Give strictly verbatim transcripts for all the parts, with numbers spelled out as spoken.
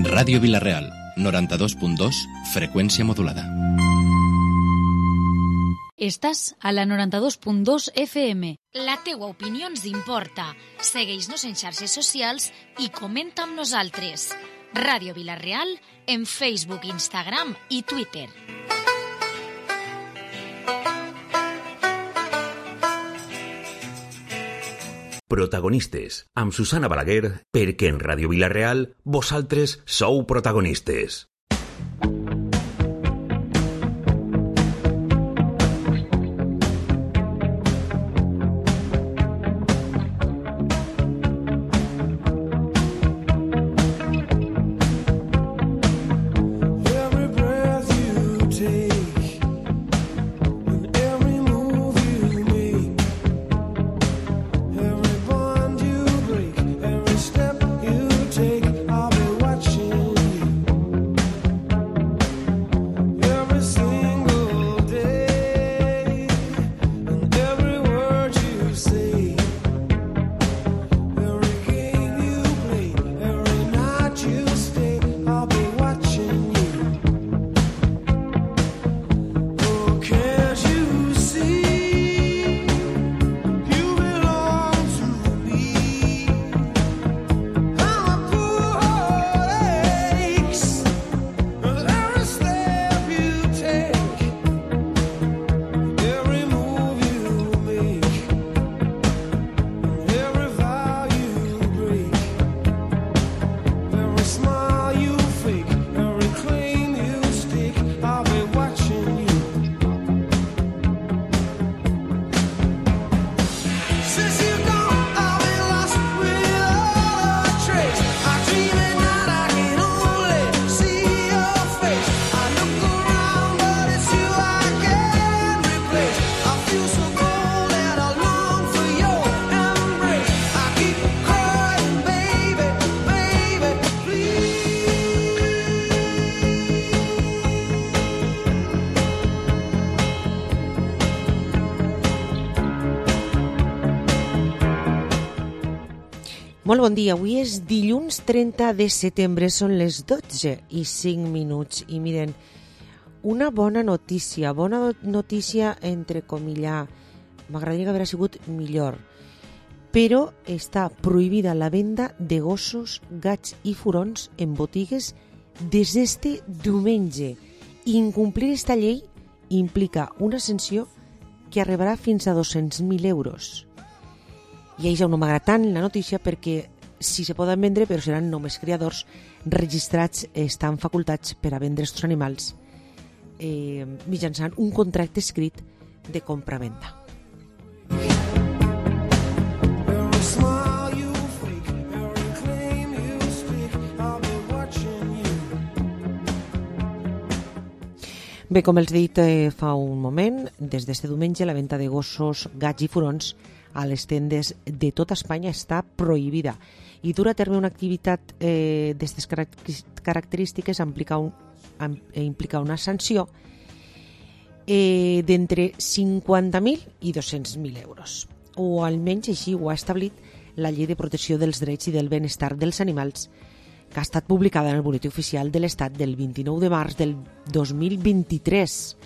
Ràdio Vila-real, noranta-dos punt dos, freqüència modulada. Estàs a la noranta-dos punt dos F M. La teua opinió ens importa. Segueix-nos en xarxes socials i comenta amb nosaltres. Ràdio Vila-real en Facebook, Instagram i Twitter. Protagonistes, amb Susana Balaguer, perquè en Ràdio Vila-real vosaltres sou protagonistes. Molt bon dia, avui és dilluns trenta de setembre, són les dotze i cinc minuts i miren, una bona notícia, bona notícia entre comillar, m'agradaria que haguera sigut millor, però està prohibida la venda de gossos, gats i furons en botigues des d'este diumenge. Incomplir esta llei implica una sanció que arribarà fins a dos-cents mil euros. I això no m'agrada tant la notícia perquè sí se poden vendre, però seran només criadors registrats, estan facultats per a vendre aquests animals eh, mitjançant un contracte escrit de compra-venda. Bé, com els he dit eh, fa un moment, des d'este diumenge la venda de gossos, gats i furons a les tendes de tota Espanya està prohibida i dur a terme una activitat eh, d'aquestes característiques implica, un, implica una sanció eh, d'entre cinquanta mil i dos-cents mil euros, o almenys així ho ha establit la Llei de Protecció dels Drets i del Benestar dels Animals, que ha estat publicada en el Boletí Oficial de l'Estat del vint-i-nou de març del dos mil vint-i-tres,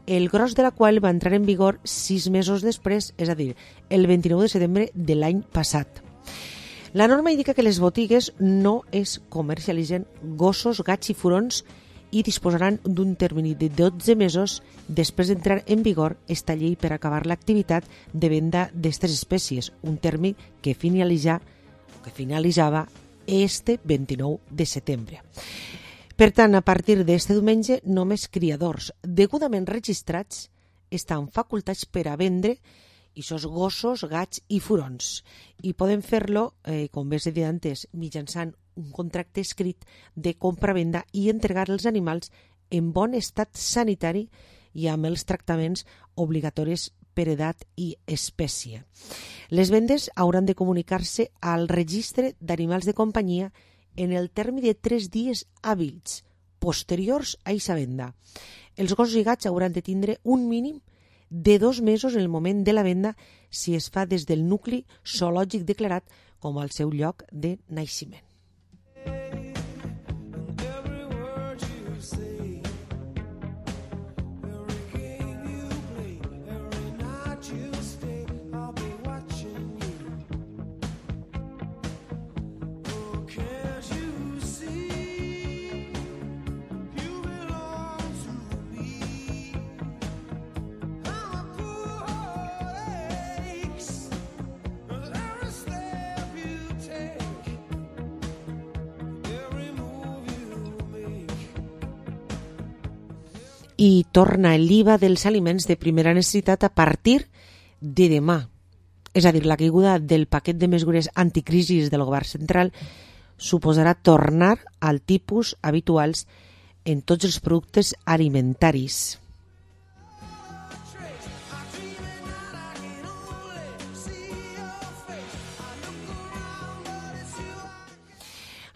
el gros de la qual va entrar en vigor sis mesos després, és a dir, el vint-i-nou de setembre de l'any passat. La norma indica que les botigues no es comercialitzen gossos, gats i furons i disposaran d'un termini de dotze mesos després d'entrar en vigor esta llei per acabar l'activitat de venda d'aquestes espècies, un termini que finalitza, que finalitzava este vint-i-nou de setembre. Per tant, a partir d'este diumenge, només criadors degudament registrats estan facultats per a vendre aquests gossos, gats i furons. I poden fer-lo, eh, com bé s'ha dit antes, mitjançant un contracte escrit de compra-venda i entregar els animals en bon estat sanitari i amb els tractaments obligatoris per edat i espècie. Les vendes hauran de comunicar-se al registre d'animals de companyia en el termini de tres dies hàbils posteriors a aquesta venda. Els gossos i gats hauran de tindre un mínim de dos mesos en el moment de la venda si es fa des del nucli zoològic declarat com al seu lloc de naixement. i torna l'I V A dels aliments de primera necessitat a partir de demà. És a dir, la caiguda del paquet de mesures anticrisis del govern central suposarà tornar al tipus habituals en tots els productes alimentaris.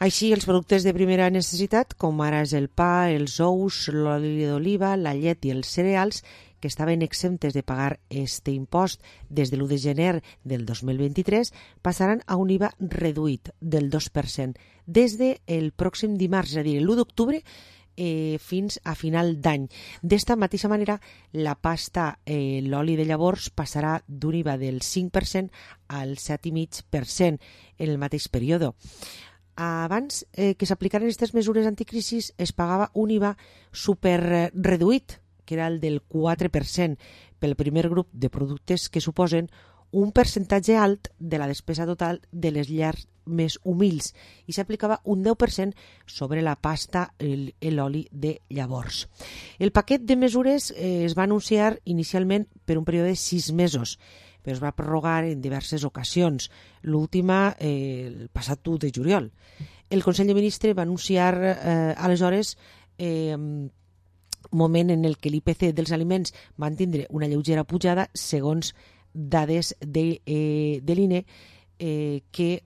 Així, els productes de primera necessitat, com ara és el pa, els ous, l'oli d'oliva, la llet i els cereals, que estaven exemptes de pagar este impost des de l'u de gener del dos mil vint-i-tres, passaran a un I V A reduït del dos per cent des del pròxim dimarts, és a dir, l'u d'octubre, eh, fins a final d'any. D'esta mateixa manera, la pasta, eh, l'oli de llavors, passarà d'un I V A del cinc per cent al set coma cinc per cent en el mateix període. Abans eh, que s'aplicaren aquestes mesures anticrisis es pagava un I V A super reduït, que era el del quatre per cent, pel primer grup de productes que suposen un percentatge alt de la despesa total de les llars més humils, i s'aplicava un deu per cent sobre la pasta i l'oli de llavors. El paquet de mesures eh, es va anunciar inicialment per un període de sis mesos, però es va prorrogar en diverses ocasions, l'última eh, el passat u de juliol. El Consell de Ministres va anunciar eh, aleshores eh, moment en el que l'I P C dels aliments van tindre una lleugera pujada segons dades de, eh, de l'I N E, eh, que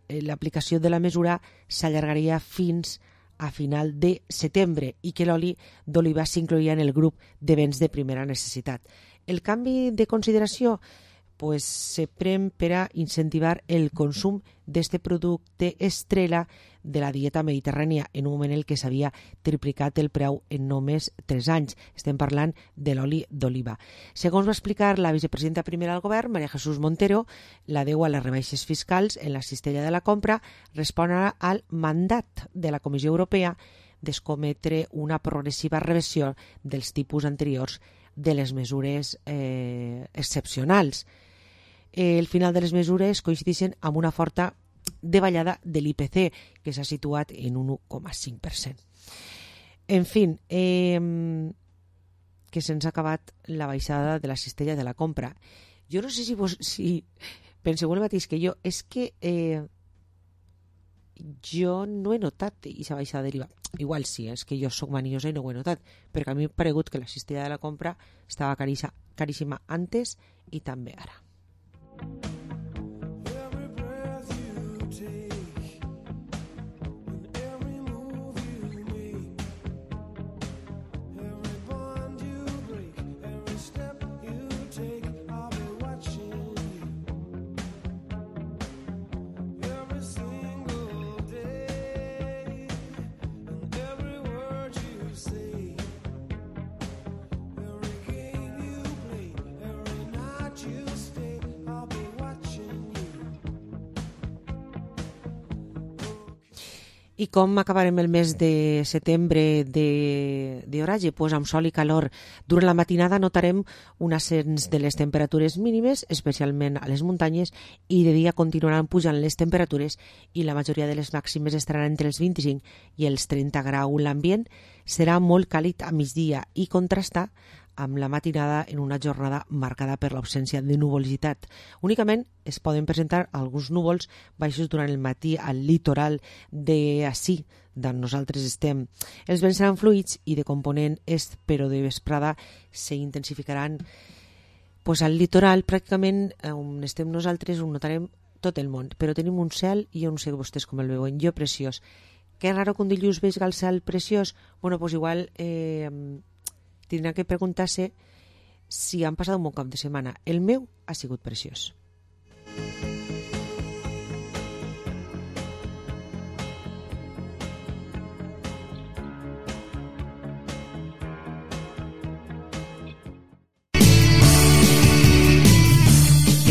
l'aplicació de la mesura s'allargaria fins a final de setembre i que l'oli d'oliva s'incloïa en el grup de béns de primera necessitat. El canvi de consideració pues, se pren per a incentivar el consum d'este producte estrella de la dieta mediterrània en un moment en què s'havia triplicat el preu en només tres anys. Estem parlant de l'oli d'oliva. Segons va explicar la vicepresidenta primera del govern, María Jesús Montero, la deu a les rebaixes fiscals en la cistella de la compra respon al mandat de la Comissió Europea d'escometre una progressiva reversió dels tipus anteriors de les mesures eh, excepcionals. El final de les mesures coincideixen amb una forta davallada de l'I P C, que s'ha situat en un u coma cinc per cent. En fi, eh, que se'ns ha acabat la baixada de la cistella de la compra. Jo no sé si, vos, si penseu el mateix que jo, és que eh, jo no he notat aquesta baixada de l'I V A. Igual sí, és que jo soc maniosa i no ho he notat, perquè a mi m'ha paregut que la cistella de la compra estava caríssima, caríssima antes i també ara. I com acabarem el mes de setembre d'oratge? Pues amb sol i calor. Durant la matinada notarem un ascens de les temperatures mínimes, especialment a les muntanyes, i de dia continuaran pujant les temperatures i la majoria de les màximes estaran entre els vint-i-cinc i els trenta graus. L'ambient serà molt càlid a migdia i contrastar amb la matinada en una jornada marcada per l'absència de nuvolositat. Únicament es poden presentar alguns núvols baixos durant el matí al litoral d'ací, d'on nosaltres estem. Els vents seran fluids i de component est, però de vesprada s'intensificaran. Pues al litoral, pràcticament, on estem nosaltres, ho notarem tot el món, però tenim un cel, i jo no sé vostès com el veuen, jo preciós. Que raro que un dilluns veig el cel preciós? Bueno, pues igual... Eh, tindrà que preguntar-se si han passat un bon cap de setmana. El meu ha sigut preciós.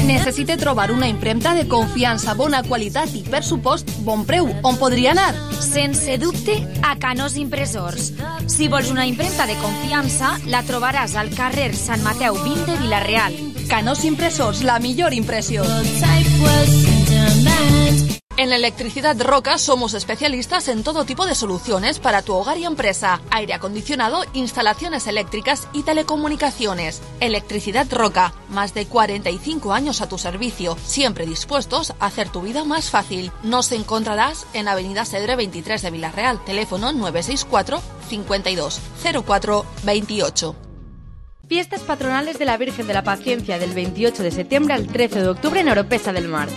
Necessite trobar una impremta de confiança, bona qualitat i, per supost, bon preu. On podria anar? Sense dubte, a Canós Impressors. Si vols una impremta de confiança, la trobaràs al carrer Sant Mateu vint de Vila-real. Canós Impressors, la millor impressió. En Electricidad Roca somos especialistas en todo tipo de soluciones para tu hogar y empresa, aire acondicionado, instalaciones eléctricas y telecomunicaciones. Electricidad Roca, más de cuarenta y cinco años a tu servicio, siempre dispuestos a hacer tu vida más fácil. Nos encontrarás en Avenida Cedre veintitrés de Villarreal, teléfono nueve seis cuatro, cincuenta y dos, cero cuatro, veintiocho. Fiestas patronales de la Virgen de la Paciencia del veintiocho de septiembre al trece de octubre en Oropesa del Mar.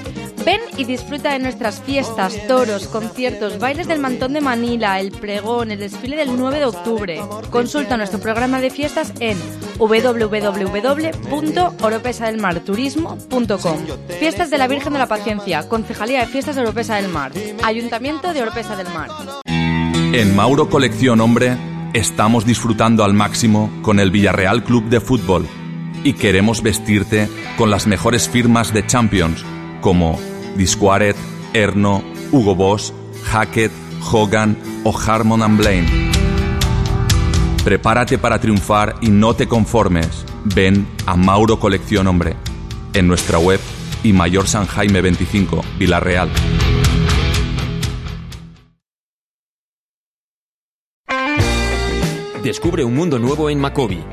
Ven y disfruta de nuestras fiestas, toros, conciertos, bailes del Mantón de Manila, el pregón, el desfile del nueve de octubre. Consulta nuestro programa de fiestas en doble u doble u doble u punto oropesa del mar turismo punto com. Fiestas de la Virgen de la Paciencia, Concejalía de Fiestas de Oropesa del Mar, Ayuntamiento de Oropesa del Mar. En Mauro Colección Hombre estamos disfrutando al máximo con el Villarreal Club de Fútbol y queremos vestirte con las mejores firmas de Champions como Disquaret, Erno, Hugo Boss, Hackett, Hogan o Harmon and Blaine. Prepárate para triunfar y no te conformes. Ven a Mauro Colección Hombre en nuestra web y Mayor San Jaime veinticinco, Villarreal. Descubre un mundo nuevo en Macobi.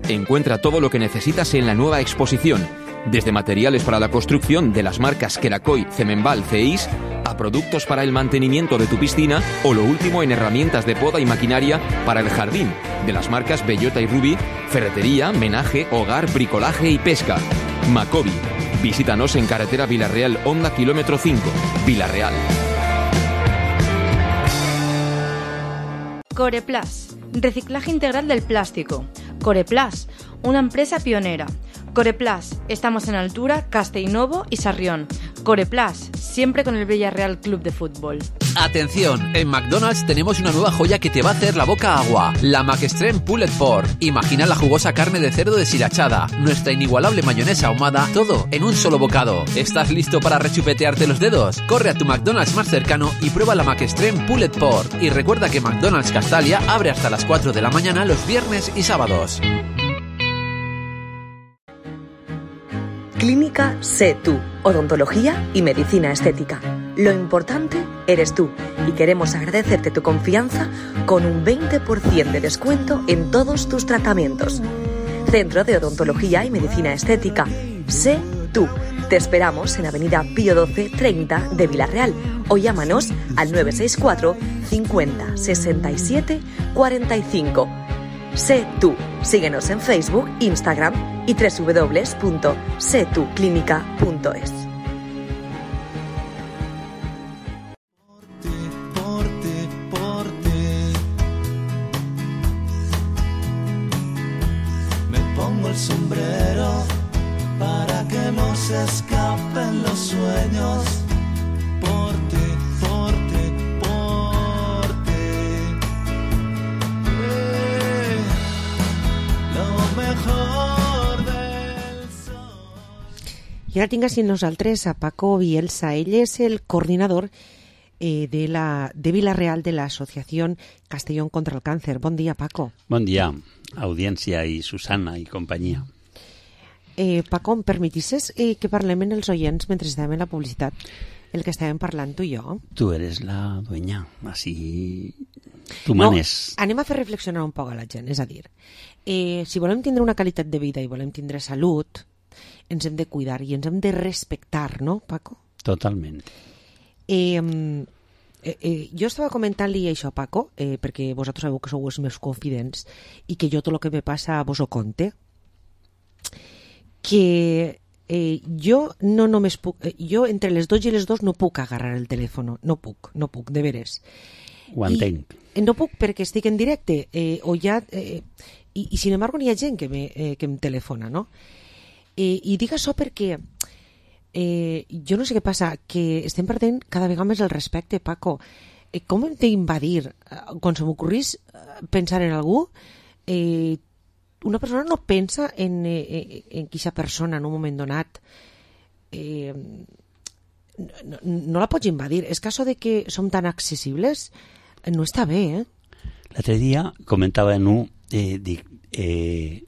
Encuentra todo lo que necesitas en la nueva exposición, desde materiales para la construcción de las marcas Kerakoy, Cemenbal, Ceis, a productos para el mantenimiento de tu piscina o lo último en herramientas de poda y maquinaria para el jardín, de las marcas Bellota y Ruby, ferretería, menaje, hogar, bricolaje y pesca. Macobi. Visítanos en carretera Villarreal Honda kilómetro cinco, Villarreal. Coreplas, reciclaje integral del plástico. Coreplas, una empresa pionera. Coreplas, estamos en Altura, Castellnovo y Sarrión. Coreplas, siempre con el Villarreal Club de Fútbol. Atención, en McDonald's tenemos una nueva joya que te va a hacer la boca agua. La McExtreme Pulled Pork. Imagina la jugosa carne de cerdo deshilachada, nuestra inigualable mayonesa ahumada, todo en un solo bocado. ¿Estás listo para rechupetearte los dedos? Corre a tu McDonald's más cercano y prueba la McExtreme Pulled Pork. Y recuerda que McDonald's Castalia abre hasta las cuatro de la mañana los viernes y sábados. Clínica Sé Tú, odontología y medicina estética. Lo importante eres tú y queremos agradecerte tu confianza con un veinte por ciento de descuento en todos tus tratamientos. Centro de Odontología y Medicina Estética. Sé Tú. Te esperamos en Avenida Pío doce treinta de Villarreal o llámanos al nueve seis cuatro, cincuenta, sesenta y siete, cuarenta y cinco. Sé Tú. Síguenos en Facebook, Instagram y doble u doble u doble u punto sé tú clínica punto es. Por ti, por ti, me pongo el sombrero para que no se escapen los sueños. Por ti, por ti, por ti. Eh, lo mejor del sol. I ara tinc així nosaltres a Paco Bielsa. Ell és el coordinador eh, de, la, de Villarreal de la Asociación Castellón contra el Cáncer. Bon dia, Paco. Bon dia, audiència i Susana i companyia. Eh, Paco, em permetisses eh, que parlem en els oients mentre estàvem en la publicitat, el que estàvem parlant tu i jo? Tu eres la dueña, així tu manes. No, anem a fer reflexionar un poc a la gent, és a dir, eh, si volem tindre una qualitat de vida i volem tindre salut, ens hem de cuidar i ens hem de respectar, no, Paco? Totalment. Eh, eh, eh, jo estava comentant-li això a Paco, eh, perquè vosaltres sabeu que sou els meus confidents i que jo tot el que me passa vos ho conte, que eh, jo no només puc, eh, jo entre les dos i les dos no puc agarrar el telèfon, no puc, no puc, de veres. Ho entenc. I, no puc perquè estic en directe, eh, o ja, eh, i, i sin embargo n'hi ha gent que, me, eh, que em telefona, no? Eh, I dic això perquè eh, jo no sé què passa, que estem perdent cada vegada més el respecte, Paco. Eh, com hem d'invadir? Quan se m'ocorrís pensar en algú, eh, una persona no pensa en, eh, en queixa persona en un moment donat. Eh, no, no la pots invadir. És que això de que som tan accessibles no està bé, eh? L'altre dia comentava en un, eh, dic, eh,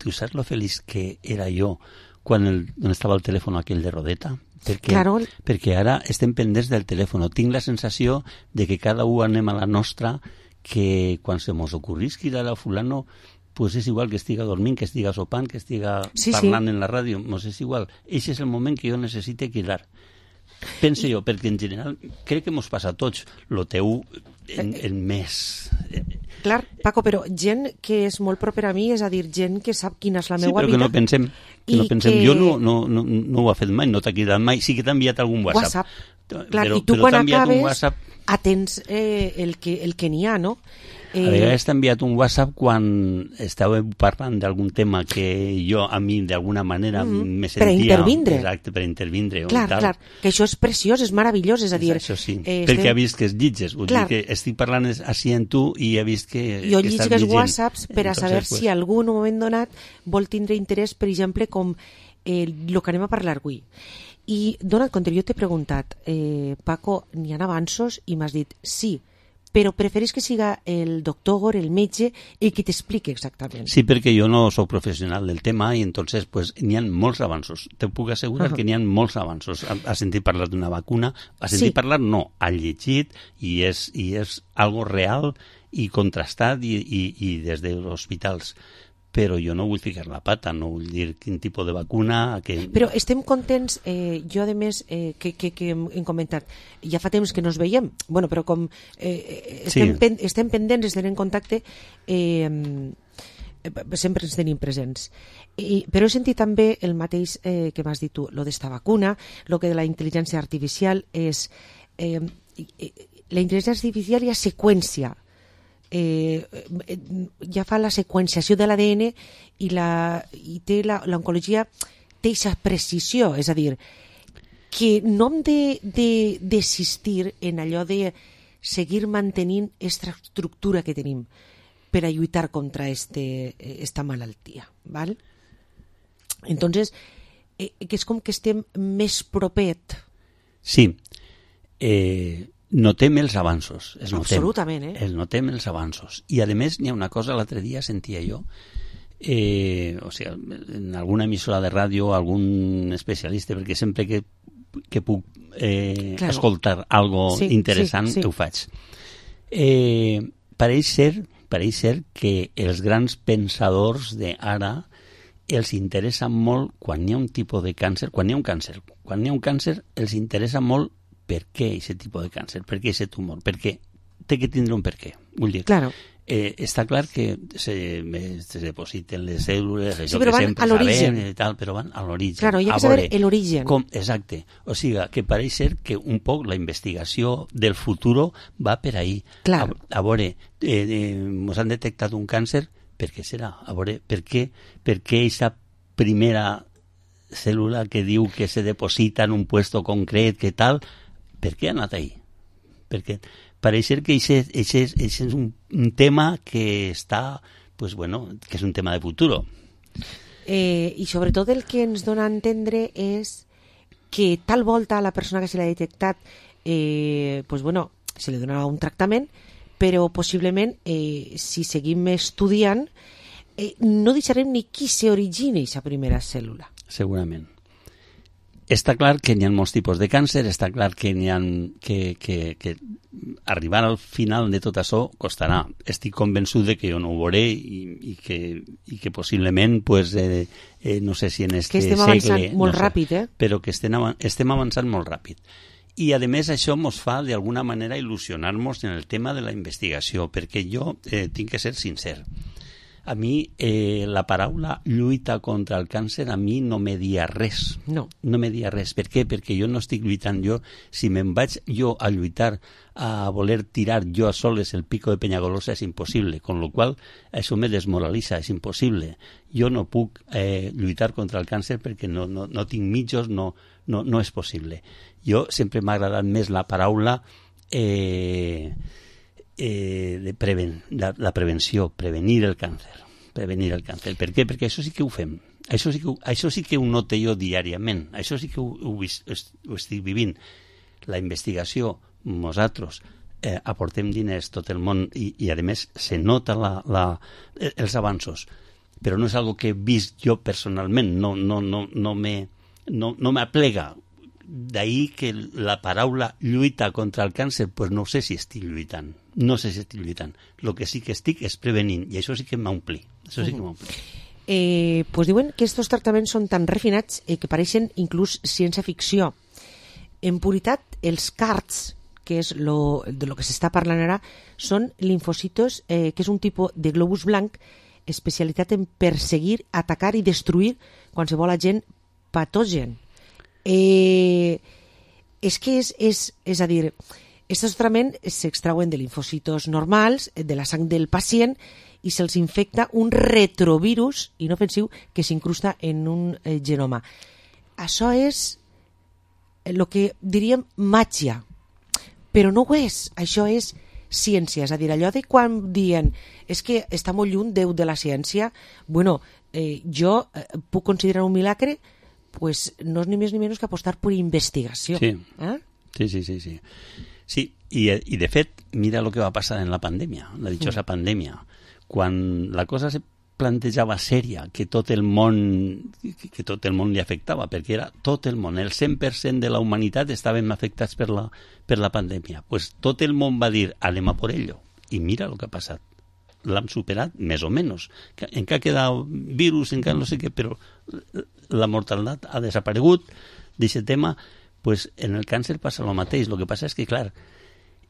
tu saps lo feliç que era jo quan, el, quan estava el telèfon aquell de rodeta? Perquè, claro. perquè ara estem pendents del telèfon. Tinc la sensació de que cada un anem a la nostra, que quan se mos ocorrís cridar a fulano, pues és igual que estiga dormint, que estiga sopant, que estiga sí, parlant sí. en la ràdio, mos és igual. Eixe és el moment que jo necessite cridar. Pense jo, perquè en general crec que mos passa a tots, lo teu en, en més... Clar, Paco, però gent que és molt propera a mi, és a dir, gent que sap quina és la sí, meva vida... Sí, però que no pensem, que no pensem. Que... Jo no, no, no, no ho he fet mai, no t'ha cridat mai, sí que t'ha enviat algun WhatsApp. WhatsApp. Clar, però, i tu però quan acabes WhatsApp... atens eh, el que, el que n'hi ha, no? Eh... A vegades t'ha enviat un WhatsApp quan estàveu parlant d'algun tema que jo, a mi, d'alguna manera, mm-hmm. me sentia... Per intervindre. Exacte, per intervindre. Clar, tal. clar, que això és preciós, és meravellós, és a dir... Això sí, eh, perquè estem... ha vist que es llitges, vull clar. dir que estic parlant així en tu i he vist que, jo que estàs llegeix llegint. WhatsApps per a Entonces, saber pues... si algú en un moment donat vol tindre interès, per exemple, com eh, el que anem a parlar avui. I, donat compte, jo t'he preguntat, eh, Paco, n'hi ha avanços? I m'has dit sí, però preferís que siga el doctor, el metge, i que t'expliqui exactament. Sí, perquè jo no sóc professional del tema i entonces pues, n'hi ha molts avanços. Te puc assegurar uh-huh. que n'hi ha molts avanços. Ha, ha sentit parlar d'una vacuna, ha sentit sí. parlar, no, ha llegit i és, i és algo real i contrastat i, i, i des dels hospitals. Però jo no vull ficar la pata, no vull dir quin tipus de vacuna... Que... Però estem contents, eh, jo a més, eh, que, que, que hem comentat, ja fa temps que no ens veiem, bueno, però com eh, estem, sí. pen, estem pendents, estem en contacte, eh, sempre ens tenim presents. I, però he sentit també el mateix eh, que m'has dit tu, lo d'esta vacuna, lo que de la intel·ligència artificial és... Eh, la intel·ligència artificial hi ha seqüència, Eh, ja fa la seqüenciació de l'A D N i, la, i té la, l'oncologia té aquesta precisió, és a dir, que no hem de, de desistir en allò de seguir mantenint aquesta estructura que tenim per a lluitar contra este, esta malaltia, val? Entonces, eh, que és com que estem més propet. Sí, eh... notem els avanços. Els notem, absolutament, eh? Els notem els avanços. I, a més, n'hi ha una cosa, l'altre dia sentia jo, eh, o sigui, en alguna emissora de ràdio, algun especialista, perquè sempre que, que puc eh, claro. escoltar algo sí, interessant, sí, sí. ho faig. Eh, pareix ser, pareix ser que els grans pensadors d'ara els interessa molt, quan hi ha un tipus de càncer, quan hi ha un càncer, quan hi ha un càncer, els interessa molt per què aquest tipus de càncer, per què aquest tumor, perquè té que tindre un per què. Vull dir, claro. eh, està clar que se, se depositen les cèl·lules, això sí, però que van sempre a l'origen. sabem i tal, però van a l'origen. Claro, hi ha que saber l'origen. Com, exacte. O sigui, que pareix ser que un poc la investigació del futur va per ahí. Claro. A, a veure, eh, eh, ens han detectat un càncer, per què serà? A veure, per què per què aquesta primera cèl·lula que diu que se deposita en un puesto concret, que tal... Per què ha anat ahí? Perquè pareix ser que això és un, un tema que està, pues bueno, que és un tema de futur. Eh, I sobretot el que ens dona a entendre és que tal volta a la persona que se l'ha detectat, eh, pues bueno, se li donarà un tractament, però possiblement, eh, si seguim estudiant, eh, no deixarem ni qui s'origina aquesta primera cèl·lula. Segurament. Està clar que n'hi ha molts tipus de càncer, està clar que n'hi ha que, que, que arribar al final de tot això costarà. Estic convençut de que jo no ho veuré i, i, que, i que possiblement, pues, eh, eh, no sé si en este segle... Que estem avançant molt no sé, ràpid, eh? Però que estem, estem avançant molt ràpid. I, a més, això ens fa, d'alguna manera, il·lusionar-nos en el tema de la investigació, perquè jo eh, tinc que ser sincer. A mi eh, la paraula lluita contra el càncer a mi no me dia res. No. No me dia res. Per què? Perquè jo no estic lluitant jo. Si me'n vaig jo a lluitar, a voler tirar jo a soles el pico de Peñagolosa és impossible, con lo qual això me desmoralitza, és impossible. Jo no puc eh, lluitar contra el càncer perquè no, no, no tinc mitjos, no, no, no és possible. Jo sempre m'ha agradat més la paraula eh, Eh, de preven, la, la prevenció, prevenir el càncer. Prevenir el càncer. Per què? Perquè això sí que ho fem. Això sí que, això sí que ho noto jo diàriament. Això sí que ho, ho, ho estic vivint. La investigació, nosaltres eh, aportem diners tot el món i, i a més se nota la, la, els avanços. però no és algo que he vist jo personalment, no, no, no, no me, no, no m'aplega. D'ahí que la paraula lluita contra el càncer, pues no sé si estic lluitant, no sé si estic lluitant. El que sí que estic és prevenint, i això sí que m'ompli, això sí que m'ompli. Eh, pues diuen que estos tractaments són tan refinats eh, que pareixen inclús ciència-ficció. En puritat, els CARTs, que és lo, de lo que s'està parlant ara, són linfocitos, eh, que és un tipus de globus blanc especialitat en perseguir, atacar i destruir qualsevol agent patogen. Eh, és que és, és, és a dir, aquests tractaments s'extrauen de linfocitos normals, de la sang del pacient, i se'ls infecta un retrovirus inofensiu que s'incrusta en un eh, genoma. Això és el que diríem màgia, però no ho és, això és ciència, és a dir, allò de quan diuen és que està molt lluny Déu de la ciència, bueno, eh, jo eh, puc considerar un milagre, pues no és ni més ni menys que apostar per investigació. Sí, eh? sí, sí, sí, sí. Sí, i, i de fet, mira el que va passar en la pandèmia, la dichosa mm. pandèmia. Quan la cosa se plantejava sèria, que tot el món que tot el món li afectava, perquè era tot el món, el cent per cent de la humanitat estaven afectats per la, per la pandèmia. Pues tot el món va dir, anem a por ello. I mira el que ha passat. L'hem superat, més o menys. Encara queda virus, encara no sé què, però la mortalitat ha desaparegut d'aquest tema. Pues en el càncer passa el mateix. El que passa és que, clar,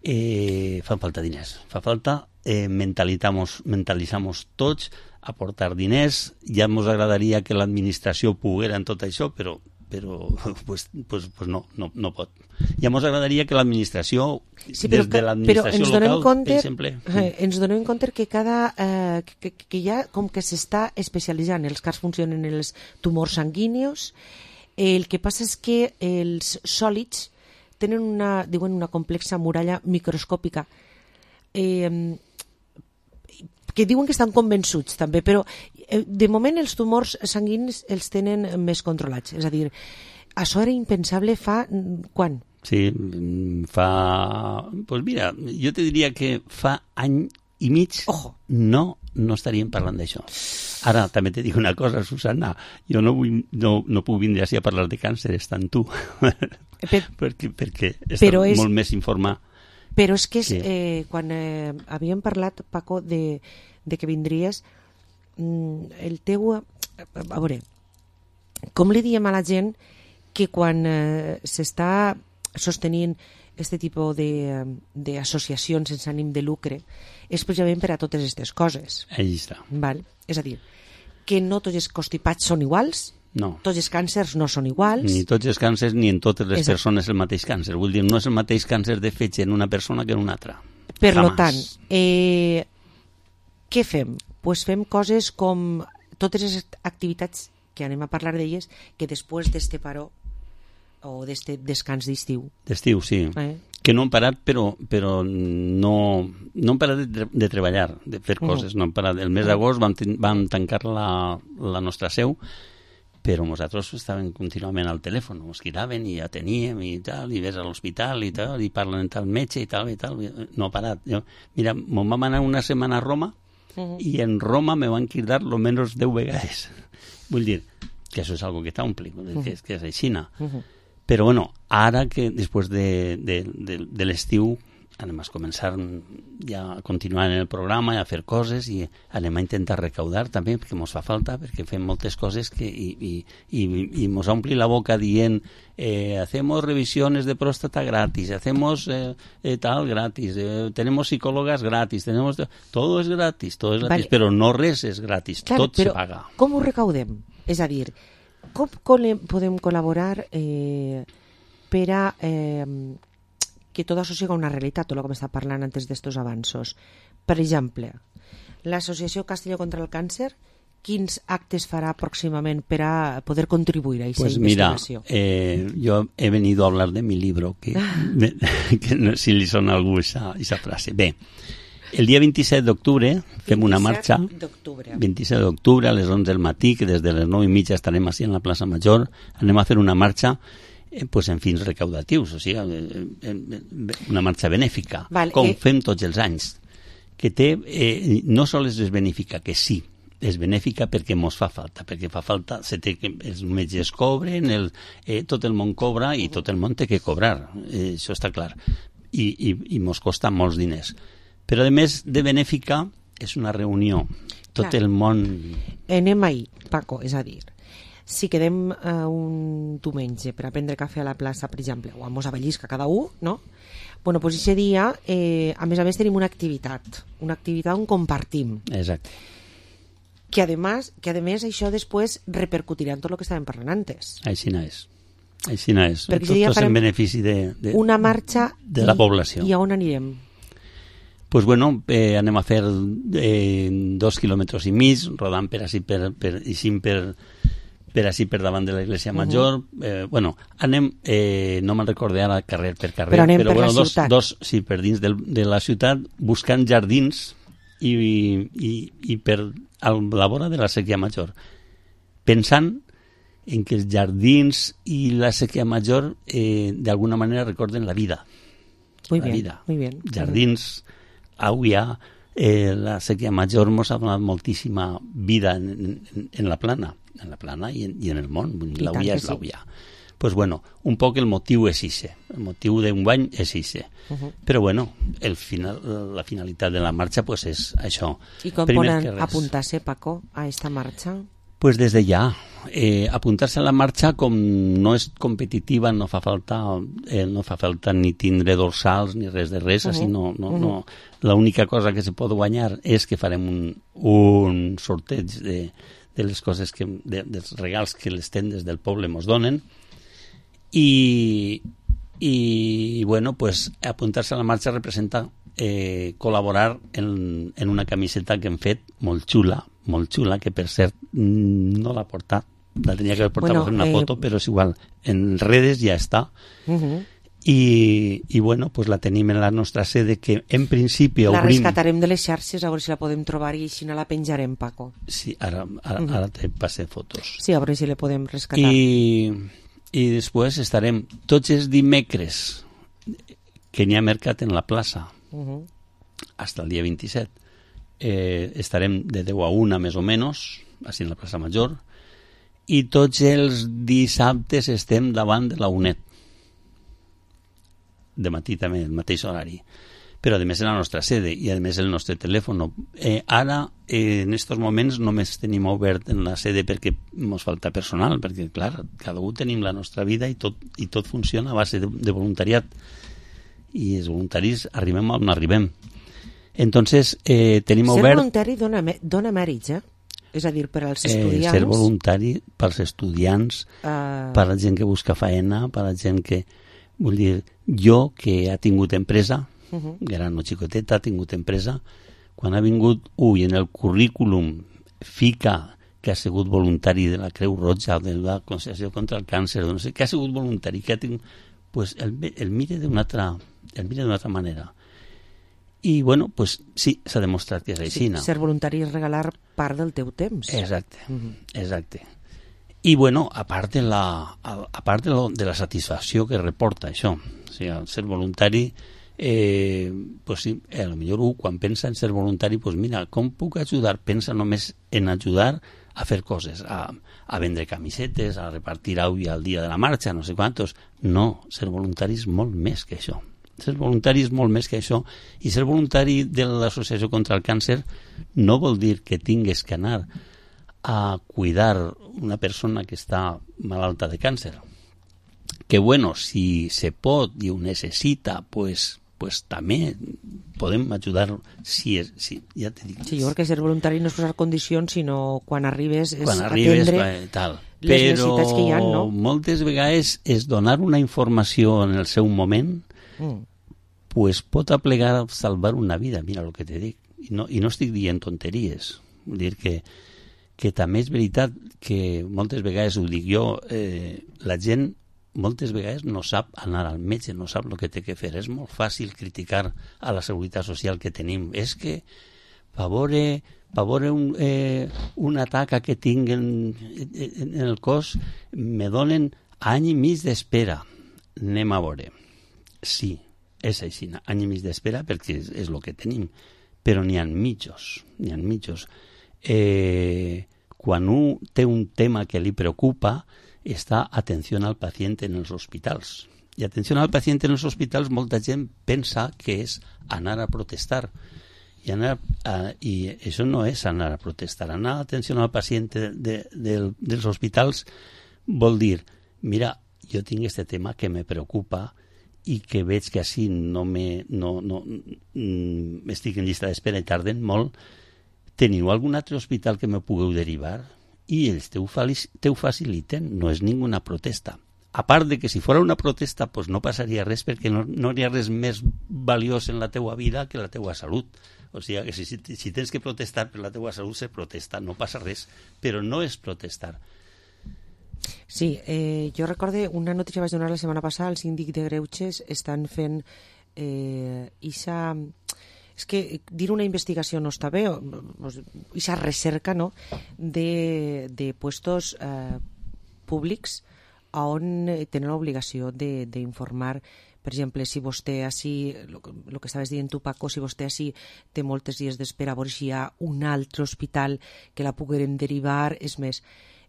eh, fan falta diners. Fa falta eh, mentalitzamos, mentalitzamos tots, aportar diners. Ja ens agradaria que l'administració poguera en tot això, però però pues, pues, pues no, no, no pot. Ja ens agradaria que l'administració, sí, des de l'administració local, compte, per exemple... Eh, ens donem compte que cada eh, que, que ja com que s'està especialitzant, els CARs funcionen en els tumors sanguínios, el que passa és que els sòlids tenen una, diuen, una complexa muralla microscòpica eh, que diuen que estan convençuts també, però eh, de moment els tumors sanguinis els tenen més controlats. És a dir, això era impensable fa... quan? Sí, fa... Pues mira, jo te diria que fa any i mig Ojo. no, no estaríem parlant d'això. Ara, també te dic una cosa, Susana, jo no, vull, no, no puc vindre així a parlar de càncer, estant tu, per, perquè, perquè està és... molt més informat. Però és que és, sí. eh, quan eh, havíem parlat, Paco, de, de que vindries, mm, el teu... A, a veure, com li diem a la gent que quan eh, s'està sostenint aquest tipus d'associacions sense ànim de lucre és precisament per a totes aquestes coses. Ahí està. Val? És a dir, que no tots els constipats són iguals, no. Tots els càncers no són iguals. Ni tots els càncers ni en totes les Exacte. persones el mateix càncer. Vull dir, no és el mateix càncer de fetge en una persona que en una altra. Per Jamás. lo tant, eh, què fem? Pues fem coses com totes les activitats que anem a parlar d'elles que després d'este paró o d'este descans d'estiu. D'estiu, sí. Eh? Que no han parat, però, però no, no han parat de, de treballar, de fer coses. No. No han parat. El mes d'agost vam, vam tancar la, la nostra seu, però nosaltres estàvem contínuament al telèfon, ens cridaven i ja teníem i tal, i ves a l'hospital i tal, i parlen amb tal metge i tal, i tal, no ha parat. Jo, mira, me'n vam anar una setmana a Roma uh-huh. i en Roma me van cridar lo menos deu vegades. Vull dir que això és algo que t'ompli, uh-huh. que, que és aixina. Uh-huh. Però bueno, ara que després de, de, de, de l'estiu anem a començar ja a continuar en el programa i a fer coses i anem a intentar recaudar també perquè ens fa falta, perquè fem moltes coses que, i, i, i, i ens ompli la boca dient eh, hacemos revisiones de próstata gratis, hacemos eh, eh, tal gratis, eh, tenemos psicólogas gratis, tenemos todo es gratis, todo es gratis, vale. Però no res és gratis, claro, tot se paga. Com ho recaudem? És a dir, com podem col·laborar eh, per a eh, que tot això sigui una realitat, tot el que m'està parlant antes d'estos avanços. Per exemple, l'Associació Castelló contra el Càncer, quins actes farà pròximament per a poder contribuir a aquesta pues investigació? Mira, eh, yo he venido a hablar de mi libro, que, que no, si li sona a algú esa, esa frase. Bé, el dia vint-i-set d'octubre fem una marxa, vint-i-set d'octubre a les onze del matí, que des de les nou i mitja estarem així en la plaça Major, anem a fer una marxa Eh, pues en fins recaudatius, o sigui, eh, una marxa benèfica, vale, com eh... fem tots els anys, que té, eh, no sols és benèfica, que sí, és benèfica perquè mos fa falta, perquè fa falta, se té que, els metges cobren, el, eh, tot el món cobra i tot el món té que cobrar, eh, això està clar, i, i, i mos costa molts diners. Però a més de benèfica és una reunió, tot clar. El món... Anem ahir, Paco, és a dir, si quedem uh, un diumenge per a prendre cafè a la plaça, per exemple, o a Mos Avellisca cada un, no? Bueno, pues ese dia, eh, a més a més, tenim una activitat, una activitat on compartim. Exacte. Que además, que además això després repercutirà en tot el que estàvem parlant antes. Així no és. Així no és. Perquè tot és en benefici de, de, una marxa de la i, població. I a on anirem? Pues bueno, eh, anem a fer eh, dos quilòmetres i mig, rodant per així per, per, i cinc per, per així per davant de l'Església Major. Uh -huh. eh, bueno, anem, eh, no me'n recordé ara carrer per carrer, però, anem però per bueno, la dos, ciutat. dos, sí, per dins del, de la ciutat, buscant jardins i, i, i per a la vora de la Sèquia Major, pensant en que els jardins i la Sèquia Major eh, d'alguna manera recorden la vida. Muy la bien, vida. Muy bien. Jardins, aigua, eh, la Sèquia Major ens ha donat moltíssima vida en, en, en la plana, en la plana i en, i en el món. L'auia és l'auia. Sí. Pues bueno, un poc el motiu és ixe, el motiu d'un bany és ixe. Uh -huh. Però bueno, el final, la finalitat de la marxa pues és això. I com Primer poden apuntar-se, Paco, a esta marxa? Pues des de ja. Eh, apuntar-se a la marxa, com no és competitiva, no fa falta, eh, no fa falta ni tindre dorsals ni res de res, uh -huh. així no, no, uh -huh. no. L'única cosa que se pot guanyar és que farem un, un sorteig de, de les coses que, de, dels regals que les tendes del poble mos donen, i, i bueno, pues apuntar-se a la marxa representa eh, col·laborar en, en una camiseta que hem fet molt xula, molt xula, que per cert no l'ha portat, la tenia que haver portat bueno, per una eh... foto, però és igual, en redes ja està. Uh -huh. I, i bueno, pues la tenim en la nostra sede, que en principi la obrim... rescatarem de les xarxes, a veure si la podem trobar i així no la penjarem, Paco. Sí, ara, ara, uh -huh. ara te passé fotos. Sí, a veure si la podem rescatar. I, i després estarem tots els dimecres que n'hi ha mercat en la plaça, uh -huh. hasta el dia vint-i-set. Eh, estarem de deu a una més o menys, així en la plaça Major, i tots els dissabtes estem davant de la UNED, de matí també, el mateix horari, però a més en la nostra sede i a més el nostre telèfon. Eh, ara, eh, en aquests moments només tenim obert en la sede perquè ens falta personal, perquè clar, cada un tenim la nostra vida i tot, i tot funciona a base de, de voluntariat, i els voluntaris arribem on arribem. Entonces, eh, tenim ser obert... Ser voluntari dona, dona mèrits, eh? És a dir, per als estudiants... Eh, ser voluntari pels estudiants, uh... per la gent que busca faena, per la gent que... Vull dir, jo que ha tingut empresa, uh -huh. gran o xicoteta, ha tingut empresa, quan ha vingut ui en el currículum fica que ha sigut voluntari de la Creu Roja, de la Consciència contra el Càncer, no sé, que ha sigut voluntari, que ha tingut... Pues el, el mire d'una altra, el mire d'una altra manera. I, bueno, pues sí, s'ha demostrat que és així. Sí, ser voluntari és regalar part del teu temps. Exacte, uh -huh. exacte. I, bueno, a part de la, a part de, lo, de la satisfacció que reporta això, o sigui, ser voluntari, eh, pues sí, a lo millor un, quan pensa en ser voluntari, pues mira, com puc ajudar? Pensa només en ajudar a fer coses, a, a vendre camisetes, a repartir aigua al dia de la marxa, no sé quantos. No, ser voluntari és molt més que això. Ser voluntari és molt més que això. I ser voluntari de l'Associació contra el Càncer no vol dir que tingues que anar a cuidar una persona que està malalta de càncer. Que bueno, si se pot i ho necessita, pues, pues també podem ajudar si és, si, ja te dic. Sí, jo crec que ser voluntari no és posar condicions, sinó quan arribes és quan arribes, atendre tal. les Però necessitats que hi ha, no? moltes vegades és donar una informació en el seu moment mm. pues pot aplegar a salvar una vida, mira el que te dic. I no, i no estic dient tonteries. Vull dir que que també és veritat que moltes vegades, ho dic jo, eh, la gent moltes vegades no sap anar al metge, no sap el que té que fer. És molt fàcil criticar a la seguretat social que tenim. És que per veure, per veure un, eh, una taca que tinc en, en, en el cos me donen any i mig d'espera. Anem a veure. Sí, és així, any i mig d'espera perquè és, és el que tenim. Però n'hi ha mitjos, n'hi ha mitjos. Eh, quan un té un tema que li preocupa, està atenció al pacient en els hospitals. I atenció al pacient en els hospitals, molta gent pensa que és anar a protestar. I, anar a, i això no és anar a protestar. Anar a atenció al pacient de, de, de, dels hospitals vol dir, mira, jo tinc este tema que me preocupa i que veig que així no me, no, no, mm, estic en llista d'espera i tarden molt. Teniu algun altre hospital que me pugueu derivar? I ells te ho, te ho faciliten, no és ninguna protesta. A part de que si fos una protesta pues no passaria res perquè no, no hi ha res més valiós en la teua vida que la teua salut. O sigui que si, si, si tens que protestar per la teua salut se protesta, no passa res, però no és protestar. Sí, eh, jo recorde una notícia que vaig donar la setmana passada, el síndic de Greuges estan fent eh, ixa... És que dir una investigació no està bé, ixa recerca, no?, de, de puestos eh, públics on tenen l'obligació d'informar, per exemple, si vostè així, el que estaves dient tu, Paco, si vostè així té moltes dies d'espera, a veure si hi ha un altre hospital que la poguérem derivar, és més,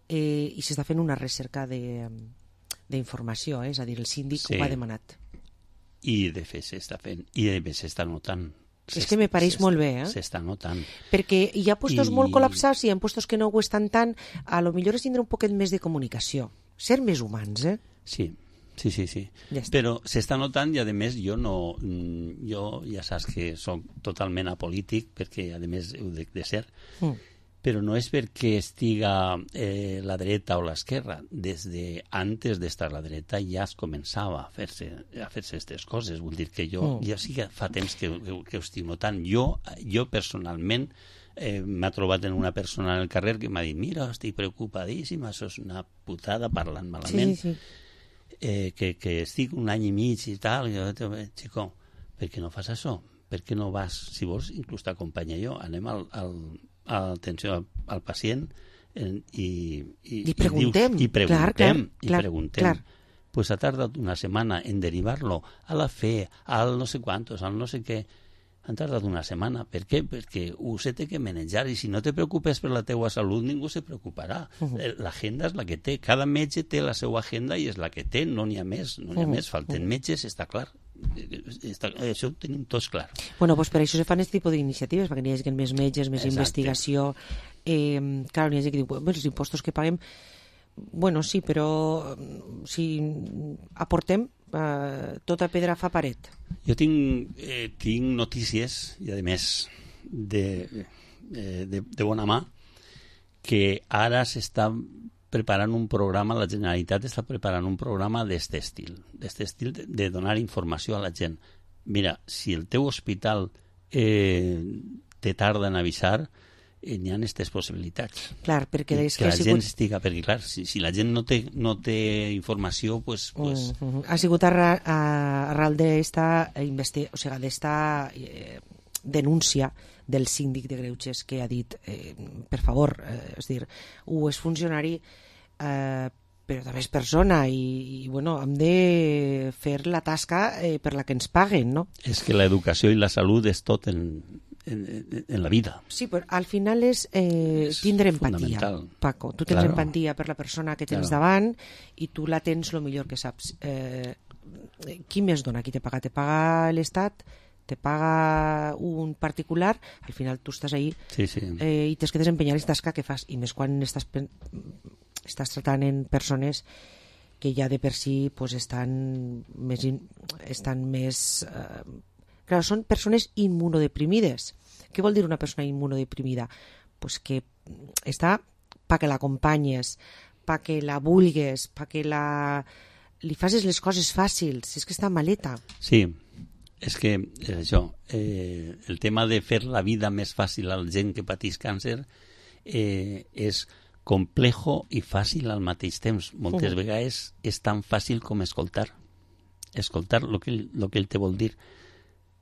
eh, i s'està fent una recerca d'informació, eh? És a dir, el síndic sí. Ho ha demanat. I de fet s'està fent, i de fet s'està notant. És que me pareix molt bé, eh? S'està notant. Perquè hi ha puestos I... molt col·lapsats i hi ha puestos que no ho estan tant. A lo millor és tindre un poquet més de comunicació. Ser més humans, eh? Sí, sí, sí. sí. Ja però s'està notant i, a més, jo no... Jo ja saps que soc totalment apolític, perquè, a més, ho dic de ser, mm. però no és perquè estiga eh, la dreta o l'esquerra. Des de antes d'estar a la dreta ja es començava a fer-se a fer-se aquestes coses. Vull dir que jo mm. ja sí que fa temps que, que, que ho estic notant. Jo, jo personalment eh, m'ha trobat en una persona en el carrer que m'ha dit, mira, estic preocupadíssima, això és una putada parlant malament, sí, sí. Eh, que, que estic un any i mig i tal. I jo, xico, per què no fas això? Per què no vas? Si vols, inclús t'acompanya jo. Anem al... al atenció al, al pacient eh, i, i, I preguntem, i, dius, i preguntem, clar, i clar, preguntem. Clar. Pues ha tardat una setmana en derivar-lo a la fe, al no sé quantos, al no sé què. Han tardat una setmana. Per què? Perquè ho se té que manejar i si no te preocupes per la teua salut ningú se preocuparà. Uh -huh. L'agenda és la que té. Cada metge té la seva agenda i és la que té. No n'hi ha més. No n'hi ha uh -huh. més. Falten uh -huh. metges, està clar. Està, això ho tenim tots clar. Bueno, pues per això se fan aquest tipus d'iniciatives, perquè n'hi hagi més metges, més Exacte. investigació. Eh, clar, n'hi hagi que dir, bueno, els impostos que paguem, bueno, sí, però si aportem, eh, tota pedra fa paret. Jo tinc, eh, tinc notícies, i a més de, eh, de, de bona mà, que ara s'està preparant un programa, la Generalitat està preparant un programa d'este estil, d'este estil de, de donar informació a la gent. Mira, si el teu hospital eh, te tarda en avisar, eh, n'hi ha aquestes possibilitats. Clar, perquè és que, que la sigut... gent estiga, perquè clar, si, si la gent no té, no té informació, pues, pues... Uh -huh. Ha sigut arran, arran d'esta investi... o sigui, d'esta eh, denúncia del síndic de Greuges que ha dit, eh, per favor, eh, és dir, ho és funcionari eh, però també és persona i, i bueno, hem de fer la tasca eh, per la que ens paguen, no? És que l'educació i la salut és tot en, en, en la vida. Sí, però al final és, eh, és tindre empatia, Paco. Tu tens claro. empatia per la persona que tens claro. davant i tu la tens el millor que saps. Eh, qui més dona? Qui te paga? Te paga l'Estat? Te paga un particular? Al final tu estàs ahí sí, sí. Eh, i tens que desempenyar la tasca que fas, i més quan estàs, estàs tratant en persones que ja de per si pues, estan més, in, estan més eh, clar, són persones immunodeprimides. Què vol dir una persona immunodeprimida? Pues que està pa que l'acompanyes, pa que la vulgues, pa que la... li facis les coses fàcils, és que està maleta. Sí, és que és això, eh, el tema de fer la vida més fàcil a la gent que pateix càncer eh, és complejo i fàcil al mateix temps. Moltes uh-huh. vegades és tan fàcil com escoltar. Escoltar el que, ell, lo que ell te vol dir.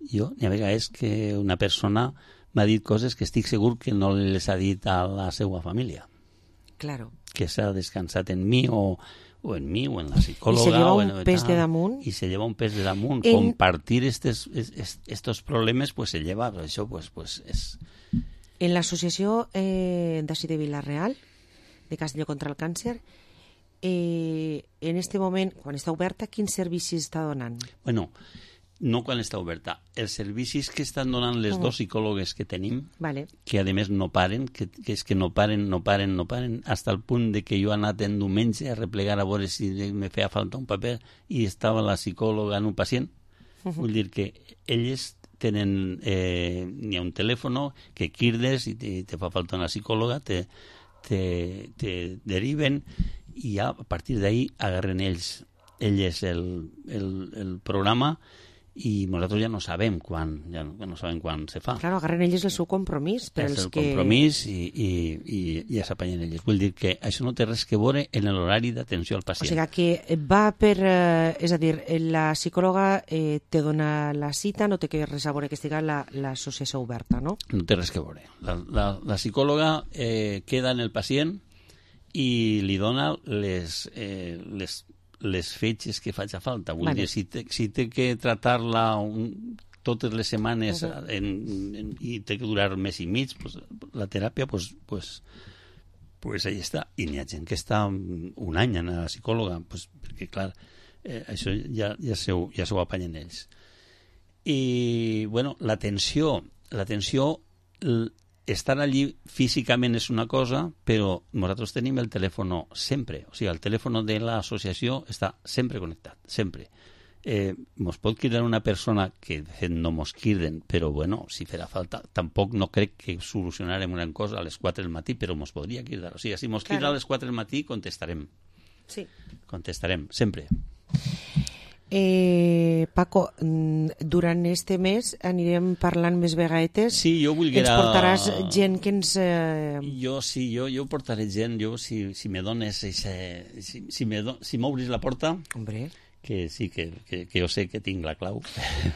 Jo, n'hi ha vegades que una persona m'ha dit coses que estic segur que no les ha dit a la seva família. Claro. Que s'ha descansat en mi o... o en mi, o en la psicòloga... I se lleva un o pes de damunt. I se lleva un pes de damunt. En... Compartir estos, estos problemes, pues se lleva, això, pues, pues, és... En l'associació eh, d'ací de Vila-real, de Castelló contra el Càncer, eh, en este moment, quan està oberta, quins servicis està donant? Bueno, no quan està oberta. Els servicis que estan donant les Uh-huh. dos psicòlogues que tenim, Vale. que a més no paren, que, que és que no paren, no paren, no paren, hasta el punt de que jo he anat en diumenge a replegar a veure si me feia falta un paper i estava la psicòloga en un pacient. Uh-huh. Vull dir que elles tenen, eh, n'hi ha un telèfon que crides i te, te fa falta una psicòloga, te, te, te deriven i ja a partir d'ahí agarren ells, elles el, el, el programa i nosaltres ja no sabem quan, ja no, ja no sabem quan se fa. Claro, agarren ells el seu compromís. Per És els el que... compromís i, i, i ja s'apanyen elles. Vull dir que això no té res que veure en l'horari d'atenció al O pacient. sigui que va per... Eh, és a dir, la psicòloga eh, te dona la cita, no té que res a veure que estigui l'associació oberta, no? No té res que veure. La, la, la psicòloga eh, queda en el pacient i li dona les, eh, les, les fetges que faci falta. Vull Vale. dir, si té, si té que tratar-la un, totes les setmanes Uh-huh. en, en, i té que durar un mes i mig, pues, la teràpia, pues, pues, pues ahí està. I n'hi ha gent que està un any a la psicòloga, pues, perquè, clar, eh, això ja, ja, se ho, ja se ho apanyen ells. I, bueno, l'atenció, l'atenció, l- estar allí físicament és una cosa, però nosaltres tenim el telèfon sempre. O sigui, el telèfon de l'associació està sempre connectat, sempre. Eh, mos pot cridar una persona que de fet no mos criden, però bueno, si farà falta, tampoc no crec que solucionarem una cosa a les quatre del matí, però mos podria cridar. O sigui, si mos crida Claro. a les quatre del matí, contestarem. Sí. Contestarem, sempre. Eh, Paco, mm, durant este mes anirem parlant més vegades. Sí, jo volguera... Ens portaràs gent que ens... Eh... Jo sí, jo, jo portaré gent, jo si, si me dones eixe, si, si, me do, si m'obris la porta, Hombre. que sí, que, que, que jo sé que tinc la clau.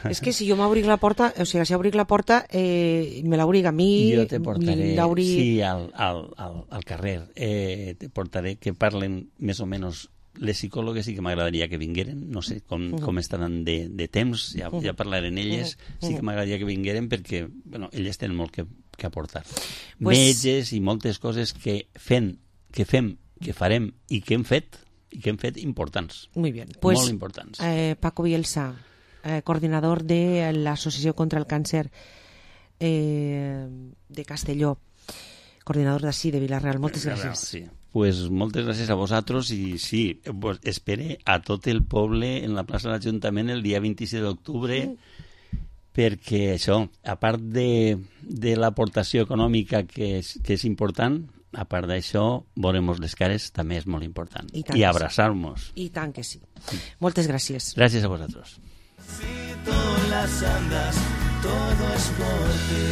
És que si jo m'obric la porta, o sigui, si obric la porta, eh, me l'obric a mi... Jo te portaré, l'obri- sí, al, al, al, al carrer, eh, te portaré que parlen més o menys les psicòlogues, sí que m'agradaria que vingueren, no sé com, Uh-huh. com estaran de, de temps, ja, Uh-huh. ja parlarem elles, Uh-huh. sí que m'agradaria que vingueren perquè, bueno, elles tenen molt que, que aportar. Pues- Metges i moltes coses que fem, que fem, que farem i que hem fet, i que hem fet importants. Muy bien. Pues, molt importants. Eh, Paco Bielsa, eh, coordinador de l'Associació contra el Càncer eh, de Castelló, coordinador d'ací de Vila-real. Moltes gràcies. Sí. Pues moltes gràcies a vosaltres i sí, pues espere a tot el poble en la plaça de l'Ajuntament el dia vint-i-set d'octubre mm. perquè això, a part de, de l'aportació econòmica que és, que és important, a part d'això, veurem les cares també és molt important. I tant I que abraçar-nos. I tant que sí. Moltes gràcies. Gràcies a vosaltres. Si tú las andas, todo es por ti.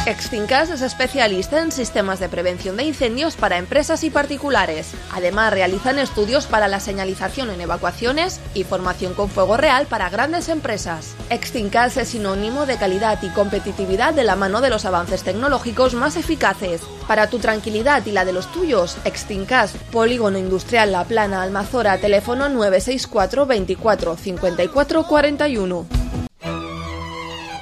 Extincas es especialista en sistemas de prevención de incendios para empresas y particulares. Además, realizan estudios para la señalización en evacuaciones y formación con fuego real para grandes empresas. Extincas es sinónimo de calidad y competitividad de la mano de los avances tecnológicos más eficaces. Para tu tranquilidad y la de los tuyos, Extincas, Polígono Industrial La Plana, Almazora, teléfono nueve seis cuatro veinticuatro cincuenta y cuatro cuarenta y uno.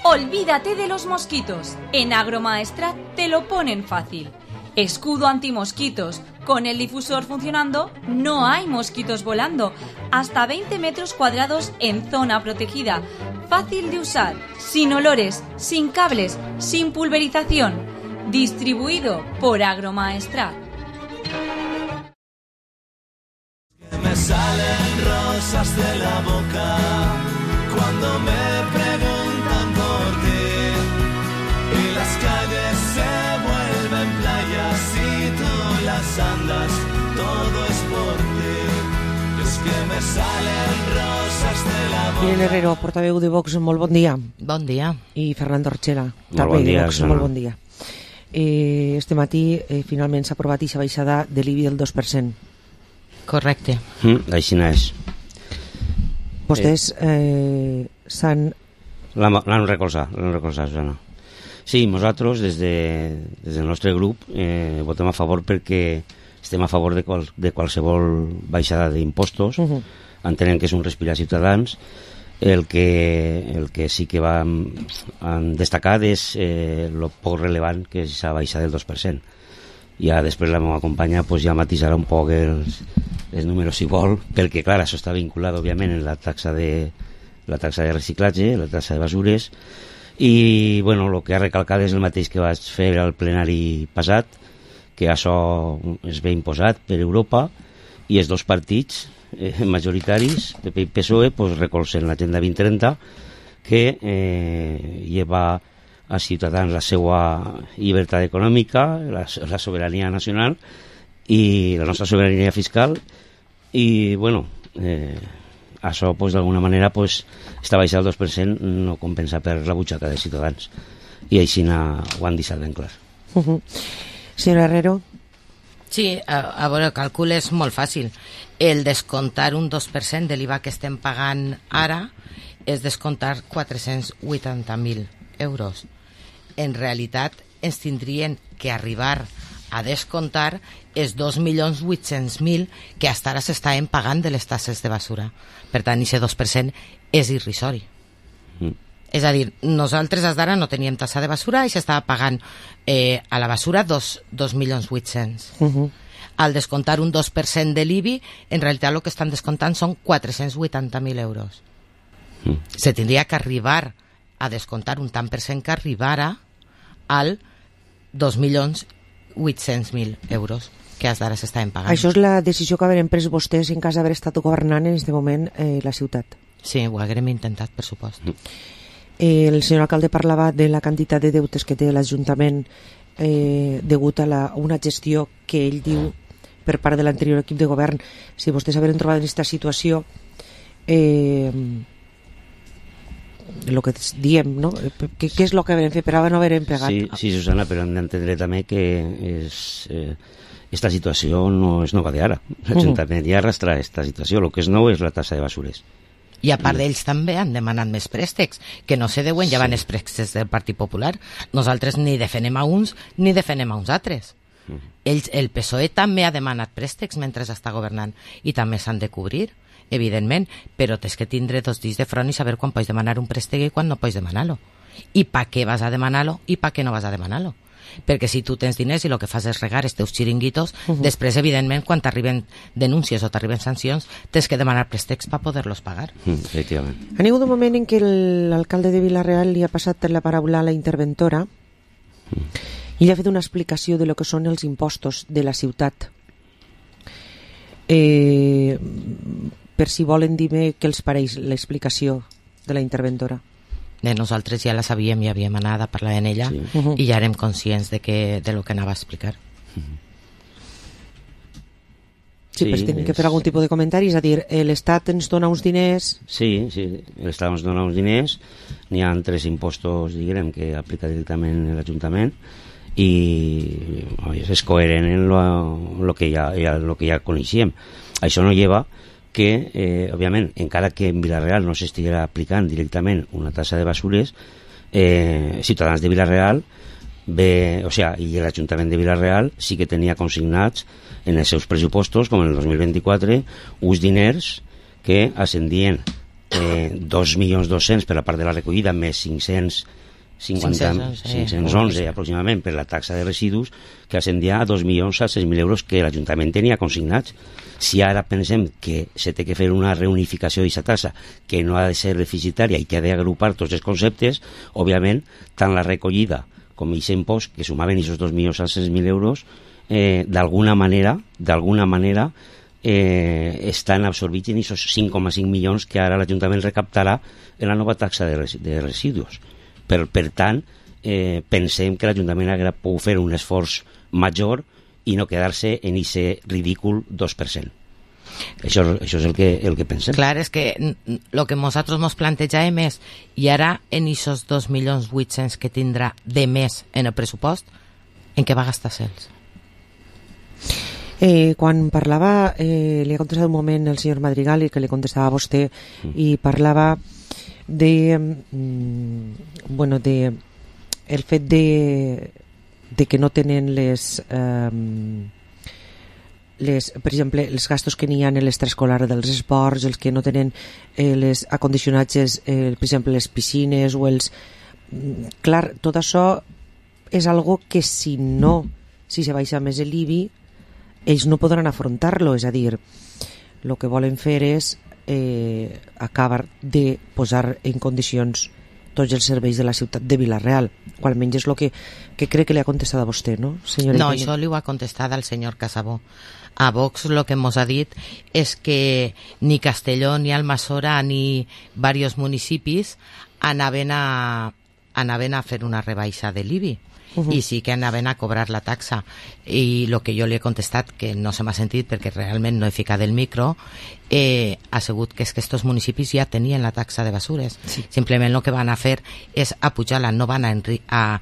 Olvídate de los mosquitos. En Agromaestrat te lo ponen fácil. Escudo antimosquitos. Con el difusor funcionando, no hay mosquitos volando. Hasta veinte metros cuadrados en zona protegida. Fácil de usar, sin olores, sin cables, sin pulverización. Distribuido por Agromaestrat. Me salen rosas de la boca cuando me preguntan por ti y las calles se vuelven playas y tú las andas, todo es por ti. Es que me salen rosas de la boca. Irene Herrero, portaveu de Vox, molt bon dia. Bon dia. I Fernando Orchela, Molt també bon dia, de Vox, Susana. molt bon dia. Eh, este matí eh, finalment s'ha aprovat aquesta baixada de l'I B I del dos per cent. Correcte. Mm, així és. Vostès eh, s'han... L'han recolzat, l'han recolzat, Susana. Sí, nosaltres, des, de, des del nostre grup, eh, votem a favor perquè estem a favor de, qual, de qualsevol baixada d'impostos, Uh-huh. entenem que és un respirar Ciutadans. El que, el que sí que vam han destacat és eh, el poc relevant que és la baixa del dos per cent. Ja després la meva companya pues, ja matisarà un poc els, els números si vol, perquè clar, això està vinculat òbviament en la taxa de, la taxa de reciclatge, la taxa de basures, i bueno, el que ha recalcat és el mateix que vaig fer al plenari passat, que això es ve imposat per Europa i els dos partits eh, majoritaris, P P i P S O E, pues, recolzen l'agenda vint trenta, que eh, lleva a Ciutadans la seva llibertat econòmica, la, la sobirania nacional i la nostra sobirania fiscal, i bueno, eh, això pues, d'alguna manera pues, esta baixa del dos per cent no compensa per la butxaca de Ciutadans, i així ho han deixat ben clar. Uh -huh. Senyora Herrero. Sí, a, a veure, el càlcul és molt fàcil. El descomptar un dos per cent de l'I V A que estem pagant ara és descomptar quatre-cents vuitanta mil euros. En realitat ens tindrien que arribar a descomptar els dos milions vuit-cents mil que fins ara s'estaven pagant de les tasses de basura. Per tant, aquest dos per cent és irrisori. Mm. És a dir, nosaltres fins ara no teníem tassa de basura i s'estava pagant eh, a la basura dos, dos milions vuit-cents. Uh-huh. Al descomptar un dos per cent de l'I B I, en realitat el que estan descomptant són quatre-cents vuitanta mil euros. Mm. Se tindria que arribar a descomptar un tant per cent que arribara al dos milions vuit-cents mil euros que fins ara s'estaven pagant. Això és la decisió que haurem pres vostès en cas d'haver estat governant en aquest moment eh, la ciutat. Sí, ho haguem intentat, per supost. Mm. Eh, el senyor alcalde parlava de la quantitat de deutes que té l'Ajuntament eh, degut a la, una gestió que ell diu per part de l'anterior equip de govern. Si vostès hagueren trobat en aquesta situació eh, el que diem, no? Què, què és el que haurem fet per ara no haurem pegat? Sí, sí, Susana, però hem d'entendre també que és, eh, esta situació no és nova d'ara. L'Ajuntament ja arrastra aquesta situació. El que és nou és la tassa de basures. I a part d'ells també han demanat més préstecs, que no se deuen llevar sí. els préstecs del Partit Popular. Nosaltres ni defenem a uns ni defenem a uns altres. Mm. Ells, el P S O E també ha demanat préstecs mentre està governant i també s'han de cobrir, evidentment, però tens que tindre dos dits de front i saber quan pots demanar un préstec i quan no pots demanar-lo. I per què vas a demanar-lo i per què no vas a demanar-lo. Perquè si tu tens diners i el que fas és regar els teus xiringuitos, uh -huh. després, evidentment, quan t'arriben denúncies o t'arriben sancions, tens que demanar préstecs per poder-los pagar. Mm, efectivament. Ha hagut un moment en què l'alcalde de Vila-real li ha passat la paraula a la interventora mm. i li ha fet una explicació de lo que són els impostos de la ciutat. Eh, per si volen dir-me què els pareix l'explicació de la interventora. De nosaltres ja la sabíem i havíem anat a parlar en ella sí. uh-huh. i ja érem conscients de, que, de lo que anava a explicar. Uh-huh. Sí, sí, però tenim que fer algun tipus de comentari, és a dir, l'Estat ens dona uns diners... Sí, sí, l'Estat ens dona uns diners, n'hi ha tres impostos, diguem, que aplica directament l'Ajuntament i oi, és coherent en lo, lo, que ja, ja, lo que ja coneixíem. Això no lleva que, eh, òbviament, encara que en Vila-real no s'estiguera aplicant directament una tassa de basures, eh, Ciutadans de Vila-real ve, o sea, i l'Ajuntament de Vila-real sí que tenia consignats en els seus pressupostos, com en el dos mil vint-i-quatre, uns diners que ascendien eh, dos milions dos-cents per la part de la recollida, més cinc-cents cinquanta, cinc-cents onze aproximadament per la taxa de residus, que ascendia a dos milions set-cents mil euros que l'Ajuntament tenia consignats. Si ara pensem que se té que fer una reunificació d'aquesta tassa que no ha de ser deficitària i que ha d'agrupar tots els conceptes, òbviament, tant la recollida com aquest impost, que sumaven aquests dos milions set-cents mil euros, eh, d'alguna manera, d'alguna manera, eh, estan absorbits en aquests cinc coma cinc milions que ara l'Ajuntament recaptarà en la nova taxa de, res de residus. Per, per tant, eh, pensem que l'Ajuntament hauria pogut fer un esforç major i no quedar-se en aquest ridícul dos per cent. Això, això és el que, el que pensem. Clar, és que el que nosaltres ens plantejàvem és, i ara en aquests dos milions vuit-cents que tindrà de més en el pressupost, en què va gastar-se'ls? Eh, quan parlava, eh, li ha contestat un moment el senyor Madrigal i que li contestava a vostè mm. i parlava de mm, bueno, de el fet de de que no tenen les eh, les, per exemple, els gastos que n'hi ha en l'extraescolar dels esports, els que no tenen eh, les acondicionatges, eh, per exemple, les piscines o els... Clar, tot això és algo que si no, si se baixa més l'I B I, ells no podran afrontar-lo, és a dir, el que volen fer és eh, acabar de posar en condicions tots els serveis de la ciutat de Vila-real, o almenys és el que, que crec que li ha contestat a vostè, no, senyora? No, això li ho ha contestat al senyor Casabó. A Vox el que ens ha dit és que ni Castelló, ni Almassora, ni diversos municipis anaven a, anaven a fer una rebaixa de l'I B I. Uh-huh. I sí que anaven a cobrar la taxa, i el que jo li he contestat, que no se m'ha sentit perquè realment no he ficat el micro, eh, ha sigut que és que estos municipis ja tenien la taxa de basures, sí. Simplement el que van a fer és apujar-la, no van a, enri- a,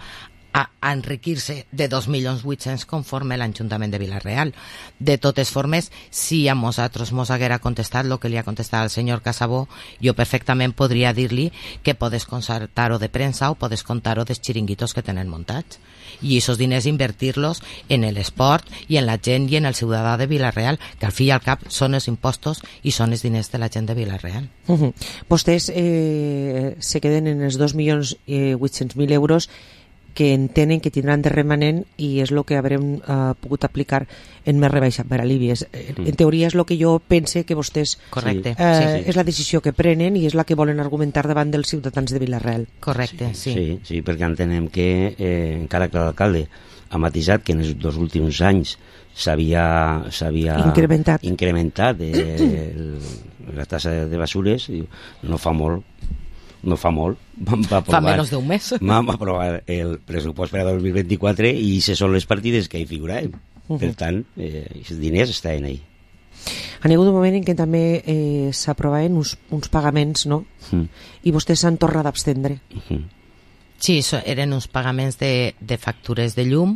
a, a enriquir-se de dos milions vuit-cents conforme l'Ajuntament de Vila-real. De totes formes, si a nosaltres mos haguera contestat el que li ha contestat al senyor Casabó, jo perfectament podria dir-li que podes concertar-ho de premsa o podes contar-ho dels xiringuitos que tenen muntats. I aquests diners invertir-los en l'esport i en la gent i en el ciutadà de Vila-real, que al fi i al cap són els impostos i són els diners de la gent de Vila-real. Uh-huh. Vostès eh, se queden en els dos milions vuit-cents mil euros que entenen que tindran de remanent, i és el que haurem uh, pogut aplicar en més rebaixa per a l'I B I. Mm. En teoria és el que jo pense que vostès... Correcte. Uh, sí, sí. És la decisió que prenen i és la que volen argumentar davant dels ciutadans de Vila-real. Correcte, sí. Sí, sí, sí, perquè entenem que eh, encara que l'alcalde ha matisat que en els dos últims anys s'havia s'havia incrementat, incrementat eh, el, la tassa de basures, no fa molt no fa molt, vam aprovar, fa menys d'un mes, vam aprovar el pressupost per a dos mil vint-i-quatre i se són les partides que hi figuraven. Uh-huh. Per tant, eh, els diners estaven ahí. Han hagut un moment en què també eh, s'aprovaven uns, uns pagaments, no? Uh-huh. I vostès s'han tornat a abstendre. Uh-huh. Sí, so, eren uns pagaments de, de factures de llum,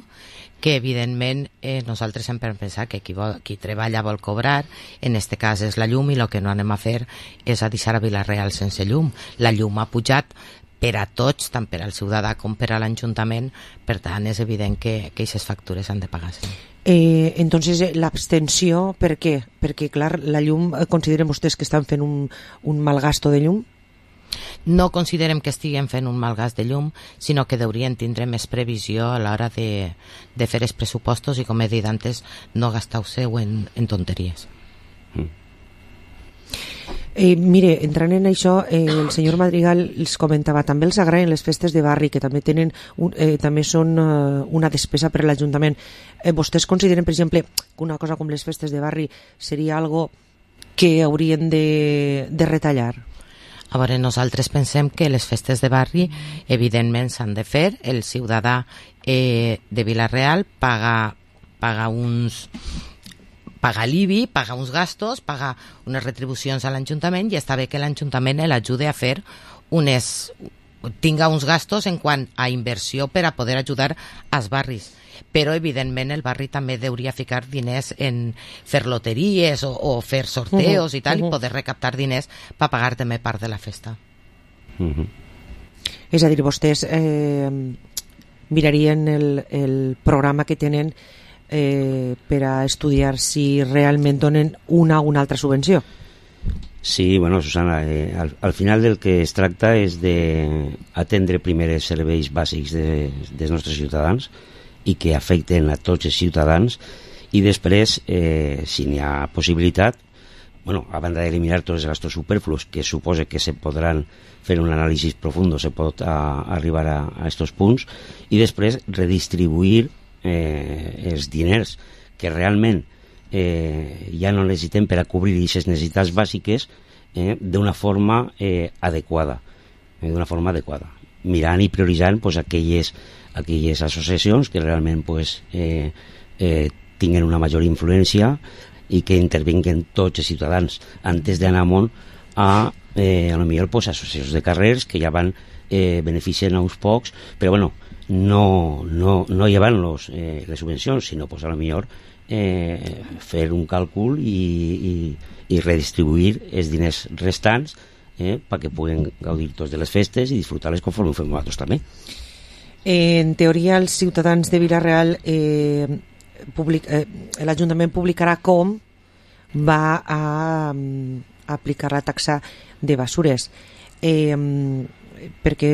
que evidentment eh, nosaltres sempre hem pensat que qui, vol, qui treballa vol cobrar, en este cas és la llum, i el que no anem a fer és a deixar a Vila-real sense llum. La llum ha pujat per a tots, tant per al ciutadà com per a l'Ajuntament, per tant és evident que aquestes factures han de pagar-se. Eh, entonces l'abstenció, per què? Perquè clar, la llum, consideren vostès que estan fent un, un mal gasto de llum? No considerem que estiguem fent un mal gas de llum, sinó que deurien tindre més previsió a l'hora de, de fer els pressupostos i, com he dit antes, no gastar-ho en, en tonteries. Mm. Eh, mire, entrant en això, eh, el senyor Madrigal els comentava, també els agraden les festes de barri, que també tenen un, eh, també són uh, una despesa per a l'Ajuntament. Eh, vostès consideren, per exemple, que una cosa com les festes de barri seria algo que haurien de, de retallar? A veure, nosaltres pensem que les festes de barri evidentment s'han de fer. El ciutadà eh, de Vila-real paga, paga uns... paga l'I B I, paga uns gastos, paga unes retribucions a l'Ajuntament, i està bé que l'Ajuntament l'ajude a fer unes... tinga uns gastos en quant a inversió per a poder ajudar als barris. Però evidentment el barri també hauria ficar diners en fer loteries o, o fer sorteos uh-huh, i tal, uh-huh. i poder recaptar diners per pagar també part de la festa. Uh-huh. És a dir, vostès eh, mirarien el, el programa que tenen eh, per a estudiar si realment donen una o una altra subvenció. Sí, bueno, Susana, eh, al, al final del que es tracta és d'atendre primer els serveis bàsics de, dels nostres ciutadans i que afecten a tots els ciutadans, i després, eh, si n'hi ha possibilitat, bueno, a banda d'eliminar tots els gastos superflus, que suposa que se podran fer un anàlisi profund, se pot a, arribar a, a estos punts, i després redistribuir eh, els diners que realment eh, ja no necessitem per a cobrir aquestes necessitats bàsiques eh, d'una forma eh, adequada, eh, d'una forma adequada, mirant i prioritzant pues, aquelles aquelles associacions que realment pues, eh, eh, tinguen una major influència i que intervinguen tots els ciutadans antes d'anar amunt a, eh, a lo millor pues, associacions de carrers que ja van eh, beneficien a uns pocs, però bueno, no, no, no llevan-los eh, les subvencions, sinó pues, a lo millor eh, fer un càlcul i, i, i redistribuir els diners restants eh, perquè puguen gaudir tots de les festes i disfrutar-les conforme ho fem nosaltres també. En teoria, els ciutadans de Vila-real eh, public, eh, l'Ajuntament publicarà com va a, a aplicar la taxa de basures, eh, perquè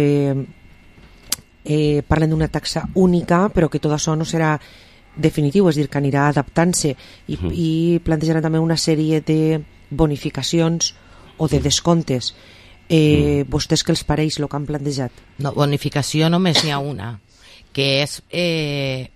eh, parlen d'una taxa única, però que tot això no serà definitiu, és a dir, que anirà adaptant-se i, mm. i plantejaran també una sèrie de bonificacions o de descomptes. Eh, mm. Vostès què els pareix el que han plantejat? No, bonificació només n'hi ha una, que és eh,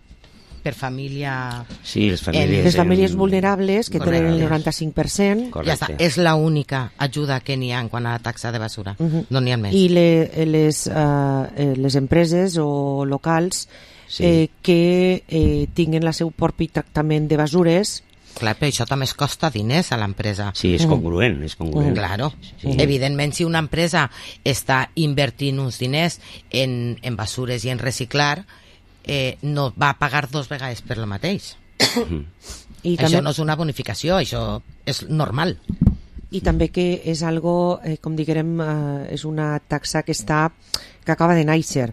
per família... Sí, les famílies... Les famílies vulnerables, que tenen el noranta-cinc per cent. Ja està, és l'única ajuda que n'hi ha en quant a la taxa de basura. Uh-huh. No n'hi ha més. I le, les, uh, les empreses o locals sí. eh, que eh, tinguen el seu propi tractament de basures... Clar, però això també es costa diners a l'empresa. Sí, és congruent, és congruent. Claro. Sí. Evidentment, si una empresa està invertint uns diners en, en basures i en reciclar, eh, no va pagar dos vegades per lo mateix. I això també... no és una bonificació, això és normal. I també que és algo, eh, com diguem, eh, és una taxa que està que acaba de néixer.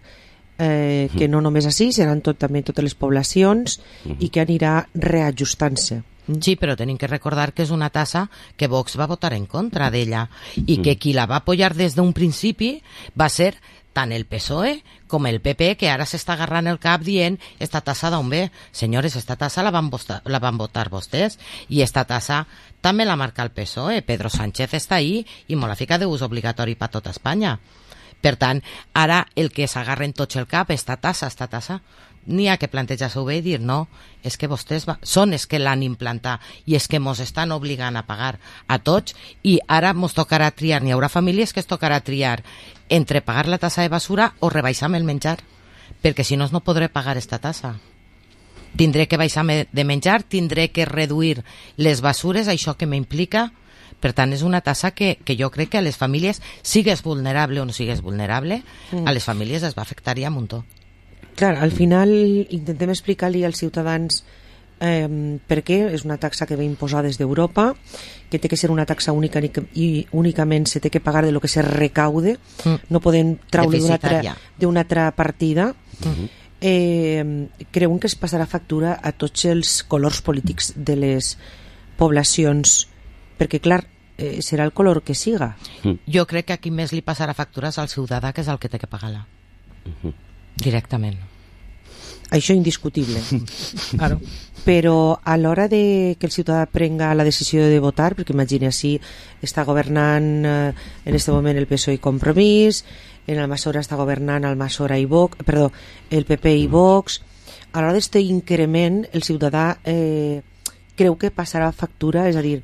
Eh, que no només així, seran tot, també totes les poblacions uh-huh. i que anirà reajustant-se. Sí, però tenim que recordar que és una tassa que Vox va votar en contra d'ella i que qui la va apoyar des d'un principi va ser tant el P S O E com el P P, que ara s'està agarrant el cap dient esta tassa d'on ve. Senyores, esta tassa la van, votar, la van votar vostès i esta tassa també la marca el P S O E. Pedro Sánchez està ahí i molt la fica d'ús obligatori per tota Espanya. Per tant, ara el que s'agarren tots el cap, esta tassa, esta tassa, n'hi ha que plantejar-s'ho bé i dir no, és que vostès va... són els que l'han implantat i és que mos estan obligant a pagar a tots i ara mos tocarà triar, n'hi haurà famílies que es tocarà triar entre pagar la tassa de basura o rebaixar-me el menjar, perquè si no no podré pagar esta tassa. Tindré que baixar-me de menjar, tindré que reduir les basures, això que m'implica. Per tant, és una tassa que, que jo crec que a les famílies, sigues vulnerable o no sigues vulnerable, mm. a les famílies es va afectar ja un muntó. Clar, al final intentem explicar-li als ciutadans eh, per què és una taxa que ve imposada des d'Europa, que té que ser una taxa única i únicament se té que pagar de lo que se recaude, mm. no podem traure d'una altra, d'una altra partida. Mm-hmm. Eh, creuen que es passarà factura a tots els colors polítics de les poblacions, perquè clar, eh, serà el color que siga. Mm. Jo crec que aquí més li passarà factures al ciutadà, que és el que té que pagar-la. Mm-hmm. Directament. Això indiscutible. Claro. Però a l'hora de que el ciutadà prenga la decisió de votar, perquè imagina si està governant eh, en aquest moment el P S O E i Compromís, en Almassora està governant Almassora i Vox, perdó, el P P i Vox, a l'hora d'aquest increment el ciutadà eh, creu que passarà factura, és a dir,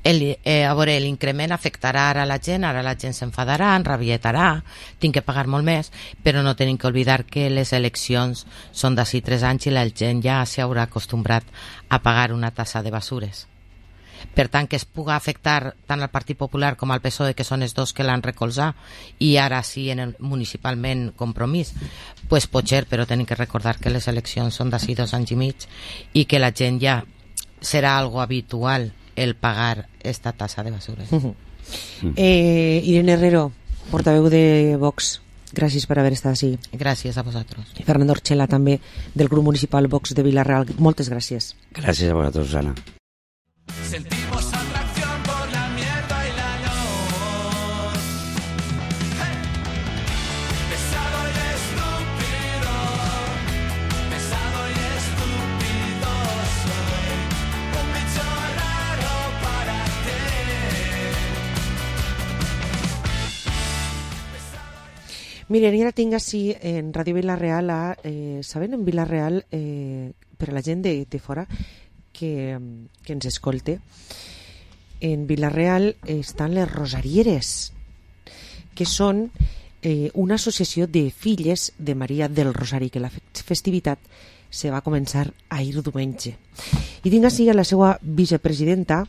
El, eh, a veure, l'increment afectarà ara la gent, ara la gent s'enfadarà, enrabietarà, tinc que pagar molt més, però no tenim que oblidar que les eleccions són d'ací tres anys i la gent ja s'haurà acostumbrat a pagar una tassa de basures. Per tant, que es puga afectar tant al Partit Popular com al P S O E, que són els dos que l'han recolzat, i ara sí en el municipalment Compromís, pues pot ser, però tenim que recordar que les eleccions són d'ací dos anys i mig i que la gent ja serà algo habitual el pagar esta tasa de basura. Uh-huh. eh, Irene Herrero, portaveu de Vox, gràcies per haver estat així. Gràcies a vosaltres. I Fernando Orchela, també, del grup municipal Vox de Vila-real. Moltes gràcies. Gràcies a vosaltres, Susana. Sentimos atracción por la mierda y la luz. Hey. Pesado y estúpido, pesado y estúpido soy. Un bicho raro para ti. Miren, i ara tinc així en Ràdio Vila-real, a, eh, saben, en Vila-real, eh, per a la gent de, de fora, que, que ens escolte, en Vila-real estan les Rosarieres, que són eh, una associació de filles de Maria del Rosari, que la festivitat se va començar ahir diumenge. I tinc així a la seva vicepresidenta,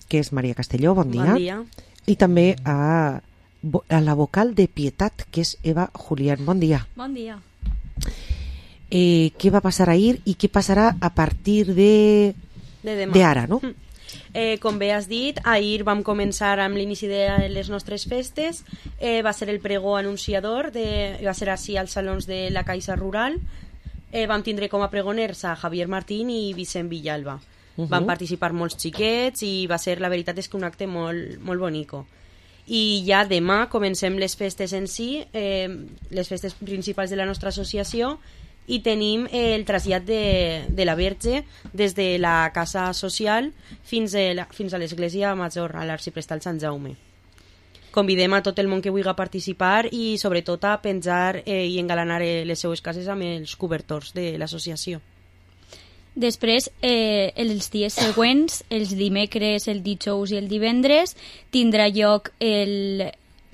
que és Maria Castelló, bon dia. Bon dia. I també a, a la vocal de Pietat, que és Eva Julián. Bon dia. Bon dia. Eh, què va passar ahir i què passarà a partir de... de demà. De ara, no? Eh, com bé has dit, ahir vam començar amb l'inici de les nostres festes. Eh, va ser el pregó anunciador, de, va ser així als salons de la Caixa Rural. eh, vam tindre com a pregoners a Javier Martín i Vicent Villalba. Uh -huh. Van participar molts xiquets i va ser, la veritat és que un acte molt, molt bonico. I ja demà comencem les festes en si, eh, les festes principals de la nostra associació, i tenim el trasllat de, de la Verge des de la casa social fins a, la, fins a l'església major, a l'arxiprestal Sant Jaume. Convidem a tot el món que vulgui participar i sobretot a penjar eh, i engalanar eh, les seues cases amb els cobertors de l'associació. Després, eh, els dies següents, els dimecres, el dijous i el divendres, tindrà lloc el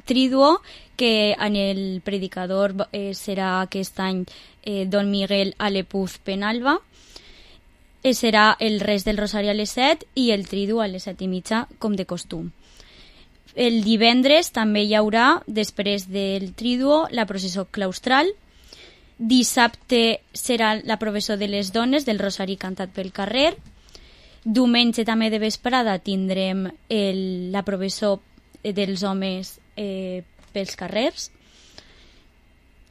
Triduo, que en el predicador eh, serà aquest any eh, Don Miguel Alepuz Penalba. Eh, serà el res del Rosari a les set i el Triduo a les set i mitja, com de costum. El divendres també hi haurà, després del Triduo, la processó claustral. Dissabte serà la processó de les dones del Rosari cantat pel carrer. Diumenge també de vesprada tindrem el, la processó dels homes eh, pels carrers.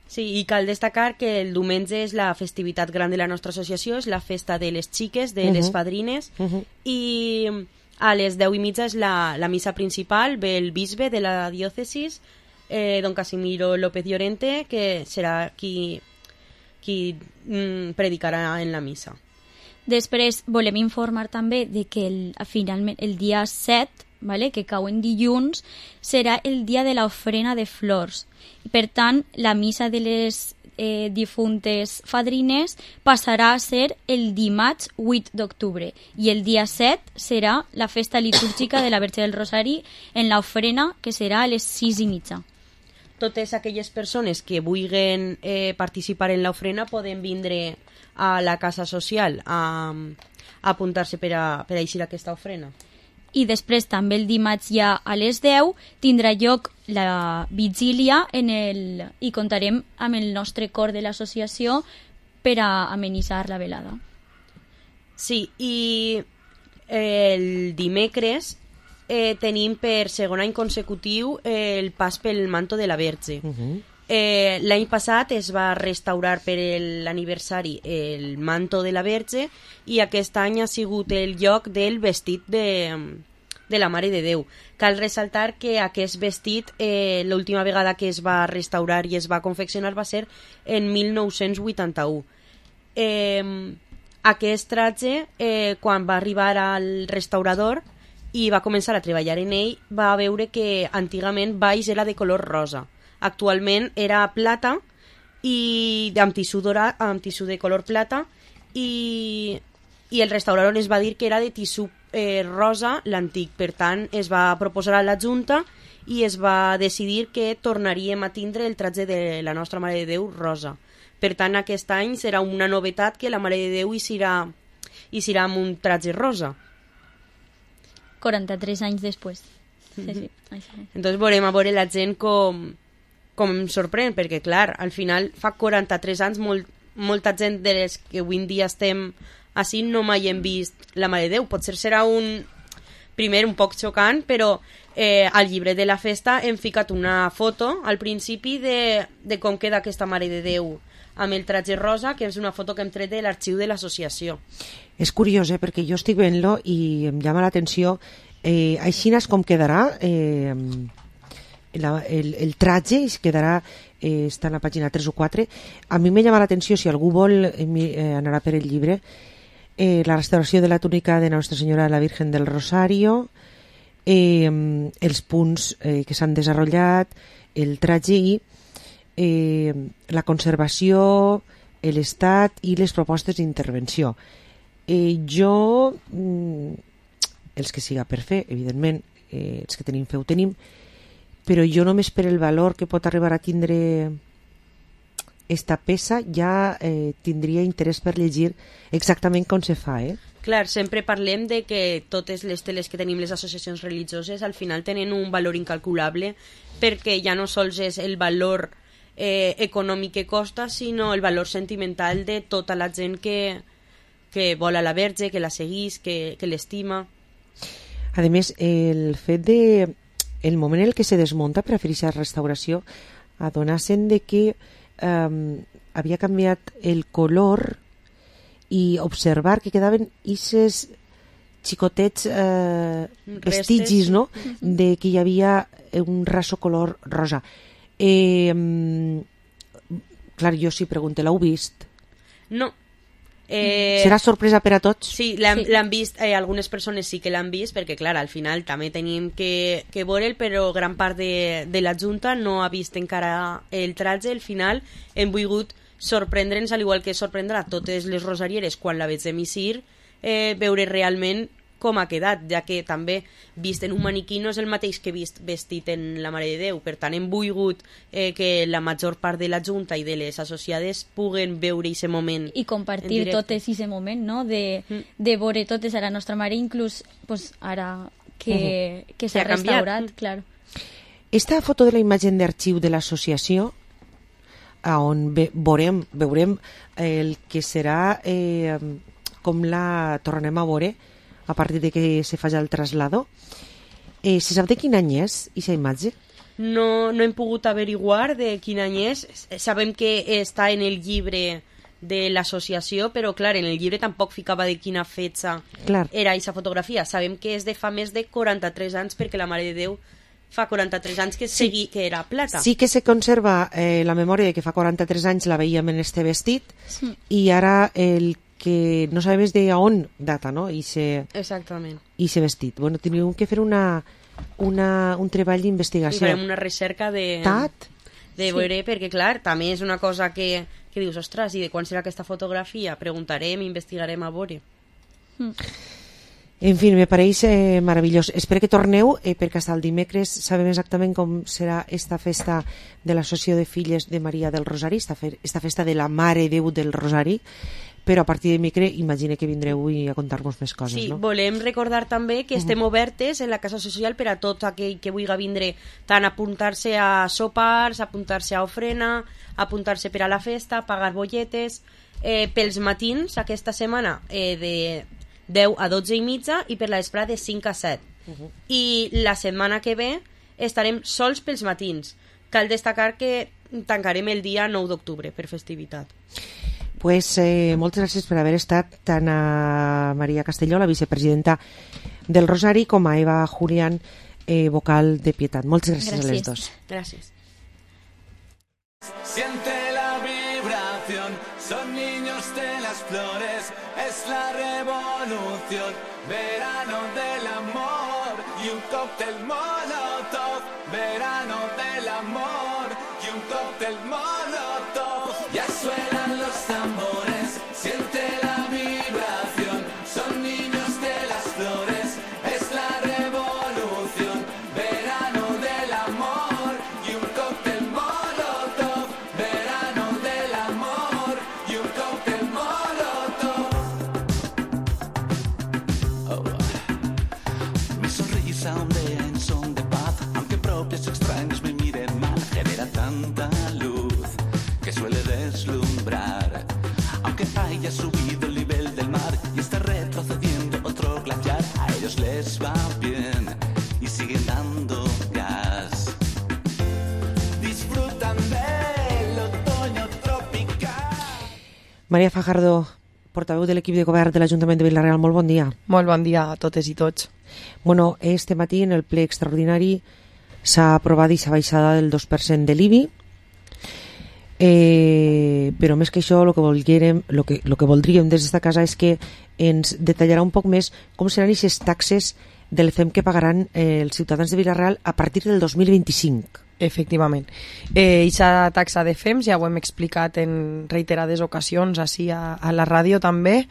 Sí, i cal destacar que el diumenge és la festivitat gran de la nostra associació, és la festa de les xiques, de uh -huh. les fadrines, uh -huh. i a les deu i mitja és la, la missa principal, ve el bisbe de la diòcesis, eh, don Casimiro López Llorente, que serà qui, qui mm, predicarà en la missa. Després volem informar també de que el, finalment el dia set, vale, que cau en dilluns, serà el dia de l'ofrena de flors. Per tant, la missa de les eh, difuntes fadrines passarà a ser el dimarts vuit d'octubre i el dia set serà la festa litúrgica de la Verge del Rosari en l'ofrena, que serà a les sis i mitja. Totes aquelles persones que vulguin eh, participar en l'ofrena poden vindre a la casa social a, a apuntar-se per a, per a eixir aquesta ofrena. I després també el dimarts ja a les deu tindrà lloc la vigília en el, i contarem amb el nostre cor de l'associació per a amenitzar la velada. Sí, i el dimecres eh, tenim per segon any consecutiu eh, el pas pel manto de la Verge. Uh -huh. eh, l'any passat es va restaurar per l'aniversari el manto de la Verge i aquest any ha sigut el lloc del vestit de, de la Mare de Déu. Cal ressaltar que aquest vestit eh, l'última vegada que es va restaurar i es va confeccionar va ser en mil nou-cents vuitanta-u. Eh, aquest traje, eh, quan va arribar al restaurador i va començar a treballar en ell, va veure que antigament baix era de color rosa. Actualment era plata i amb tissú dorat, amb tissú de color plata, i, i el restaurador es va dir que era de tissú eh, rosa l'antic. Per tant, es va proposar a la Junta i es va decidir que tornaríem a tindre el traje de la nostra Mare de Déu rosa. Per tant, aquest any serà una novetat que la Mare de Déu hi serà, hi serà amb un traje rosa. quaranta-tres anys després. Sí, sí. Entonces veurem a veure la gent com, com em sorprèn, perquè clar, al final fa quaranta-tres anys molt, molta gent de les que avui en dia estem així no mai hem vist la Mare de Déu. Potser serà un primer un poc xocant, però eh, al llibre de la festa hem ficat una foto al principi de, de com queda aquesta Mare de Déu amb el traje rosa, que és una foto que hem tret de l'arxiu de l'associació. És curiós, eh, perquè jo estic veient-lo i em llama l'atenció. Eh, així és com quedarà eh, la, el, el traje, es quedarà, eh, està en la pàgina tres o quatre. A mi me llama l'atenció, si algú vol eh, anarà per el llibre, eh, la restauració de la túnica de Nostra Senyora de la Virgen del Rosario, eh, els punts eh, que s'han desenvolupat, el traje i Eh, la conservació, l'estat i les propostes d'intervenció. Eh, jo, mm, els que siga per fer, evidentment, eh, els que tenim fe ho tenim, però jo només per el valor que pot arribar a tindre esta peça ja eh, tindria interès per llegir exactament com se fa, eh? Clar, sempre parlem de que totes les teles que tenim les associacions religioses al final tenen un valor incalculable, perquè ja no sols és el valor Eh, econòmic que costa, sinó el valor sentimental de tota la gent que, que vol a la Verge, que la seguís, que, que l'estima. A més, el fet de el moment en el que se desmunta per a fer aquesta restauració, adonar-se'n de que um, havia canviat el color i observar que quedaven ixes xicotets eh, vestigis, no?, de que hi havia un raso color rosa. Eh, clar, jo sí pregunto, l'heu vist? No. Eh, Serà sorpresa per a tots? Sí, l'han sí. vist, eh, algunes persones sí que l'han vist, perquè clar, al final també tenim que, que veure'l, però gran part de, de la Junta no ha vist encara el tratge. Al final hem volgut sorprendre'ns, al igual que sorprendrà totes les rosarieres quan la veig emissir, eh, veure realment com ha quedat, ja que també vist en un maniquí no és el mateix que vist vestit en la Mare de Déu. Per tant, hem volgut eh, que la major part de la Junta i de les associades puguen veure aquest moment i compartir totes aquest moment, no? De, mm. de veure totes a la nostra Mare, inclús pues, ara que, uh-huh. que s'ha restaurat, mm. clar. Esta foto de la imatge d'arxiu de l'associació, on ve, veurem, veurem el que serà eh, com la tornem a veure a partir de que se faci el traslado. Eh, se sap de quin any és aquesta imatge? No, no hem pogut averiguar de quin any és. Sabem que està en el llibre de l'associació, però clar, en el llibre tampoc ficava de quina fetge clar. Era aquesta fotografia. Sabem que és de fa més de quaranta-tres anys, perquè la Mare de Déu fa quaranta-tres anys que, sí. segui, que era plata. Sí que se conserva eh, la memòria de que fa quaranta-tres anys la veiem en este vestit, sí. I ara el que no sabem de on data, no? I se, exactament. I se vestit. Bueno, tenim que fer una, una, un treball d'investigació. I farem una recerca de, Tat? de sí. veure, perquè clar, també és una cosa que, que dius, ostres, i de quan serà aquesta fotografia? Preguntarem, investigarem a veure. Mm. En fi, me pareix eh, meravellós. Espero que torneu, eh, perquè fins el dimecres sabem exactament com serà esta festa de l'Associació de Filles de Maria del Rosari, esta, fe, esta festa de la Mare Déu del Rosari, però a partir de dimecres imagine que vindreu i a contar-vos més coses, sí, no? Volem recordar també que estem uh-huh. obertes en la Casa Social per a tot aquell que vulgui vindre, tant apuntar-se a sopars, apuntar-se a ofrena, apuntar-se per a la festa, pagar bolletes, eh, pels matins aquesta setmana eh, de deu a dotze i mitja i per la vesprada de cinc a set. Uh-huh. I la setmana que ve estarem sols pels matins. Cal destacar que tancarem el dia nou d'octubre per festivitat. Pues, eh, moltes gràcies per haver estat tant a Maria Castelló, la vicepresidenta del Rosari, com a Eva Julián, eh, vocal de Pietat. Moltes gràcies, gràcies. a les dos. Gràcies. Siente la vibración, son niños de las flores, es la revolución, verano del amor y un cóctel molotov, verano del amor y un cóctel molotov, ya suenan los tambores, siente la vibración, son niños de las flores, es la revolución, verano del amor y un cóctel molotov, verano del amor y un cóctel molotov. Oh. Mi sonrisa ondea en son de paz, aunque propios extraños me miren mal, genera tanta luz que suele deslumbrar, aunque haya subido el nivel del mar y está retrocediendo otro glaciar, a ellos les va bien y siguen dando gas. Disfrutan del otoño tropical. Maria Fajardo, portaveu de l'equip de govern de l'Ajuntament de Vila-real, molt bon dia. Molt bon dia a totes i tots. Bueno, este matí en el ple extraordinari s'ha aprovat aquesta baixada del dos per cent de l'I B I, eh, però més que això el que, volguérem, lo que, lo que voldríem des d'esta casa és que ens detallarà un poc més com seran aquestes taxes del F E M que pagaran eh, els ciutadans de Vila-real a partir del dos mil vint-i-cinc. Efectivament. Aquesta eh, taxa de F E M, ja ho hem explicat en reiterades ocasions així a, a la ràdio també,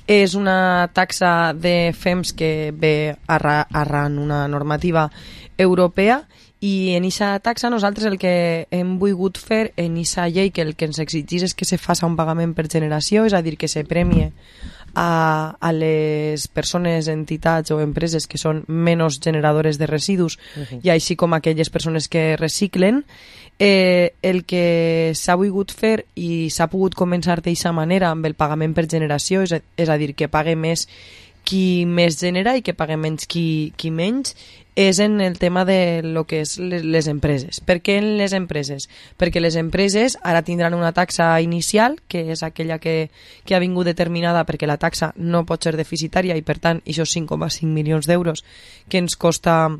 és una taxa de F E Ms que ve arra, arran una normativa europea, i en aquesta taxa nosaltres el que hem volgut fer en aquesta llei, que el que ens exigís és que se faci un pagament per generació, és a dir, que se premie a, a les persones, entitats o empreses que són menys generadores de residus, uh-huh. i així com aquelles persones que reciclen. Eh, el que s'ha volgut fer i s'ha pogut començar d'aquesta manera amb el pagament per generació, és a, és a dir, que pague més qui més genera i que pague menys qui, qui menys és en el tema de lo que és les, les empreses. Per què en les empreses? Perquè les empreses ara tindran una taxa inicial, que és aquella que, que ha vingut determinada perquè la taxa no pot ser deficitària i per tant aquests cinc coma cinc milions d'euros que ens costa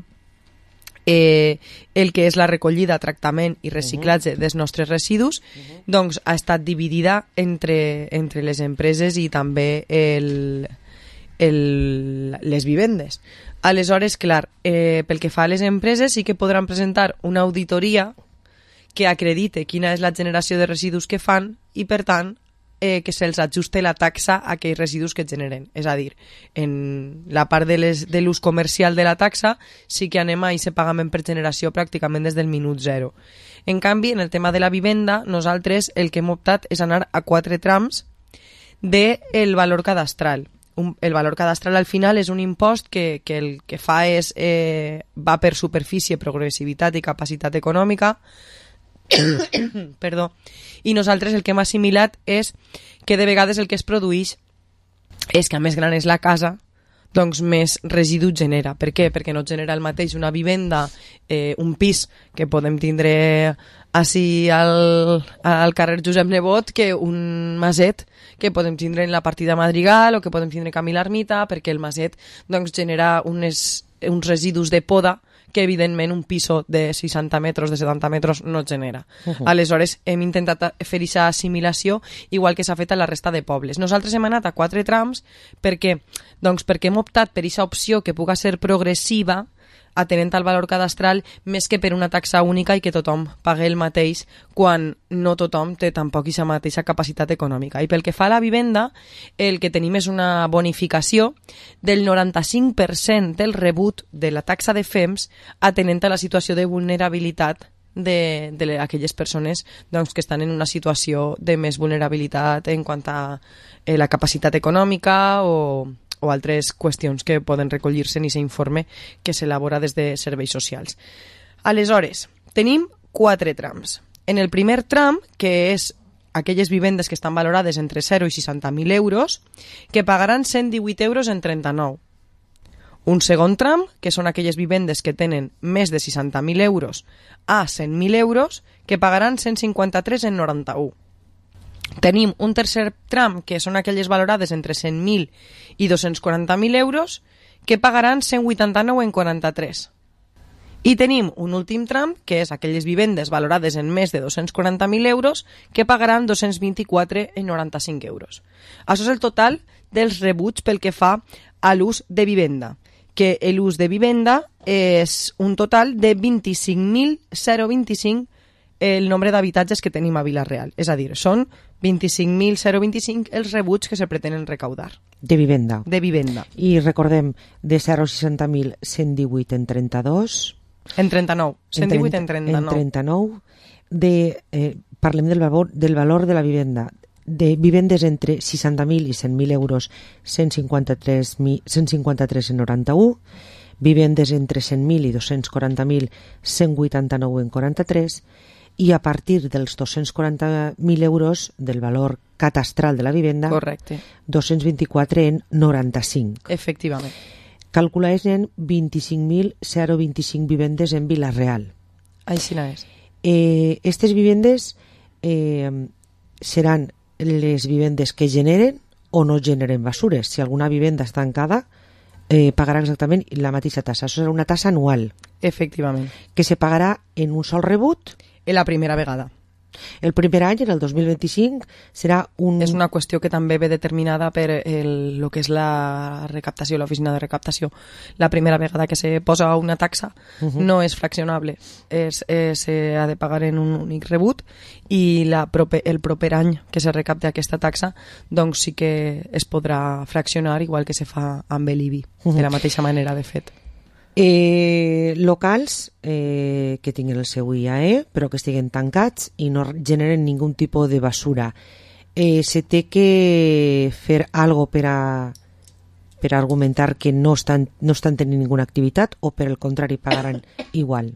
eh, el que és la recollida, tractament i reciclatge dels nostres residus, doncs ha estat dividida entre, entre les empreses i també el, el, les vivendes. Aleshores, clar, eh, pel que fa a les empreses sí que podran presentar una auditoria que acredite quina és la generació de residus que fan i, per tant, eh, que se'ls ajuste la taxa a aquells residus que generen. És a dir, en la part de les, de l'ús comercial de la taxa sí que anem a aquest pagament per generació pràcticament des del minut zero. En canvi, en el tema de la vivenda, nosaltres el que hem optat és anar a quatre trams del valor cadastral. Un, el valor cadastral al final és un impost que, que el que fa és eh, va per superfície, progressivitat i capacitat econòmica perdó, i nosaltres el que hem assimilat és que de vegades el que es produeix és que a més gran és la casa, doncs més residu genera. Per què? Perquè no genera el mateix una vivenda, eh, un pis que podem tindre així al, al carrer Josep Nebot que un maset que podem tindre en la partida Madrigal o que podem tindre Camí l'Ermita, perquè el maset doncs, genera unes, uns residus de poda que evidentment un piso de seixanta metres, de setanta metres no genera. Uh-huh. Aleshores hem intentat fer aquesta assimilació igual que s'ha fet a la resta de pobles. Nosaltres hem anat a quatre trams perquè, doncs, perquè hem optat per aquesta opció que puga ser progressiva atenent al valor cadastral més que per una taxa única i que tothom pague el mateix quan no tothom té tampoc aquesta mateixa capacitat econòmica. I pel que fa a la vivenda, el que tenim és una bonificació del noranta-cinc per cent del rebut de la taxa de F E M S atenent a la situació de vulnerabilitat de, de aquelles persones doncs, que estan en una situació de més vulnerabilitat en quant a eh, la capacitat econòmica o o altres qüestions que poden recollir-se en aquest informe que s'elabora des de serveis socials. Aleshores, tenim quatre trams. En el primer tram, que és aquelles vivendes que estan valorades entre zero i seixanta mil euros, que pagaran cent divuit euros en trenta-nou. Un segon tram, que són aquelles vivendes que tenen més de seixanta mil euros a cent mil euros, que pagaran cent cinquanta-tres en noranta-u. Tenim un tercer tram, que són aquelles valorades entre cent mil i dos-cents quaranta mil euros, que pagaran cent vuitanta-nou en quaranta-tres. I tenim un últim tram, que és aquelles vivendes valorades en més de dos-cents quaranta mil euros, que pagaran dos-cents vint-i-quatre en noranta-cinc euros. Això és el total dels rebuts pel que fa a l'ús de vivenda, que l'ús de vivenda és un total de vint-i-cinc mil vint-i-cinc el nombre d'habitatges que tenim a Vila-real. És a dir, són vint-i-cinc mil vint-i-cinc els rebuts que se pretenen recaudar. De vivenda. De vivenda. I recordem, de zero a seixanta mil, cent divuit en trenta-dos. En trenta-nou. cent divuit en trenta-nou. En trenta-nou. De, eh, parlem del valor, del valor de la vivenda. De vivendes entre seixanta mil i cent mil euros, cent cinquanta-tres en noranta-u. Vivendes entre cent mil i dos-cents quaranta mil, cent vuitanta-nou en quaranta-tres. I a partir dels dos-cents quaranta mil euros del valor catastral de la vivenda, correcte, dos-cents vint-i-quatre en noranta-cinc. Efectivament. Calculades en vint-i-cinc mil vint-i-cinc vivendes en Vila-real. Així no és. Eh, estes vivendes eh, seran les vivendes que generen o no generen basures. Si alguna vivenda està tancada, eh, pagarà exactament la mateixa tassa. Això serà una tassa anual. Efectivament. Que se pagarà en un sol rebut en la primera vegada. El primer any, en el dos mil vint-i-cinc, serà un... És una qüestió que també ve determinada per el, el que és la recaptació, l'oficina de recaptació. La primera vegada que se posa una taxa uh-huh. no és fraccionable, és, és, eh, ha de pagar en un únic rebut i la proper, el proper any que se recapte aquesta taxa doncs sí que es podrà fraccionar igual que se fa amb l'I B I, uh-huh. de la mateixa manera de fet. Eh, locals eh, que tinguin el seu I A E però que estiguen tancats i no generen ningú tipus de basura. Eh, se té que fer algo per a per a argumentar que no estan, no estan tenint ninguna activitat o per el contrari pagaran igual?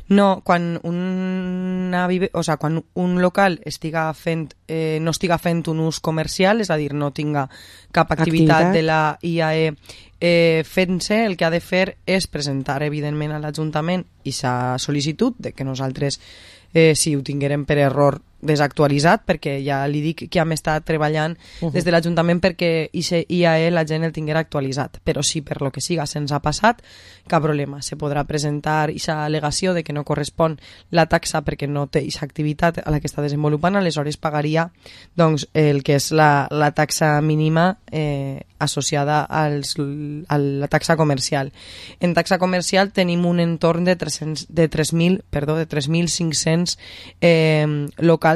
No, quan, una, o sea, quan un local estiga fent, eh, no estiga fent un ús comercial, és a dir, no tinga cap activitat, activitat. de la I A E eh, fent-se, el que ha de fer és presentar, evidentment, a l'Ajuntament i sa sol·licitud de que nosaltres, eh, si ho tinguérem per error, desactualitzat, perquè ja li dic que hem estat treballant uh -huh. des de l'Ajuntament perquè I A E la gent el tinguera actualitzat, però si per lo que siga se'ns ha passat, cap problema, se podrà presentar aquesta al·legació de que no correspon la taxa perquè no té aquesta activitat a la que està desenvolupant, aleshores pagaria doncs, el que és la, la taxa mínima eh, associada als, a la taxa comercial. En taxa comercial tenim un entorn de tres-cents, de tres mil, perdó, de tres mil cinc-cents eh, locals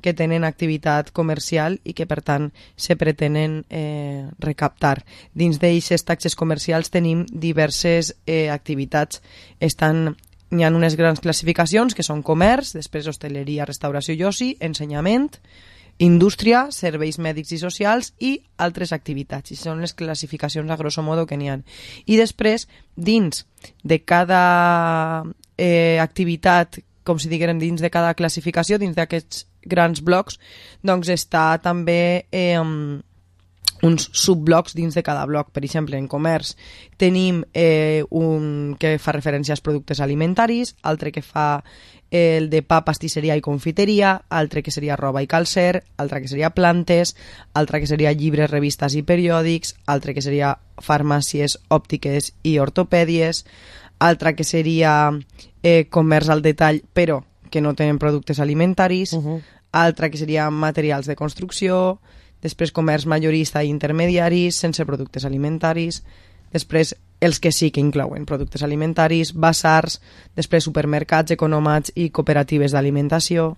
que tenen activitat comercial i que, per tant, se pretenen eh, recaptar. Dins d'aquestes taxes comercials tenim diverses eh, activitats. Estan, hi ha unes grans classificacions que són comerç, després hostaleria, restauració i oci, ensenyament, indústria, serveis mèdics i socials i altres activitats. I són les classificacions a grosso modo que n'hi ha. I després, dins de cada eh, activitat, com si diguem dins de cada classificació, dins d'aquests grans blocs, doncs està també eh, uns subblocs dins de cada bloc. Per exemple, en comerç tenim eh, un que fa referència als productes alimentaris, altre que fa el de pa, pastisseria i confiteria, altre que seria roba i calcer, altre que seria plantes, altre que seria llibres, revistes i periòdics, altre que seria farmàcies, òptiques i ortopèdies, altra que seria eh, comerç al detall però que no tenen productes alimentaris, uh -huh. altra que seria materials de construcció, després comerç majorista i intermediaris sense productes alimentaris, després els que sí que inclouen productes alimentaris, basars, després supermercats, economats i cooperatives d'alimentació.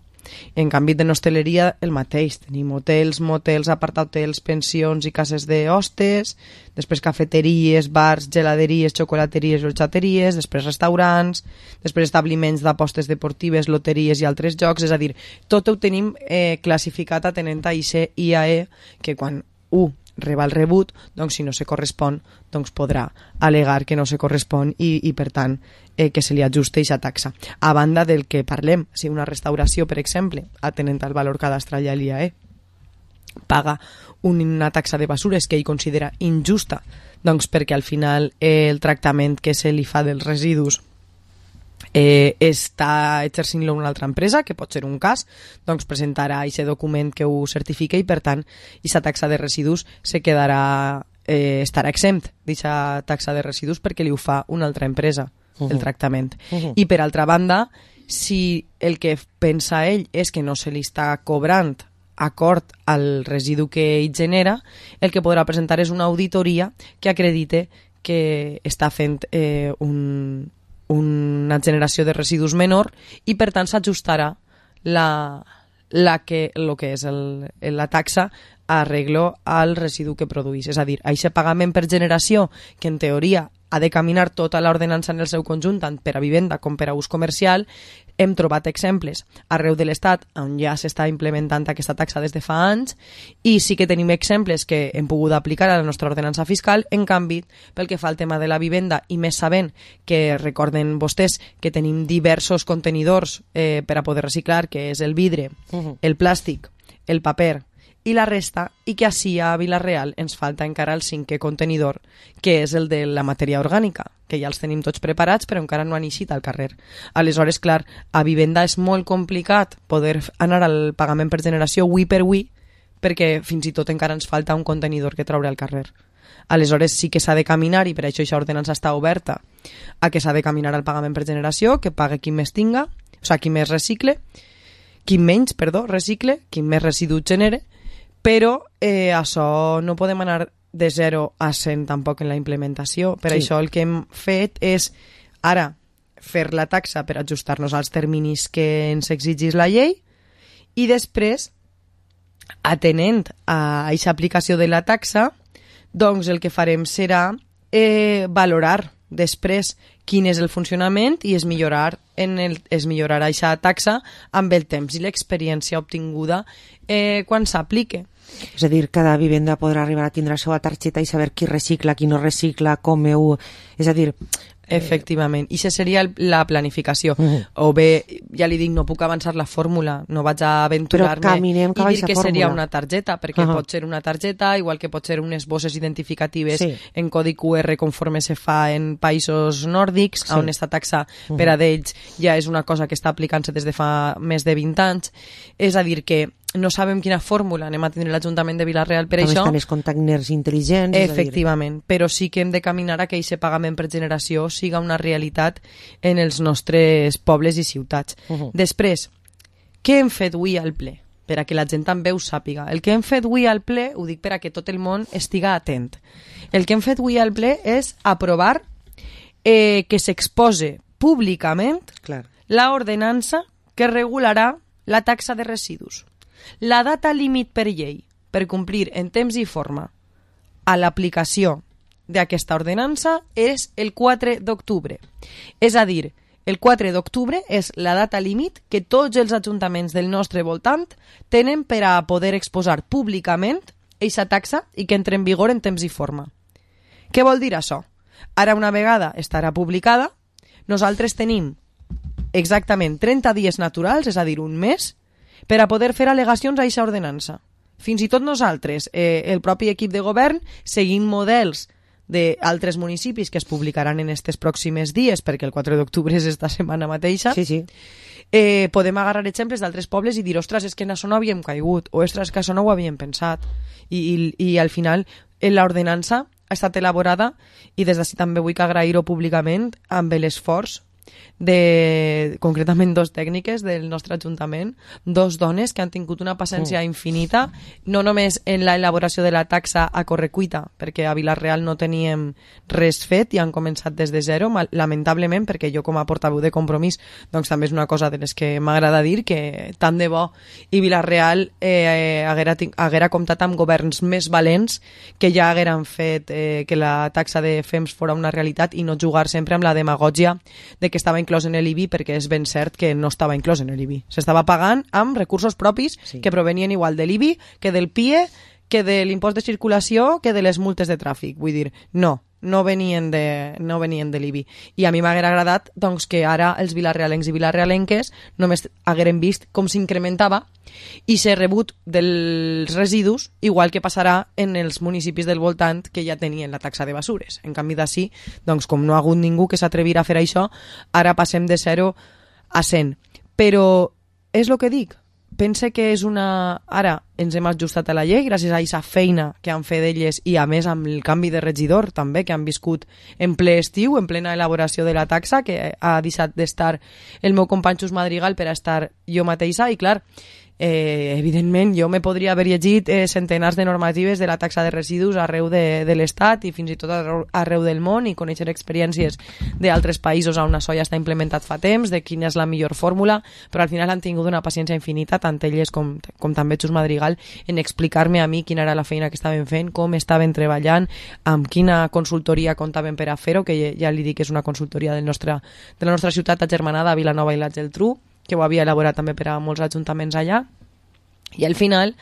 En canvi, en hostaleria, el mateix. Tenim hotels, motels, aparthotels, pensions i cases d'hostes, després cafeteries, bars, geladeries, xocolateries i horxateries, després restaurants, després establiments d'apostes deportives, loteries i altres jocs. És a dir, tot ho tenim eh, classificat atenent a I A E, que quan u reba el rebut, doncs si no se correspon, doncs podrà al·legar que no se correspon i, i per tant, eh, que se li ajuste aquesta taxa. A banda del que parlem, si una restauració, per exemple, atenent al valor cadastral i a l'I A E, paga una taxa de basures que ell considera injusta, doncs perquè al final eh, el tractament que se li fa dels residus Eh, està exercint-lo una altra empresa, que pot ser un cas, doncs presentarà aquest document que ho certifica i per tant aquesta taxa de residus se quedarà, eh, estarà exempt d'aquesta taxa de residus perquè li ho fa una altra empresa, uh-huh. el tractament. Uh-huh. I per altra banda, si el que pensa ell és que no se li està cobrant acord al residu que ell genera, el que podrà presentar és una auditoria que acredite que està fent eh, un una generació de residus menor i per tant s'ajustarà la, la que, lo que és el, la taxa a arreglo al residu que produís. És a dir, aquest pagament per generació, que en teoria ha de caminar tota l'ordenança en el seu conjunt, tant per a vivenda com per a ús comercial, hem trobat exemples arreu de l'Estat on ja s'està implementant aquesta taxa des de fa anys i sí que tenim exemples que hem pogut aplicar a la nostra ordenança fiscal. En canvi, pel que fa al tema de la vivenda i més sabent que recorden vostès que tenim diversos contenidors eh, per a poder reciclar, que és el vidre, uh-huh. el plàstic, el paper i la resta, i que així a Vila-real ens falta encara el cinquè contenidor, que és el de la matèria orgànica, que ja els tenim tots preparats però encara no han eixit al carrer. Aleshores, clar, a vivenda és molt complicat poder anar al pagament per generació avui per avui, perquè fins i tot encara ens falta un contenidor que traure al carrer. Aleshores sí que s'ha de caminar, i per això aquesta ordenança està oberta, a que s'ha de caminar al pagament per generació, que pague qui més tinga, o sigui, qui més recicle, qui menys, perdó, recicle, qui més residu genere, però eh, això no podem anar de zero a cent tampoc en la implementació. Per sí. Això el que hem fet és ara fer la taxa per ajustar-nos als terminis que ens exigís la llei i després, atenent a aquesta aplicació de la taxa, doncs el que farem serà eh, valorar després quin és el funcionament i es millorar en el, es millorarà aquesta taxa amb el temps i l'experiència obtinguda eh, quan s'aplique. És a dir, cada vivenda podrà arribar a tindre la seva targeta i saber qui recicla, qui no recicla, com heu... És a dir, Efectivament, i això seria el, la planificació. Mm. O bé, ja li dic, no puc avançar la fórmula, no vaig a aventurar-me i dir que fórmula. seria una targeta, perquè uh -huh. pot ser una targeta, igual que pot ser unes bosses identificatives sí. en codi Q R conforme se fa en països nòrdics, sí. on esta taxa uh -huh. per a d'ells ja és una cosa que està aplicant-se des de fa més de vint anys. És a dir, que no sabem quina fórmula anem a tindre l'Ajuntament de Vila-real per També això. També estan els containers intel·ligents. Efectivament, però sí que hem de caminar a que aquest pagament per generació siga una realitat en els nostres pobles i ciutats. Uh -huh. Després, què hem fet avui al ple? Per a que la gent també ho sàpiga. El que hem fet avui al ple, ho dic per a que tot el món estiga atent. El que hem fet avui al ple és aprovar eh, que s'expose públicament Clar. la ordenança que regularà la taxa de residus. La data límit per llei per complir en temps i forma a l'aplicació d'aquesta ordenança és el quatre d'octubre. És a dir, el quatre d'octubre és la data límit que tots els ajuntaments del nostre voltant tenen per a poder exposar públicament aquesta taxa i que entre en vigor en temps i forma. Què vol dir això? Ara una vegada estarà publicada, nosaltres tenim exactament trenta dies naturals, és a dir, un mes, per a poder fer al·legacions a aquesta ordenança. Fins i tot nosaltres, eh, el propi equip de govern, seguint models d'altres municipis que es publicaran en aquests pròxims dies, perquè el quatre d'octubre és esta setmana mateixa, sí, sí. Eh, podem agarrar exemples d'altres pobles i dir, ostres, és que en això no havíem caigut, o ostres, que això no ho havíem pensat. I, i, i al final, l'ordenança ha estat elaborada, i des d'ací també vull agrair-ho públicament, amb l'esforç de, concretament, dos tècniques del nostre Ajuntament, dos dones que han tingut una paciència mm. infinita, no només en la elaboració de la taxa a correcuita, perquè a Vila-real no teníem res fet i han començat des de zero, lamentablement, perquè jo com a portaveu de Compromís, doncs també és una cosa de les que m'agrada dir, que tant de bo i Vila-real eh, haguera, haguera comptat amb governs més valents que ja hagueren fet eh, que la taxa de F E M S fora una realitat i no jugar sempre amb la demagògia de que estava inclòs en l'I B I, perquè és ben cert que no estava inclòs en l'I B I. S'estava pagant amb recursos propis sí. que provenien igual de l'I B I, que del P I E, que de l'impost de circulació, que de les multes de tràfic. Vull dir, no, no venien de, no venien de l'I B I. I a mi m'haguera agradat doncs, que ara els vilarrealencs i vilarrealenques només hagueren vist com s'incrementava i s'ha rebut dels residus, igual que passarà en els municipis del voltant que ja tenien la taxa de basures. En canvi d'ací, doncs, com no ha hagut ningú que s'atrevirà a fer això, ara passem de zero a cent. Però és el que dic, pense que és una... Ara ens hem ajustat a la llei gràcies a aquesta feina que han fet elles i a més amb el canvi de regidor també que han viscut en ple estiu, en plena elaboració de la taxa, que ha deixat d'estar el meu company Xus Madrigal per a estar jo mateixa i clar, Eh, evidentment jo me podria haver llegit eh, centenars de normatives de la taxa de residus arreu de, de l'Estat i fins i tot arreu, arreu del món i conèixer experiències d'altres països on això ja està implementat fa temps, de quina és la millor fórmula, però al final han tingut una paciència infinita, tant elles com, com també Xus Madrigal, en explicar-me a mi quina era la feina que estaven fent, com estaven treballant, amb quina consultoria comptaven per a fer-ho, que ja, ja li dic que és una consultoria del nostre, de la nostra ciutat agermanada, Vilanova i la Geltrú, que ho havia elaborat també per a molts ajuntaments allà, i al final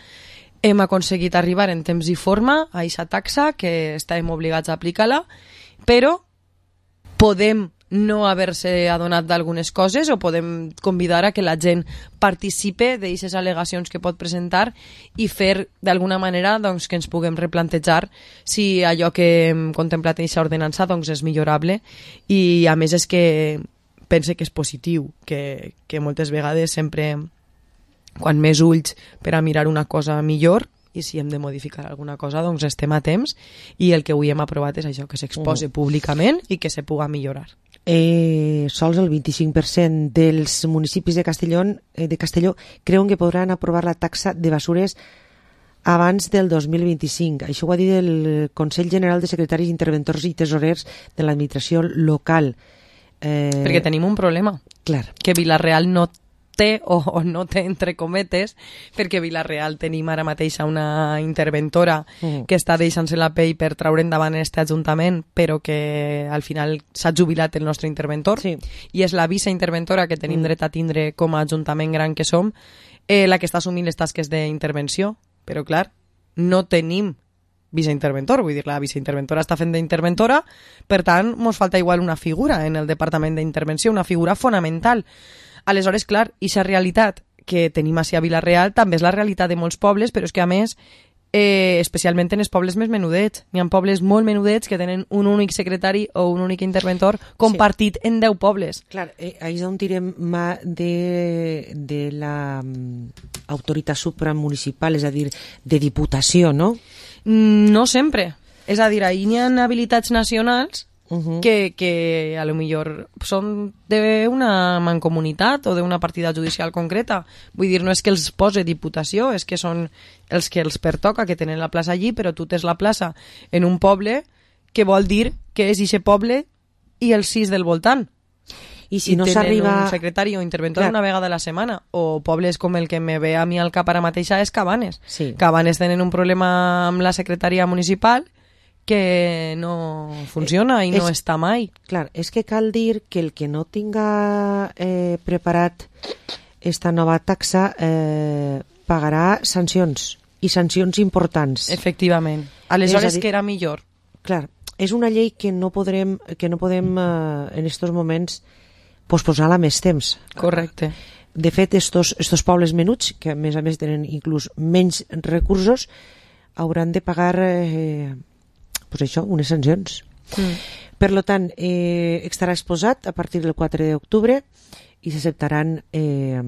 hem aconseguit arribar en temps i forma a aquesta taxa que estàvem obligats a aplicar-la, però podem no haver-se adonat d'algunes coses o podem convidar a que la gent participe d'aquestes al·legacions que pot presentar i fer d'alguna manera doncs, que ens puguem replantejar si allò que hem contemplat en aquesta ordenança doncs, és millorable i a més és que pense que és positiu, que, que moltes vegades sempre quan més ulls per a mirar una cosa millor i si hem de modificar alguna cosa doncs estem a temps i el que avui hem aprovat és això, que s'expose uh. públicament i que se puga millorar. Eh, sols el vint-i-cinc per cent dels municipis de Castelló, eh, de Castelló creuen que podran aprovar la taxa de basures abans del dos mil vint-i-cinc. Això ho ha dit el Consell General de Secretaris, Interventors i Tesorers de l'Administració Local. Eh... Perquè tenim un problema. Clar. Que Vila-real no té, o, o no té entre cometes, perquè Vila-real tenim ara mateix una interventora uh-huh. que està deixant-se la pell per traure endavant aquest ajuntament, però que al final s'ha jubilat el nostre interventor, sí. i és la viceinterventora que tenim uh-huh. dret a tindre com a ajuntament gran que som, eh, la que està assumint les tasques d'intervenció. Però clar, no tenim viceinterventor, vull dir, la viceinterventora està fent d'interventora, per tant, mos falta igual una figura en el departament d'intervenció, una figura fonamental. Aleshores, clar, ixa realitat que tenim així a Vila-real també és la realitat de molts pobles, però és que a més, eh, especialment en els pobles més menudets, n'hi ha pobles molt menudets que tenen un únic secretari o un únic interventor compartit sí. en deu pobles. Clar, eh, ahí és on tirem mà de, de la um, autoritat supramunicipal, és a dir, de diputació, no? No sempre. És a dir, ahí n'hi ha habilitats nacionals uh-huh. que, que a lo millor són d'una mancomunitat o d'una partida judicial concreta. Vull dir, no és que els pose diputació, és que són els que els pertoca, que tenen la plaça allí, però tu tens la plaça en un poble que vol dir que és ixe poble i els sis del voltant. I si I no tenen s'arriba... un secretari o interventor Clar. una vegada a la setmana. O pobles com el que me ve a mi al cap ara mateixa és Cabanes. Sí. Cabanes tenen un problema amb la secretaria municipal que no funciona i és, no està mai. Clar, és que cal dir que el que no tinga eh, preparat esta nova taxa eh, pagarà sancions, i sancions importants. Efectivament. Aleshores, que era millor. Clar, és una llei que no podrem, que no podem eh, en estos moments posposar-la més temps. Correcte. De fet, estos, estos pobles menuts, que a més a més tenen inclús menys recursos, hauran de pagar eh, pues això, unes sancions. Mm. Per lo tant, eh, estarà exposat a partir del quatre d'octubre i s'acceptaran eh,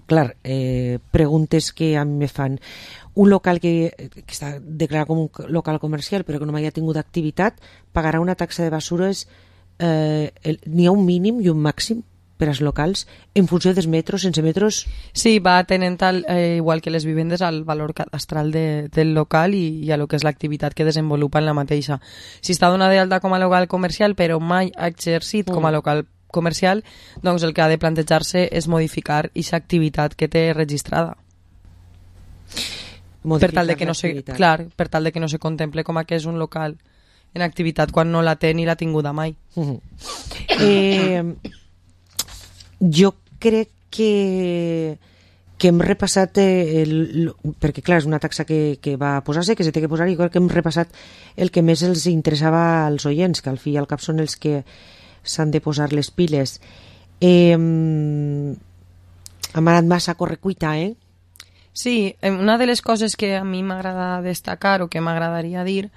clar, eh, preguntes que a mi me fan. Un local que, que està declarat com un local comercial però que no mai ha tingut activitat pagarà una taxa de basures, eh, el, n'hi ha un mínim i un màxim per als locals en funció dels metros, sense metros. Sí, va tenent tal, eh, igual que les vivendes al valor cadastral de, del local i, i a lo que és l'activitat que desenvolupa en la mateixa. Si està donada d'alta com a local comercial però mai ha exercit mm. com a local comercial, doncs el que ha de plantejar-se és modificar aquesta activitat que té registrada. Modificar per tal de que no se, clar, per tal de que no se contemple com a que és un local en activitat quan no la té ni l'ha tinguda mai. Uh-huh. Eh, jo crec que que hem repassat eh, el, perquè clar, és una taxa que, que va posar-se, que se té que posar, i crec que hem repassat el que més els interessava als oients, que al fi i al cap són els que s'han de posar les piles. Eh, hem anat massa a correcuita, eh? Sí, una de les coses que a mi m'agrada destacar o que m'agradaria dir,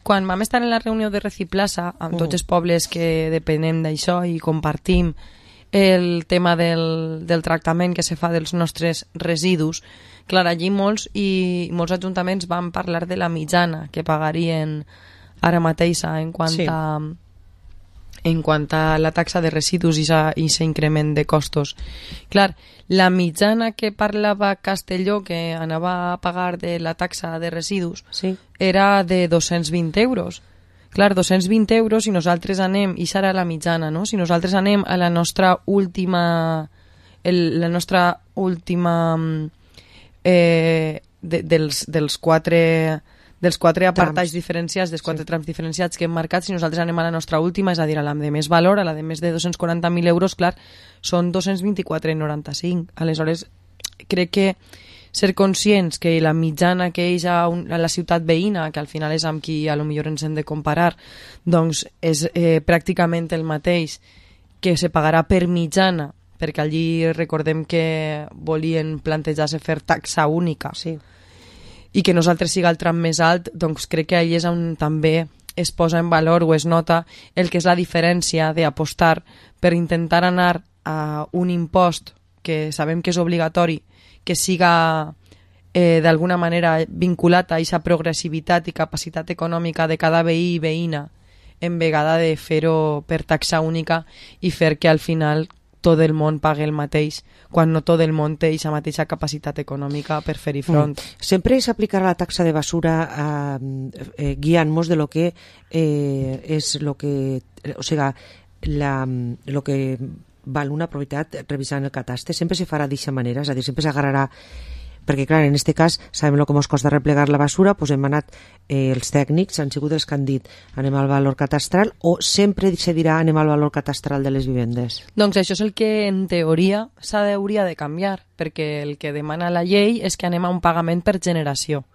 quan vam estar en la reunió de Reciplaça amb tots els pobles que depenem d'això i compartim el tema del, del tractament que se fa dels nostres residus, clar, allí molts i molts ajuntaments van parlar de la mitjana que pagarien ara mateixa en quant sí. a en quant a la taxa de residus i aquest increment de costos. Clar, la mitjana que parlava Castelló que anava a pagar de la taxa de residus sí. era de dos-cents vint euros. Clar, dos-cents vint euros, si nosaltres anem, i serà la mitjana, no? Si nosaltres anem a la nostra última el, la nostra última eh, de, dels, dels quatre dels quatre apartats diferenciats, dels quatre sí. trams diferenciats que hem marcat, si nosaltres anem a la nostra última, és a dir, a la de més valor, a la de més de dos-cents quaranta mil euros, clar, són dos-cents vint-i-quatre coma noranta-cinc. Aleshores, crec que ser conscients que la mitjana que és a, un, a la ciutat veïna, que al final és amb qui a lo millor ens hem de comparar, doncs és eh, pràcticament el mateix que se pagarà per mitjana, perquè allí recordem que volien plantejar-se fer taxa única. Sí. I que nosaltres siga el tram més alt, doncs crec que allà és on també es posa en valor o es nota el que és la diferència d'apostar per intentar anar a un impost que sabem que és obligatori, que siga eh, d'alguna manera vinculat a aquesta progressivitat i capacitat econòmica de cada veí i veïna, en vegada de fer-ho per taxa única i fer que al final tot el món pague el mateix, quan no tot el món té aquesta mateixa capacitat econòmica per fer-hi front. Mm. Sempre s'aplicarà la taxa de basura eh, eh, guiant-nos de lo que eh, és lo que, o sigui, la, lo que val una propietat revisant el catastre, sempre se farà d'aquesta manera, és a dir, sempre s'agarrarà, perquè clar, en aquest cas sabem el que ens costa replegar la basura, doncs hem anat, eh, els tècnics han sigut els que han dit anem al valor catastral, o sempre se dirà anem al valor catastral de les vivendes? Doncs això és el que en teoria s'hauria de canviar, perquè el que demana la llei és que anem a un pagament per generació.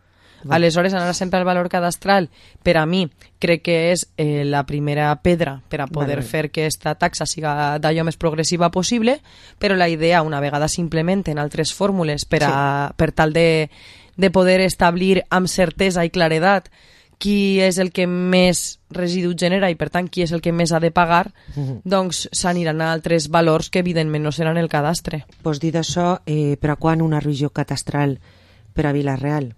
Va. Aleshores, anar sempre al valor cadastral, per a mi, crec que és eh, la primera pedra per a poder vale. fer que aquesta taxa siga d'allò més progressiva possible, però la idea, una vegada s'implementen altres fórmules per, a, sí. per tal de, de poder establir amb certesa i claredat qui és el que més residu genera i, per tant, qui és el que més ha de pagar, uh-huh. doncs s'aniran a altres valors que, evidentment, no seran el cadastre. Pues dit això, eh, per a quan una revisió cadastral per a Vila-real?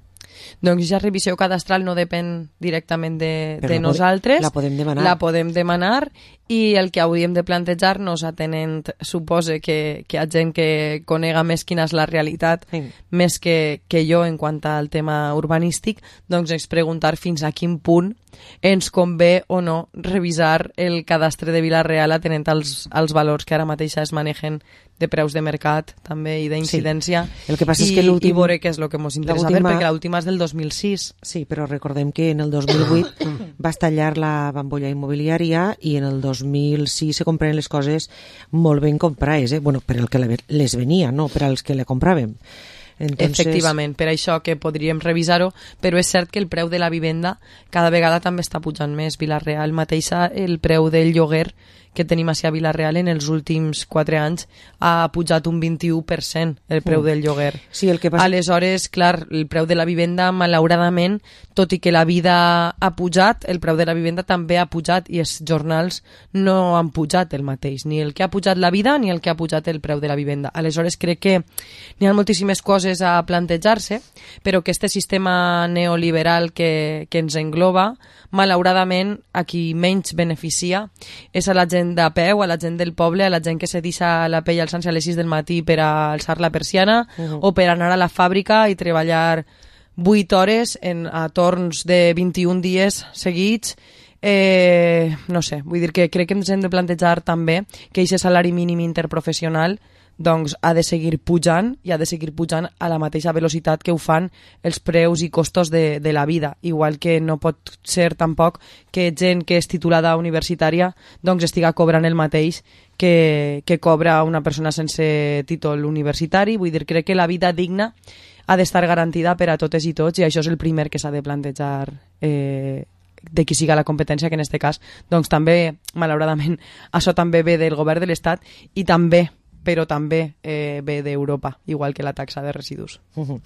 Doncs ja revisió cadastral no depèn directament de, de la nosaltres. La podem demanar. La podem demanar i el que hauríem de plantejar-nos, atenent, supose que, que hi ha gent que conega més quina és la realitat, sí. més que, que jo en quant al tema urbanístic, doncs és preguntar fins a quin punt ens convé o no revisar el cadastre de Vila-real atenent als, als valors que ara mateix es manegen de preus de mercat també i d'incidència, sí. El que passa i, és que l'últim... i veure què és el que ens interessa ver, perquè l'última és del dos mil sis. Sí, però recordem que en el dos mil vuit va estallar la bombolla immobiliària i en el dos mil sis se compren les coses molt ben comprades, eh? Bueno, per al que les venia, no per als que le compràvem. Entonces... Efectivament, per això que podríem revisar-ho, però és cert que el preu de la vivenda cada vegada també està pujant més. Vila-real mateixa, el preu del lloguer que tenim a Vila-real en els últims quatre anys ha pujat un vint-i-u per cent el preu mm. del lloguer. Sí, el que passa... Aleshores, clar, el preu de la vivenda, malauradament, tot i que la vida ha pujat, el preu de la vivenda també ha pujat i els jornals no han pujat el mateix, ni el que ha pujat la vida ni el que ha pujat el preu de la vivenda. Aleshores, crec que n'hi ha moltíssimes coses a plantejar-se, però que este sistema neoliberal que, que ens engloba, malauradament, a qui menys beneficia és a la gent de peu, a la gent del poble, a la gent que se deixa la pell alçant-se a les sis del matí per a alçar la persiana uh-huh. o per anar a la fàbrica i treballar vuit hores en, a torns de vint-i-un dies seguits. Eh, no sé, vull dir que crec que ens hem de plantejar també que aquest salari mínim interprofessional doncs ha de seguir pujant i ha de seguir pujant a la mateixa velocitat que ho fan els preus i costos de, de la vida, igual que no pot ser tampoc que gent que és titulada universitària doncs estiga cobrant el mateix que, que cobra una persona sense títol universitari. Vull dir, crec que la vida digna ha d'estar garantida per a totes i tots i això és el primer que s'ha de plantejar eh, de qui siga la competència, que en aquest cas doncs també, malauradament, això també ve del govern de l'Estat i també però també eh, ve d'Europa, igual que la taxa de residus. Uh-huh.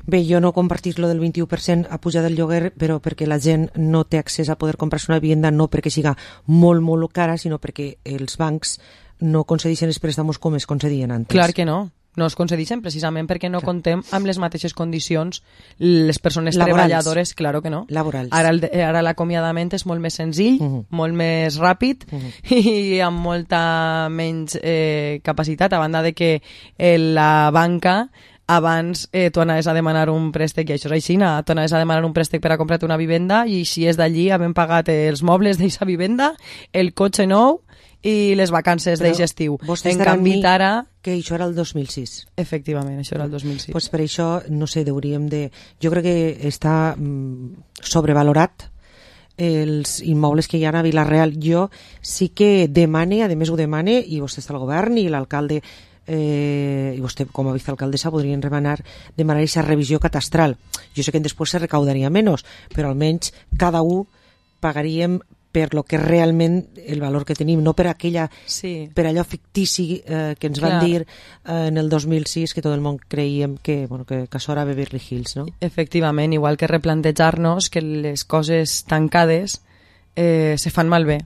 Bé, jo no compartís lo del vint-i-u per cent a pujar del lloguer, però perquè la gent no té accés a poder comprar-se una vivenda, no perquè siga molt, molt cara, sinó perquè els bancs no concedeixen els préstamos com es concedien antes. Clar que no. No es concedeixen precisament perquè no contem amb les mateixes condicions les persones laborals. Treballadores, claro que no. Laborals. Ara, el, ara l'acomiadament és molt més senzill, uh-huh. molt més ràpid uh-huh. i amb molta menys eh, capacitat, a banda de que eh, la banca abans eh, tu anaves a demanar un préstec, i això és així, tu anaves a demanar un préstec per a comprar-te una vivenda i si és d'allí havem pagat els mobles d'aquesta vivenda, el cotxe nou i les vacances d'aquest estiu. En canvi, ara... que això era el dos mil sis. Efectivament, això era el dos mil sis. Pues per això, no sé, hauríem de... Jo crec que està mm, sobrevalorat els immobles que hi ha a Vila-real. Jo sí que demane, a més ho demane, i vostè està al govern i l'alcalde eh, i vostè com a vicealcaldessa podrien demanar demanar aquesta revisió catastral. Jo sé que després se recaudaria menys, però almenys cada un pagaríem per lo que realment el valor que tenim, no per aquella sí. per allò fictici eh, que ens Clar. van dir eh, en el dos mil sis que tot el món creiem que, bueno, que, que això era Beverly Hills, no? Efectivament, igual que replantejar-nos que les coses tancades eh, se fan malbé.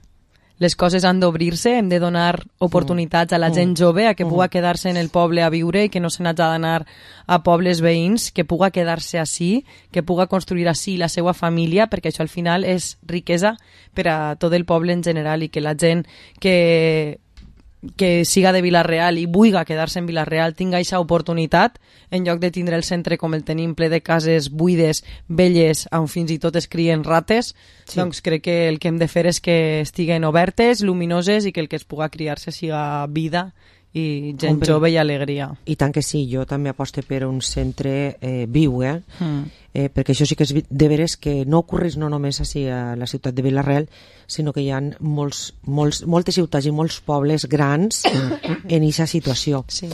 Les coses han d'obrir-se, hem de donar oportunitats a la gent jove a que puga quedar-se en el poble a viure i que no se n'hagi d'anar a pobles veïns, que puga quedar-se així, que puga construir així la seva família, perquè això al final és riquesa per a tot el poble en general i que la gent que que siga de Vila-real i vulga quedar-se en Vila-real tinga aquesta oportunitat en lloc de tindre el centre com el tenim ple de cases buides, velles, on fins i tot es crien rates, sí. doncs crec que el que hem de fer és que estiguen obertes, luminoses i que el que es puga criar-se siga vida i gent Hombre, jove i alegria. I tant que sí, jo també aposto per un centre eh, viu, eh? Mm. eh? Perquè això sí que és de veres que no ocorreix no només així a la ciutat de Vila-real, sinó que hi ha molts, molts, moltes ciutats i molts pobles grans en aquesta situació. Sí.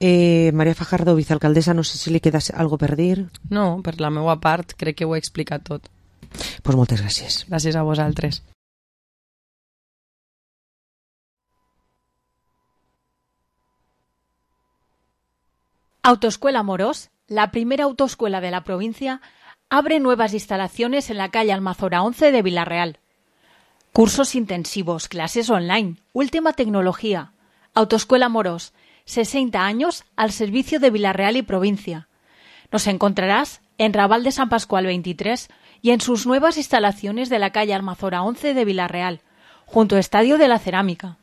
Eh, Maria Fajardo, vicealcaldessa, no sé si li queda algo per dir. No, per la meva part crec que ho he explicat tot. Pues moltes gràcies. Gràcies a vosaltres. Autoescuela Morós, la primera autoescuela de la provincia, abre nuevas instalaciones en la calle Almazora once de Villarreal. Cursos intensivos, clases online, última tecnología. Autoescuela Morós, sesenta años al servicio de Villarreal y provincia. Nos encontrarás en Raval de San Pascual veintitrés y en sus nuevas instalaciones de la calle Almazora once de Villarreal, junto al Estadio de la Cerámica.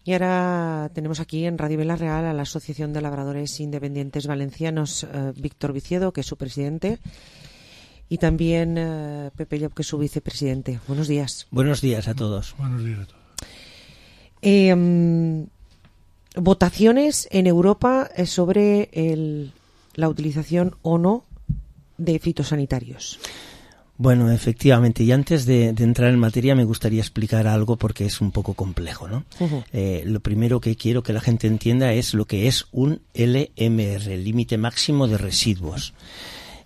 Y ahora tenemos aquí en Radio Villarreal a la Asociación de Labradores Independientes Valencianos, eh, Víctor Viciedo, que es su presidente, y también eh, Pepe Llop, que es su vicepresidente. Buenos días. Buenos días a todos. Buenos días a todos. Eh, votaciones en Europa sobre el, la utilización o no de fitosanitarios. Bueno, efectivamente, y antes de, de entrar en materia me gustaría explicar algo porque es un poco complejo, ¿no? Uh-huh. Eh, lo primero que quiero que la gente entienda es lo que es un L M R, límite máximo de residuos.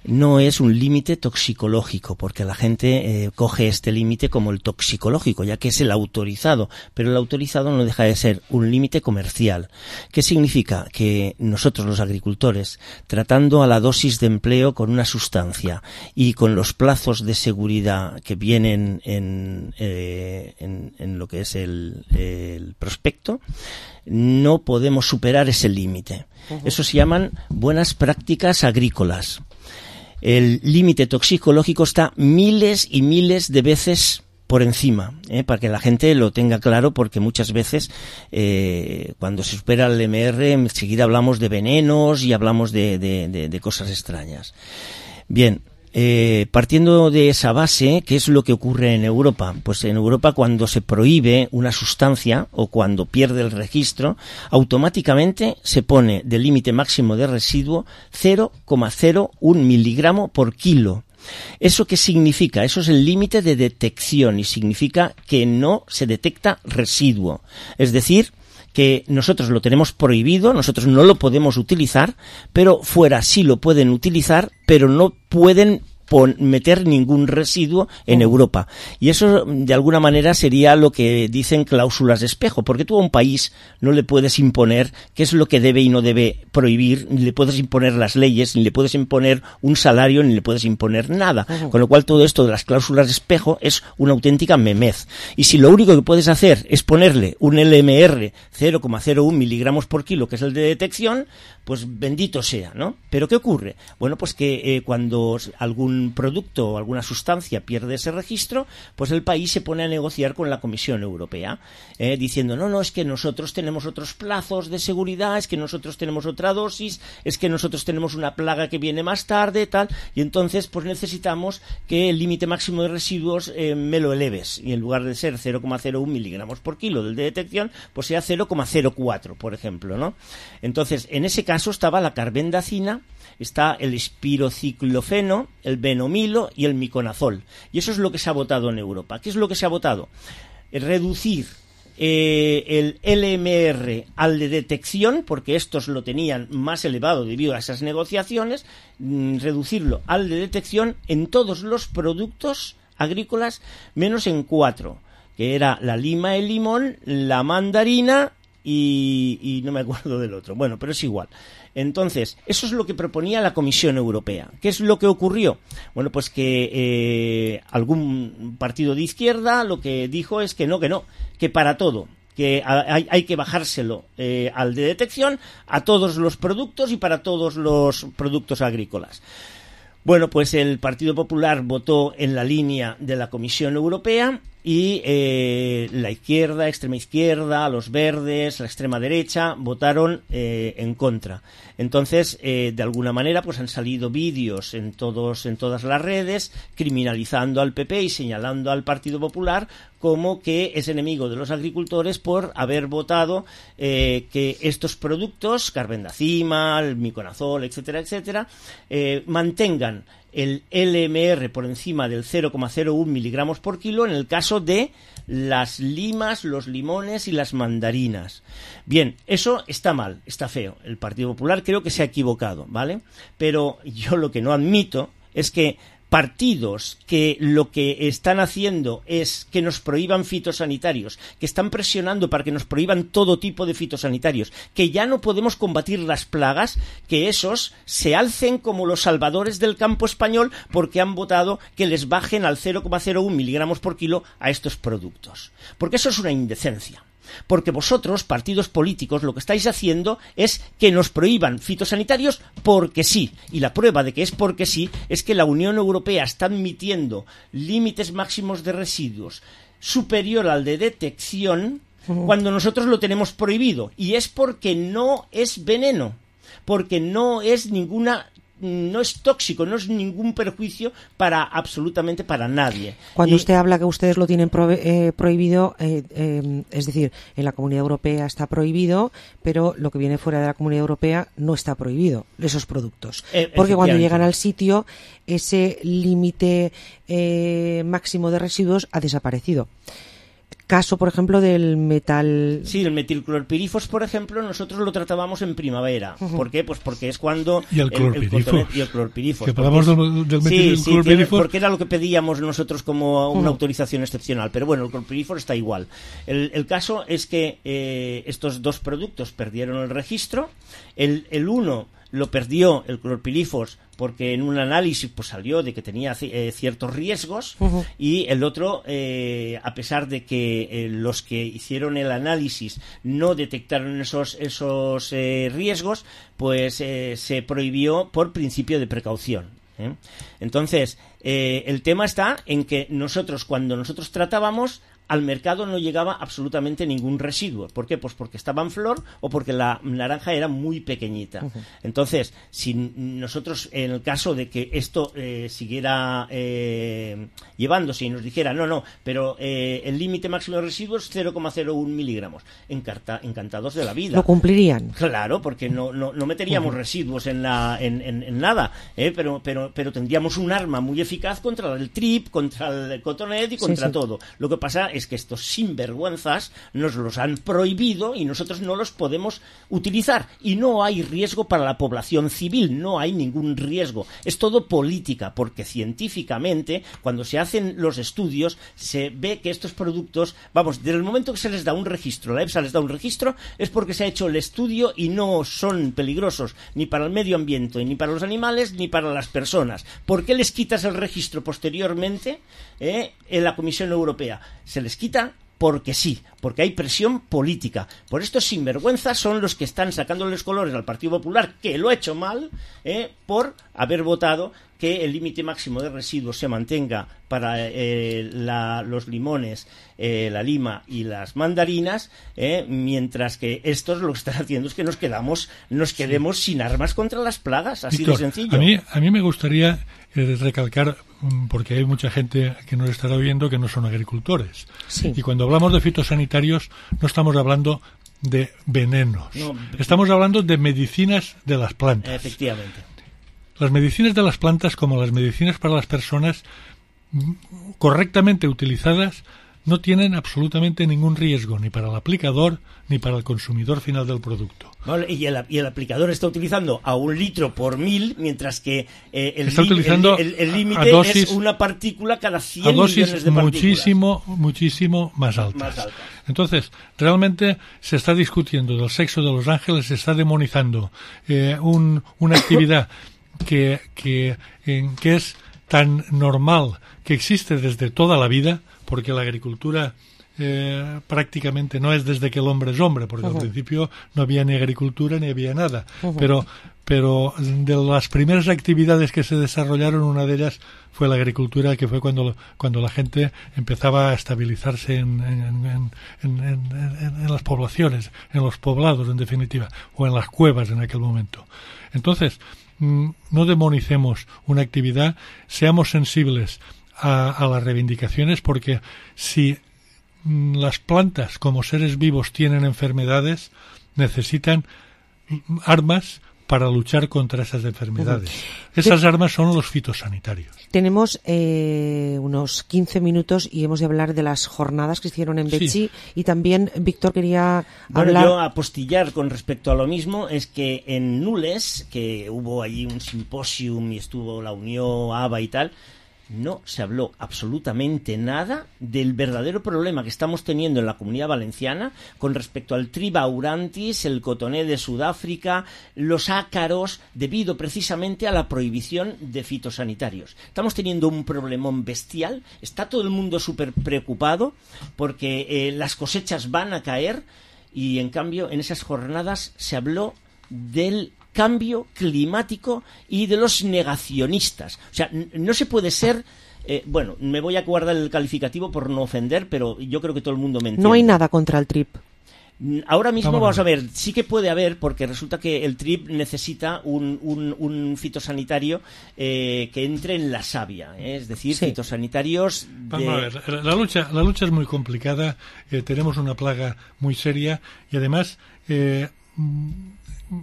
No es un límite toxicológico, porque la gente eh, coge este límite como el toxicológico, ya que es el autorizado, pero el autorizado no deja de ser un límite comercial. ¿Qué significa? Que nosotros, los agricultores, tratando a la dosis de empleo con una sustancia y con los plazos de seguridad que vienen en, eh, en, en lo que es el, el prospecto, no podemos superar ese límite. Uh-huh. Eso se llaman buenas prácticas agrícolas. El límite toxicológico está miles y miles de veces por encima, ¿eh? Para que la gente lo tenga claro, porque muchas veces eh, cuando se supera el M R enseguida hablamos de venenos y hablamos de, de, de, de cosas extrañas. Bien, eh, partiendo de esa base, ¿qué es lo que ocurre en Europa? Pues en Europa, cuando se prohíbe una sustancia o cuando pierde el registro, automáticamente se pone de límite máximo de residuo cero coma cero uno miligramo por kilo. ¿Eso qué significa? Eso es el límite de detección y significa que no se detecta residuo. Es decir, que nosotros lo tenemos prohibido, nosotros no lo podemos utilizar, pero fuera sí lo pueden utilizar, pero no pueden pon, meter ningún residuo en oh. Europa. Y eso, de alguna manera, sería lo que dicen cláusulas de espejo, porque tú a un país no le puedes imponer qué es lo que debe y no debe prohibir, ni le puedes imponer las leyes, ni le puedes imponer un salario, ni le puedes imponer nada. Oh. Con lo cual, todo esto de las cláusulas de espejo es una auténtica memez. Y si lo único que puedes hacer es ponerle un L M R cero coma cero uno miligramos por kilo, que es el de detección, pues bendito sea, ¿no? Pero ¿qué ocurre? Bueno, pues que eh, cuando algún producto o alguna sustancia pierde ese registro, pues el país se pone a negociar con la Comisión Europea, eh, diciendo, no, no, es que nosotros tenemos otros plazos de seguridad, es que nosotros tenemos otra dosis, es que nosotros tenemos una plaga que viene más tarde, tal, y entonces pues necesitamos que el límite máximo de residuos eh, me lo eleves, y en lugar de ser cero coma cero uno miligramos por kilo del de detección, pues sea cero coma cero cuatro, por ejemplo, ¿no? Entonces, en ese caso estaba la carbendazina, está el espirociclofeno, el benomilo y el miconazol. Y eso es lo que se ha votado en Europa. ¿Qué es lo que se ha votado? Reducir eh, el L M R al de detección, porque estos lo tenían más elevado debido a esas negociaciones, mmm, reducirlo al de detección en todos los productos agrícolas, menos en cuatro, que era la lima, el limón, la mandarina y, y no me acuerdo del otro. Bueno, pero es igual. Entonces, eso es lo que proponía la Comisión Europea. ¿Qué es lo que ocurrió? Bueno, pues que eh, algún partido de izquierda lo que dijo es que no, que no, que para todo, que hay, hay que bajárselo eh, al de detección a todos los productos y para todos los productos agrícolas. Bueno, pues el Partido Popular votó en la línea de la Comisión Europea y eh, la izquierda, extrema izquierda, los verdes, la extrema derecha votaron eh, en contra. Entonces, eh, de alguna manera, pues han salido vídeos en todos, en todas las redes criminalizando al P P y señalando al Partido Popular como que es enemigo de los agricultores por haber votado eh, que estos productos, carbendazima, el miconazol, etcétera, etcétera, eh, mantengan el L M R por encima del cero coma cero uno miligramos por kilo en el caso de las limas, los limones y las mandarinas. Bien, eso está mal, está feo. El Partido Popular creo que se ha equivocado, ¿vale? Pero yo lo que no admito es que partidos que lo que están haciendo es que nos prohíban fitosanitarios, que están presionando para que nos prohíban todo tipo de fitosanitarios, que ya no podemos combatir las plagas, que esos se alcen como los salvadores del campo español porque han votado que les bajen al cero coma cero uno miligramos por kilo a estos productos. Porque eso es una indecencia. Porque vosotros, partidos políticos, lo que estáis haciendo es que nos prohíban fitosanitarios porque sí. Y la prueba de que es porque sí es que la Unión Europea está admitiendo límites máximos de residuos superior al de detección cuando nosotros lo tenemos prohibido. Y es porque no es veneno, porque no es ninguna... no es tóxico, no es ningún perjuicio para absolutamente para nadie. Cuando y... usted habla que ustedes lo tienen pro, eh, prohibido, eh, eh, es decir, en la Comunidad Europea está prohibido, pero lo que viene fuera de la Comunidad Europea no está prohibido, esos productos. Eh, Porque cuando llegan al sitio, ese límite eh, máximo de residuos ha desaparecido. Caso, por ejemplo, del metal... Sí, el metilclorpirifos, por ejemplo, nosotros lo tratábamos en primavera. Uh-huh. ¿Por qué? Pues porque es cuando... Y el clorpirifos. Y el clorpirifos. Que hablamos es... del, del metilclorpirifos. Sí, sí, porque era lo que pedíamos nosotros como una uh-huh. autorización excepcional. Pero bueno, el clorpirifos está igual. El, el caso es que eh, estos dos productos perdieron el registro. El, el uno lo perdió, el clorpirifos, porque en un análisis pues salió de que tenía eh, ciertos riesgos uh-huh. y el otro, eh, a pesar de que eh, los que hicieron el análisis no detectaron esos, esos eh, riesgos, pues eh, se prohibió por principio de precaución. ¿eh? Entonces, eh, el tema está en que nosotros, cuando nosotros tratábamos, al mercado no llegaba absolutamente ningún residuo. ¿Por qué? Pues porque estaba en flor o porque la naranja era muy pequeñita. Uh-huh. Entonces, si nosotros, en el caso de que esto eh, siguiera eh, llevándose y nos dijera, no, no, pero eh, el límite máximo de residuos es cero coma cero uno miligramos, Encarta, encantados de la vida. ¿Lo cumplirían? Claro, porque no, no, no meteríamos uh-huh. residuos en, la, en, en, en nada, ¿eh? pero, pero, pero tendríamos un arma muy eficaz contra el trip, contra el cotonet y contra sí, sí. todo. Lo que pasa es que estos sinvergüenzas nos los han prohibido y nosotros no los podemos utilizar. Y no hay riesgo para la población civil, no hay ningún riesgo. Es todo política, porque científicamente, cuando se hacen los estudios, se ve que estos productos, vamos, desde el momento que se les da un registro, la EFSA les da un registro, es porque se ha hecho el estudio y no son peligrosos ni para el medio ambiente, ni para los animales, ni para las personas. ¿Por qué les quitas el registro posteriormente eh, en la Comisión Europea? Se les quita porque sí, porque hay presión política. Por estos sinvergüenzas son los que están sacando los colores al Partido Popular, que lo ha hecho mal, eh, por haber votado que el límite máximo de residuos se mantenga para eh, la, los limones, eh, la lima y las mandarinas, eh, mientras que estos lo que están haciendo es que nos quedamos, nos quedemos sí. sin armas contra las plagas, así Víctor, de sencillo. A mí, a mí me gustaría eh, recalcar, porque hay mucha gente que nos estará oyendo que no son agricultores. Sí. Y cuando hablamos de fitosanitarios no estamos hablando de venenos. No, estamos hablando de medicinas de las plantas. Efectivamente. Las medicinas de las plantas, como las medicinas para las personas, correctamente utilizadas, no tienen absolutamente ningún riesgo, ni para el aplicador ni para el consumidor final del producto. Vale, y, el, y el aplicador está utilizando a un litro por mil, mientras que eh, el, está utilizando el, el, el límite es una partícula cada cien a dosis millones de partículas. muchísimo, muchísimo más altas. más altas. Entonces, realmente se está discutiendo del sexo de los ángeles, se está demonizando eh, un, una actividad que, que, en, que es tan normal, que existe desde toda la vida, porque la agricultura eh, prácticamente no es desde que el hombre es hombre, porque uh-huh. al principio no había ni agricultura ni había nada, uh-huh. pero pero de las primeras actividades que se desarrollaron, una de ellas fue la agricultura, que fue cuando cuando la gente empezaba a estabilizarse en, en, en, en, en, en las poblaciones, en los poblados en definitiva, o en las cuevas en aquel momento. Entonces, no demonicemos una actividad, seamos sensibles a, a las reivindicaciones, porque si las plantas como seres vivos tienen enfermedades, necesitan armas para luchar contra esas enfermedades. Uh-huh. Esas de... armas son los fitosanitarios. Tenemos eh, unos quince minutos y hemos de hablar de las jornadas que hicieron en Betxí, sí. Y también Víctor quería bueno, hablar... Yo apostillar con respecto a lo mismo es que en Nules, que hubo allí un simposium y estuvo la Unión, A B A y tal, no se habló absolutamente nada del verdadero problema que estamos teniendo en la Comunidad Valenciana con respecto al tribaurantis, el cotoné de Sudáfrica, los ácaros, debido precisamente a la prohibición de fitosanitarios. Estamos teniendo un problemón bestial, está todo el mundo súper preocupado porque eh, las cosechas van a caer y en cambio en esas jornadas se habló del cambio climático y de los negacionistas. O sea, n- no se puede ser... Eh, bueno, me voy a guardar el calificativo por no ofender, pero yo creo que todo el mundo me entiende. No hay nada contra el trip. Ahora mismo vamos, vamos a ver, sí que puede haber, porque resulta que el trip necesita un, un, un fitosanitario eh, que entre en la savia, ¿eh? Es decir, sí. fitosanitarios de... Vamos a ver, la lucha, la lucha es muy complicada, eh, tenemos una plaga muy seria y además eh,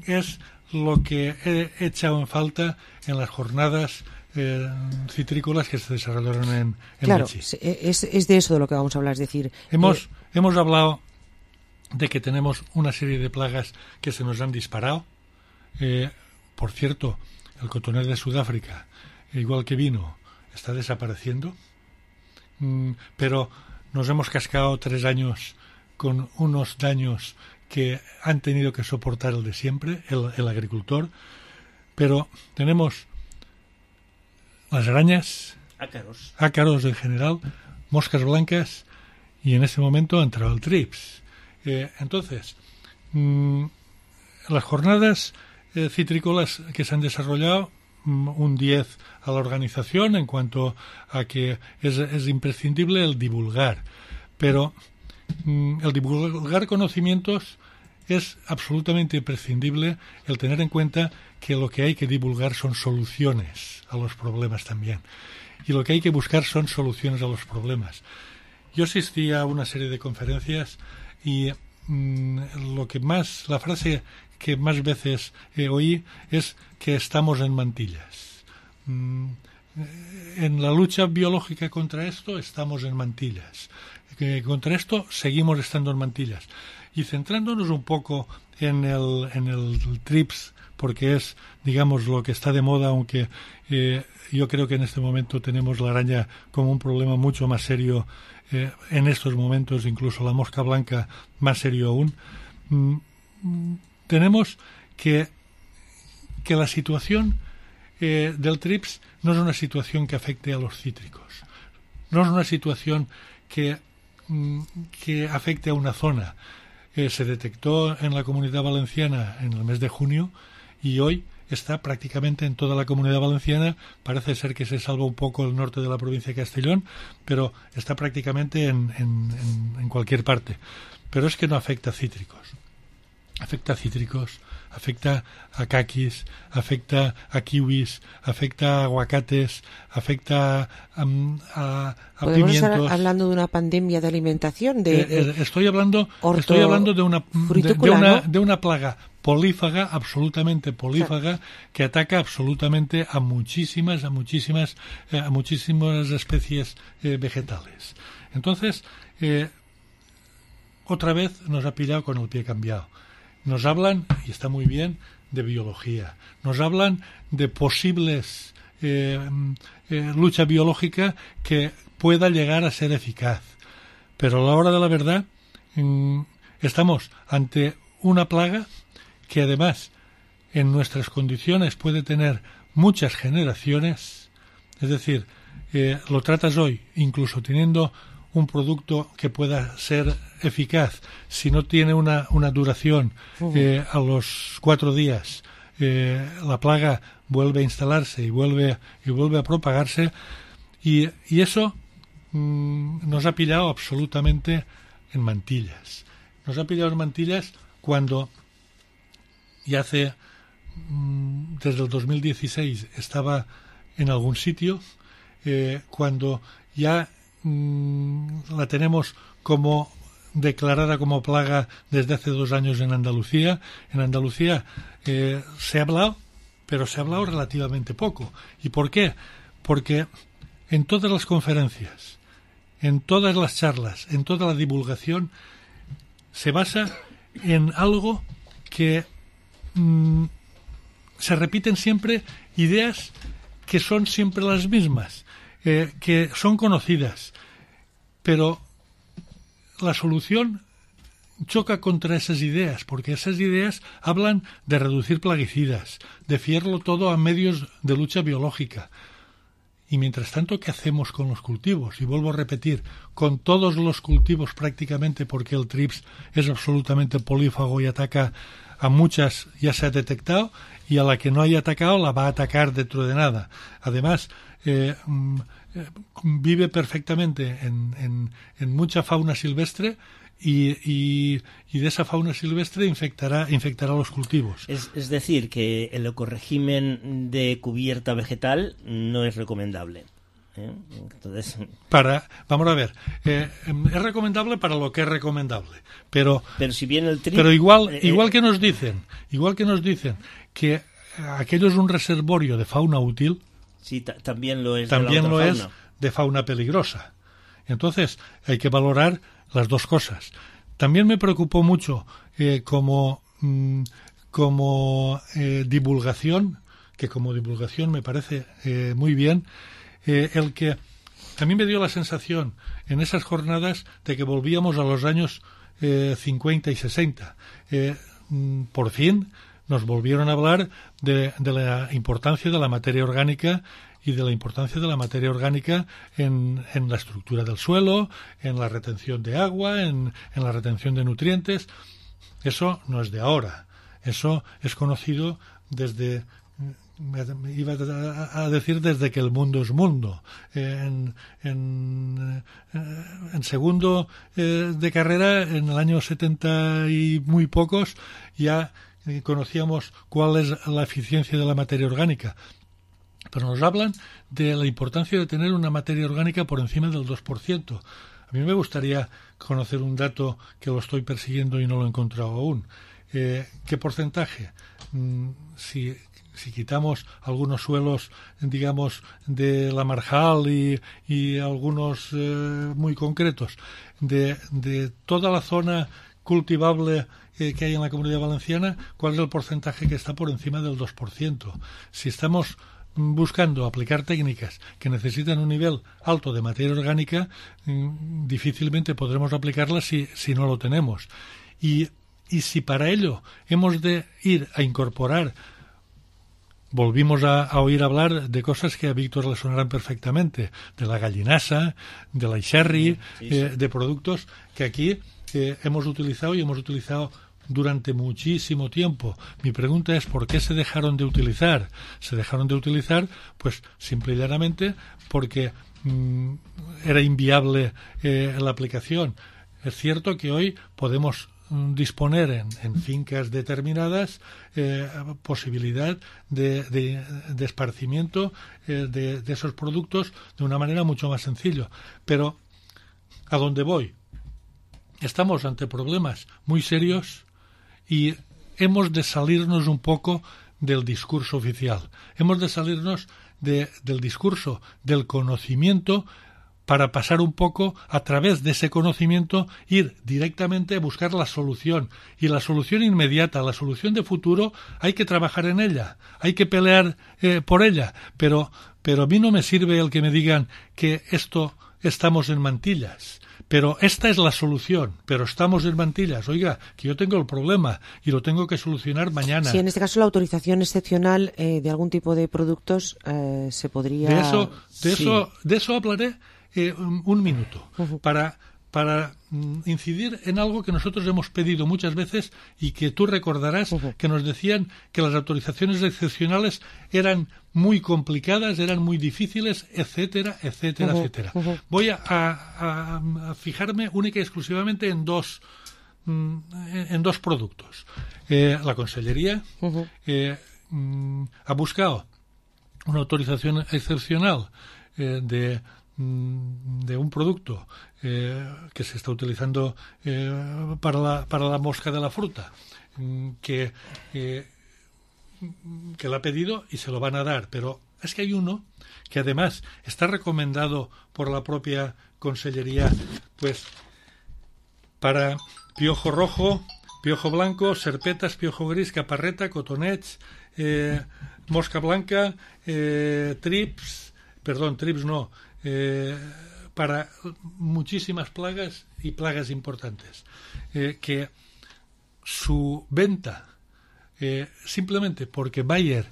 es lo que he echado en falta en las jornadas eh, citrícolas que se desarrollaron en, en Claro, Betxí. es, es de eso de lo que vamos a hablar, es decir... Hemos, eh... hemos hablado de que tenemos una serie de plagas que se nos han disparado. Eh, por cierto, el cotonel de Sudáfrica, igual que vino, está desapareciendo, mm, pero nos hemos cascado tres años con unos daños que han tenido que soportar el de siempre, el, el agricultor, pero tenemos las arañas, ácaros. ácaros en general, moscas blancas y en ese momento ha entrado el trips. Eh, entonces, mmm, las jornadas eh, citrícolas que se han desarrollado, mmm, un diez a la organización en cuanto a que es, es imprescindible el divulgar, pero mmm, el divulgar conocimientos es absolutamente imprescindible, el tener en cuenta que lo que hay que divulgar son soluciones a los problemas también. Y lo que hay que buscar son soluciones a los problemas. Yo asistí a una serie de conferencias y mmm, lo que más, la frase que más veces eh, oí es que estamos en mantillas. Mm, en la lucha biológica contra esto estamos en mantillas. Que contra esto seguimos estando en mantillas. Y centrándonos un poco en el, en el trips, porque es, digamos, lo que está de moda, aunque eh, yo creo que en este momento tenemos la araña como un problema mucho más serio, eh, en estos momentos, incluso la mosca blanca más serio aún, mm, tenemos que, que la situación eh, del trips no es una situación que afecte a los cítricos, no es una situación que, mm, que afecte a una zona. Eh, se detectó en la Comunidad Valenciana en el mes de junio y hoy está prácticamente en toda la Comunidad Valenciana. Parece ser que se salva un poco el norte de la provincia de Castellón, pero está prácticamente en, en, en, en cualquier parte. Pero es que no afecta a cítricos. Afecta a cítricos, afecta a caquis, afecta a kiwis, afecta a aguacates, afecta a, a, a ¿Podemos pimientos. estar hablando de una pandemia de alimentación? De, eh, eh, estoy hablando, orto, estoy hablando de una de, de una ¿no? de una plaga polífaga, absolutamente polífaga, sí, que ataca absolutamente a muchísimas, a muchísimas, eh, a muchísimas especies eh, vegetales. Entonces, eh, otra vez nos ha pillado con el pie cambiado. Nos hablan, y está muy bien, de biología. Nos hablan de posibles eh, eh, lucha biológica que pueda llegar a ser eficaz. Pero a la hora de la verdad, mmm, estamos ante una plaga que además en nuestras condiciones puede tener muchas generaciones. Es decir, eh, lo tratas hoy, incluso teniendo un producto que pueda ser eficaz, si no tiene una, una duración, uh-huh. eh, a los cuatro días eh, la plaga vuelve a instalarse y vuelve, y vuelve a propagarse, y, y eso mmm, nos ha pillado absolutamente en mantillas. Nos ha pillado en mantillas cuando ya hace, mmm, desde el dos mil dieciséis estaba en algún sitio, eh, cuando ya la tenemos como declarada como plaga desde hace dos años en Andalucía. En Andalucía eh, se ha hablado, pero se ha hablado relativamente poco. ¿Y por qué? Porque en todas las conferencias, en todas las charlas, en toda la divulgación, se basa en algo que mmm, se repiten siempre ideas que son siempre las mismas, eh, que son conocidas, pero la solución choca contra esas ideas, porque esas ideas hablan de reducir plaguicidas, de fiarlo todo a medios de lucha biológica. Y mientras tanto, ¿qué hacemos con los cultivos? Y vuelvo a repetir, con todos los cultivos prácticamente, porque el trips es absolutamente polífago y ataca a muchas, ya se ha detectado, y a la que no haya atacado la va a atacar dentro de nada. Además, eh, eh, vive perfectamente en, en, en mucha fauna silvestre y, y, y de esa fauna silvestre infectará, infectará los cultivos. Es, es decir, que el ecorégimen de cubierta vegetal no es recomendable. ¿eh? Entonces... Para, vamos a ver, eh, es recomendable para lo que es recomendable, pero pero si viene el tri... pero igual eh, igual que nos dicen, igual que nos dicen que aquello es un reservorio de fauna útil, sí, ta- también lo es también de la lo otra es fauna. de fauna peligrosa. Entonces hay que valorar las dos cosas. También me preocupó mucho eh, como mm, como eh, divulgación, que como divulgación me parece eh, muy bien, eh, el que a mí me dio la sensación en esas jornadas de que volvíamos a los años eh, cincuenta y sesenta. Eh, mm, por fin nos volvieron a hablar de, de la importancia de la materia orgánica y de la importancia de la materia orgánica en, en la estructura del suelo, en la retención de agua, en, en la retención de nutrientes. Eso no es de ahora. Eso es conocido desde, iba a decir desde que el mundo es mundo. En, en, en segundo eh, de carrera, en el año setenta y muy pocos, ya conocíamos cuál es la eficiencia de la materia orgánica. Pero nos hablan de la importancia de tener una materia orgánica por encima del dos por ciento. A mí me gustaría conocer un dato que lo estoy persiguiendo y no lo he encontrado aún. Eh, ¿Qué porcentaje? Mm, si, si quitamos algunos suelos, digamos, de la marjal y, y algunos eh, muy concretos, de, de toda la zona cultivable eh, que hay en la Comunidad Valenciana, ¿cuál es el porcentaje que está por encima del dos por ciento? Si estamos buscando aplicar técnicas que necesitan un nivel alto de materia orgánica, mmm, difícilmente podremos aplicarlas si, si no lo tenemos. Y, y si para ello hemos de ir a incorporar, volvimos a, a oír hablar de cosas que a Víctor le sonarán perfectamente, de la gallinasa, de la sherry, sí, sí. Eh, de productos que aquí eh, hemos utilizado y hemos utilizado durante muchísimo tiempo. Mi pregunta es ¿por qué se dejaron de utilizar? Se dejaron de utilizar, pues simple y llanamente porque mmm, era inviable eh, la aplicación. Es cierto que hoy podemos mmm, disponer en, en fincas determinadas eh, posibilidad de, de, de esparcimiento eh, de, de esos productos de una manera mucho más sencilla. Pero ¿a dónde voy? Estamos ante problemas muy serios y hemos de salirnos un poco del discurso oficial. Hemos de salirnos de, del discurso del conocimiento para pasar un poco a través de ese conocimiento, ir directamente a buscar la solución. Y la solución inmediata, la solución de futuro, hay que trabajar en ella, hay que pelear eh, por ella. Pero, pero a mí no me sirve el que me digan que esto estamos en mantillas. Pero esta es la solución, pero estamos en mantillas. Oiga, que yo tengo el problema y lo tengo que solucionar mañana. Sí, en este caso la autorización excepcional eh, de algún tipo de productos eh, se podría... De eso, de sí. eso, de eso hablaré eh, un, un minuto, uh-huh. para, para mm, incidir en algo que nosotros hemos pedido muchas veces y que tú recordarás uh-huh. que nos decían que las autorizaciones excepcionales eran muy complicadas, eran muy difíciles, etcétera, etcétera, uh-huh, etcétera. Uh-huh. Voy a, a, a fijarme única y exclusivamente en dos, mm, en dos productos. Eh, la Consellería uh-huh. eh, mm, ha buscado una autorización excepcional eh, de, de un producto eh, que se está utilizando eh, para, la, para la mosca de la fruta, que, eh, que la ha pedido y se lo van a dar, pero es que hay uno que además está recomendado por la propia Consellería, pues para piojo rojo, piojo blanco, serpetas, piojo gris, caparreta, cotonets, eh, mosca blanca, eh, trips, perdón, trips no, eh, para muchísimas plagas y plagas importantes, eh, que su venta, eh, simplemente porque Bayer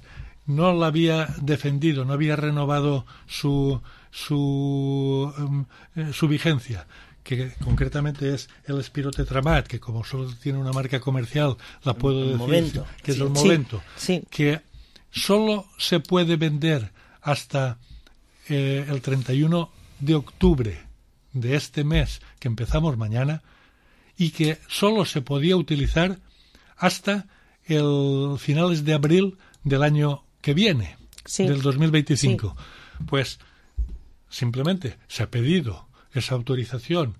no la había defendido, no había renovado su su, um, eh, su vigencia, que concretamente es el espirotetramat, que como solo tiene una marca comercial, la puedo el decir, momento. que es Sí, el momento, sí, sí. que solo se puede vender hasta eh, el treinta y uno de octubre de este mes que empezamos mañana, y que solo se podía utilizar hasta el finales de abril del año que viene, Sí. del dos mil veinticinco. Sí. Pues simplemente se ha pedido esa autorización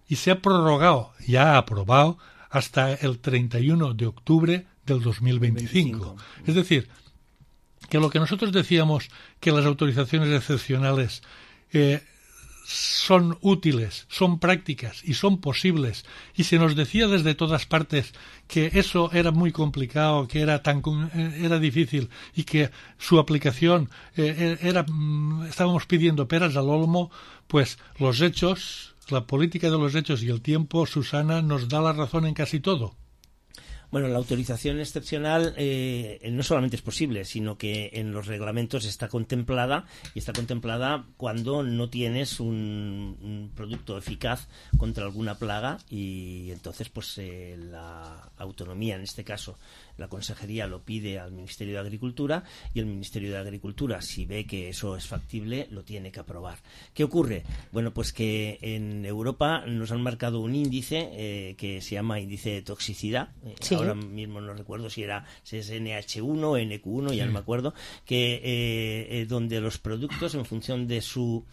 y se ha prorrogado, ya ha aprobado, hasta el treinta y uno de octubre del dos mil veinticinco. veinticinco. Es decir, que lo que nosotros decíamos, que las autorizaciones excepcionales eh, son útiles, son prácticas y son posibles, y se nos decía desde todas partes que eso era muy complicado, que era tan era difícil y que su aplicación eh, era estábamos pidiendo peras al olmo, pues los hechos, la política de los hechos y el tiempo, Susana, nos da la razón en casi todo. Bueno, la autorización excepcional eh, no solamente es posible, sino que en los reglamentos está contemplada, y está contemplada cuando no tienes un, un producto eficaz contra alguna plaga, y entonces pues eh, la autonomía, en este caso la Consejería, lo pide al Ministerio de Agricultura, y el Ministerio de Agricultura, si ve que eso es factible, lo tiene que aprobar. ¿Qué ocurre? Bueno, pues que en Europa nos han marcado un índice eh, que se llama índice de toxicidad. Sí. Ahora mismo no recuerdo si era si es N H uno, N Q uno, ya sí. no me acuerdo, que eh, eh, donde los productos, en función de su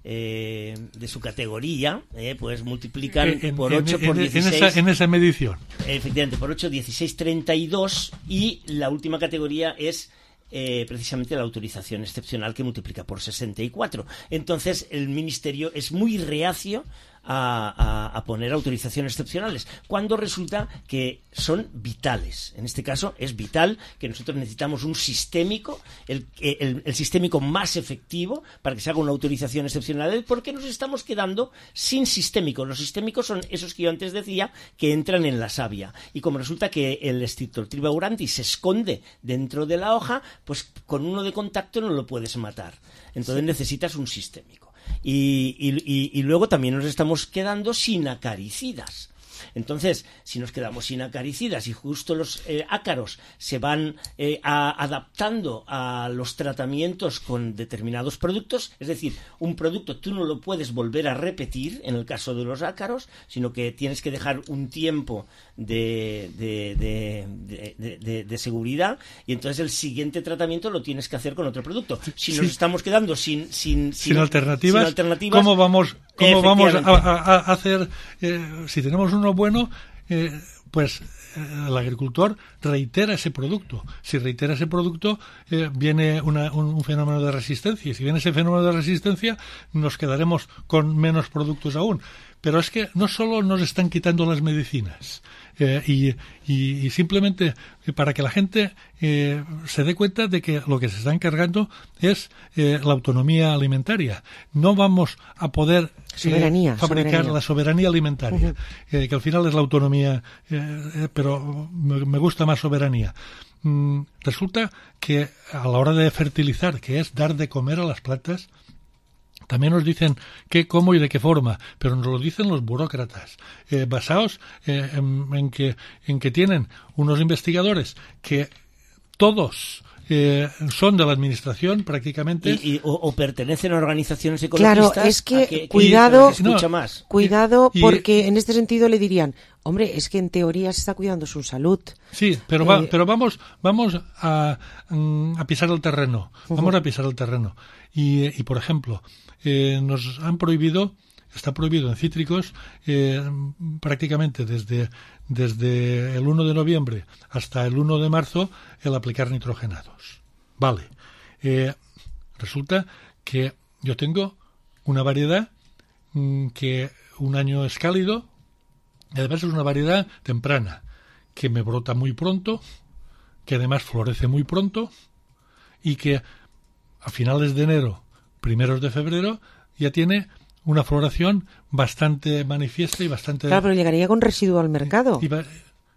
Eh, de su categoría, eh, pues multiplican en, por ocho en, por dieciséis. En esa, en esa medición. Efectivamente, por ocho, dieciséis, treinta y dos, y la última categoría es eh, precisamente la autorización excepcional, que multiplica por sesenta y cuatro. Entonces, el Ministerio es muy reacio A, a, a poner autorizaciones excepcionales, cuando resulta que son vitales. En este caso es vital que nosotros necesitamos un sistémico, el, el, el sistémico más efectivo para que se haga una autorización excepcional, porque nos estamos quedando sin sistémicos. Los sistémicos son esos que yo antes decía, que entran en la savia, y como resulta que el Streptococcus aurantis se esconde dentro de la hoja, pues con uno de contacto no lo puedes matar. Entonces sí. necesitas un sistémico. Y, y, y luego también nos estamos quedando sin acaricidas. Entonces, si nos quedamos sin acaricidas y justo los eh, ácaros se van eh, a, adaptando a los tratamientos con determinados productos, es decir, un producto tú no lo puedes volver a repetir en el caso de los ácaros, sino que tienes que dejar un tiempo de, de, de, de, de, de seguridad, y entonces el siguiente tratamiento lo tienes que hacer con otro producto. Si nos sí. estamos quedando sin, sin, sin, sin, alternativas, sin alternativas, ¿cómo vamos, cómo vamos a, a, a hacer, eh, si tenemos uno bueno, eh, pues eh, el agricultor reitera ese producto. Si reitera ese producto, eh, viene una, un, un fenómeno de resistencia, y si viene ese fenómeno de resistencia, nos quedaremos con menos productos aún. Pero es que no solo nos están quitando las medicinas, eh, y, y, y simplemente para que la gente eh, se dé cuenta de que lo que se está encargando es eh, la autonomía alimentaria. No vamos a poder soberanía, eh, fabricar soberanía. la soberanía alimentaria, uh-huh. eh, que al final es la autonomía, eh, eh, pero me, me gusta más soberanía. Mm, resulta que a la hora de fertilizar, que es dar de comer a las plantas, también nos dicen qué, cómo y de qué forma, pero nos lo dicen los burócratas, eh, basados eh, en, en, que, en que tienen unos investigadores que todos eh, son de la administración prácticamente. Y, y, o, o pertenecen a organizaciones ecologistas. Claro, es que, que cuidado, que escucha más. cuidado y, porque y, en este sentido le dirían, hombre, es que en teoría se está cuidando su salud. Sí, pero, eh, va, pero vamos vamos a, a pisar el terreno, vamos uh-huh. a pisar el terreno. Y, y por ejemplo, eh, nos han prohibido, está prohibido en cítricos eh, prácticamente desde, desde el uno de noviembre hasta el uno de marzo el aplicar nitrogenados. Vale. Eh, resulta que yo tengo una variedad mmm, que un año es cálido, y además es una variedad temprana, que me brota muy pronto, que además florece muy pronto y que a finales de enero, primeros de febrero, ya tiene una floración bastante manifiesta y bastante... Claro, pero llegaría con residuo al mercado. Y, y,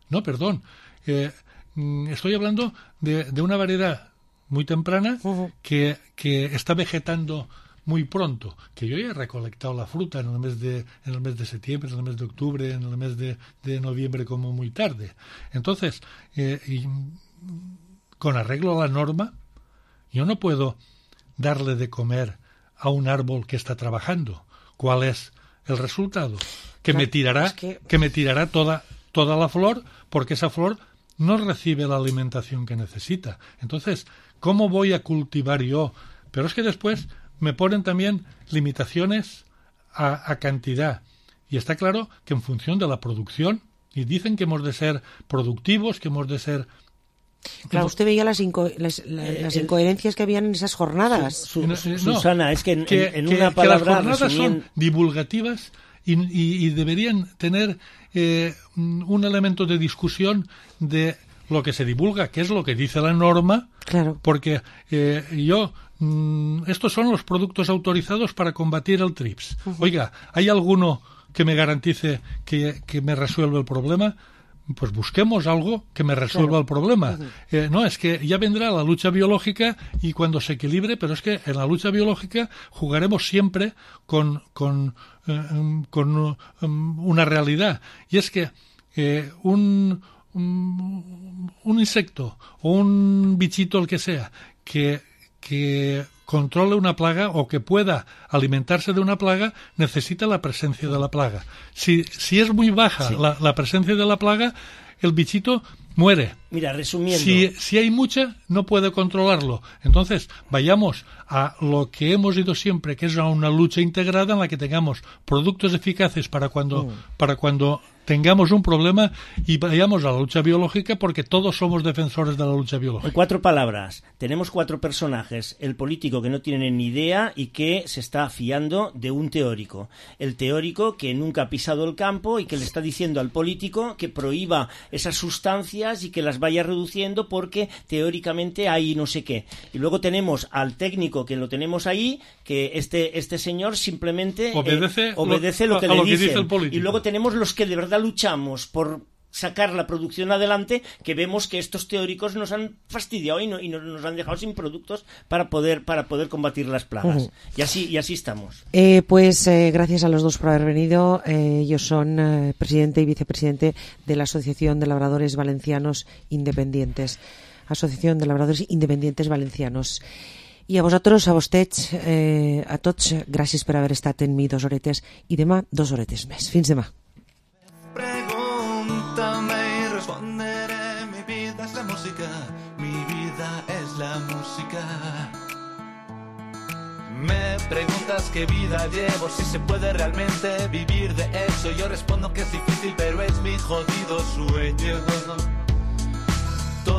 no, perdón. Eh, estoy hablando de, de una variedad muy temprana uh-huh. que, que está vegetando muy pronto, que yo ya he recolectado la fruta en el mes de en el mes de septiembre, en el mes de octubre, en el mes de, de noviembre como muy tarde. Entonces, eh, y, con arreglo a la norma, yo no puedo darle de comer a un árbol que está trabajando. ¿Cuál es el resultado? Que claro, me tirará, es que... que me tirará toda toda la flor, porque esa flor no recibe la alimentación que necesita. Entonces, ¿cómo voy a cultivar yo? Pero es que después me ponen también limitaciones a, a cantidad. Y está claro que en función de la producción, y dicen que hemos de ser productivos, que hemos de ser... Claro, usted veía las, inco las, las, las incoherencias que habían en esas jornadas. Su, su, su, no, Susana, es que en, que, en que, una palabra... Que las jornadas resumien... son divulgativas y, y, y deberían tener eh, un elemento de discusión de lo que se divulga, que es lo que dice la norma, claro. Porque eh, yo... estos son los productos autorizados para combatir el trips. Uh-huh. Oiga, ¿hay alguno que me garantice que, que me resuelve el problema? Pues busquemos algo que me resuelva claro. el problema. Uh-huh. Eh, no, es que ya vendrá la lucha biológica y cuando se equilibre, pero es que en la lucha biológica jugaremos siempre con, con, eh, con um, una realidad. Y es que eh, un, un, un insecto o un bichito, el que sea, que que controle una plaga o que pueda alimentarse de una plaga, necesita la presencia de la plaga. Si, si es muy baja sí. la, la presencia de la plaga, el bichito muere. Mira, resumiendo... Si, si hay mucha, no puede controlarlo. Entonces, vayamos a lo que hemos ido siempre, que es a una lucha integrada en la que tengamos productos eficaces para cuando, mm. para cuando tengamos un problema y vayamos a la lucha biológica, porque todos somos defensores de la lucha biológica. En cuatro palabras, tenemos cuatro personajes. El político que no tiene ni idea y que se está fiando de un teórico. El teórico que nunca ha pisado el campo y que le está diciendo al político que prohíba esas sustancias y que las vaya reduciendo porque teóricamente hay no sé qué. Y luego tenemos al técnico que lo tenemos ahí, que este, este señor simplemente obedece, eh, obedece lo, lo que a le lo que dicen. Dice el político. Y luego tenemos los que de verdad luchamos por sacar la producción adelante, que vemos que estos teóricos nos han fastidiado y, no, y nos, nos han dejado sin productos para poder para poder combatir las plagas. Uh-huh. Y así y así estamos. Eh, pues eh, gracias a los dos por haber venido. Eh, ellos son eh, presidente y vicepresidente de la Asociación de Labradores Valencianos Independientes. Asociación de Labradores Independientes Valencianos. I a vosaltres, a vostès, eh, a tots, gràcies per haver estat en mi dos horetes i demà dos horetes més. Fins demà. Pregúntame y responderé. Mi vida es la música, mi vida es la música. Me preguntas qué vida llevo, si se puede realmente vivir de eso. Yo respondo que es difícil, pero es mi jodido sueño.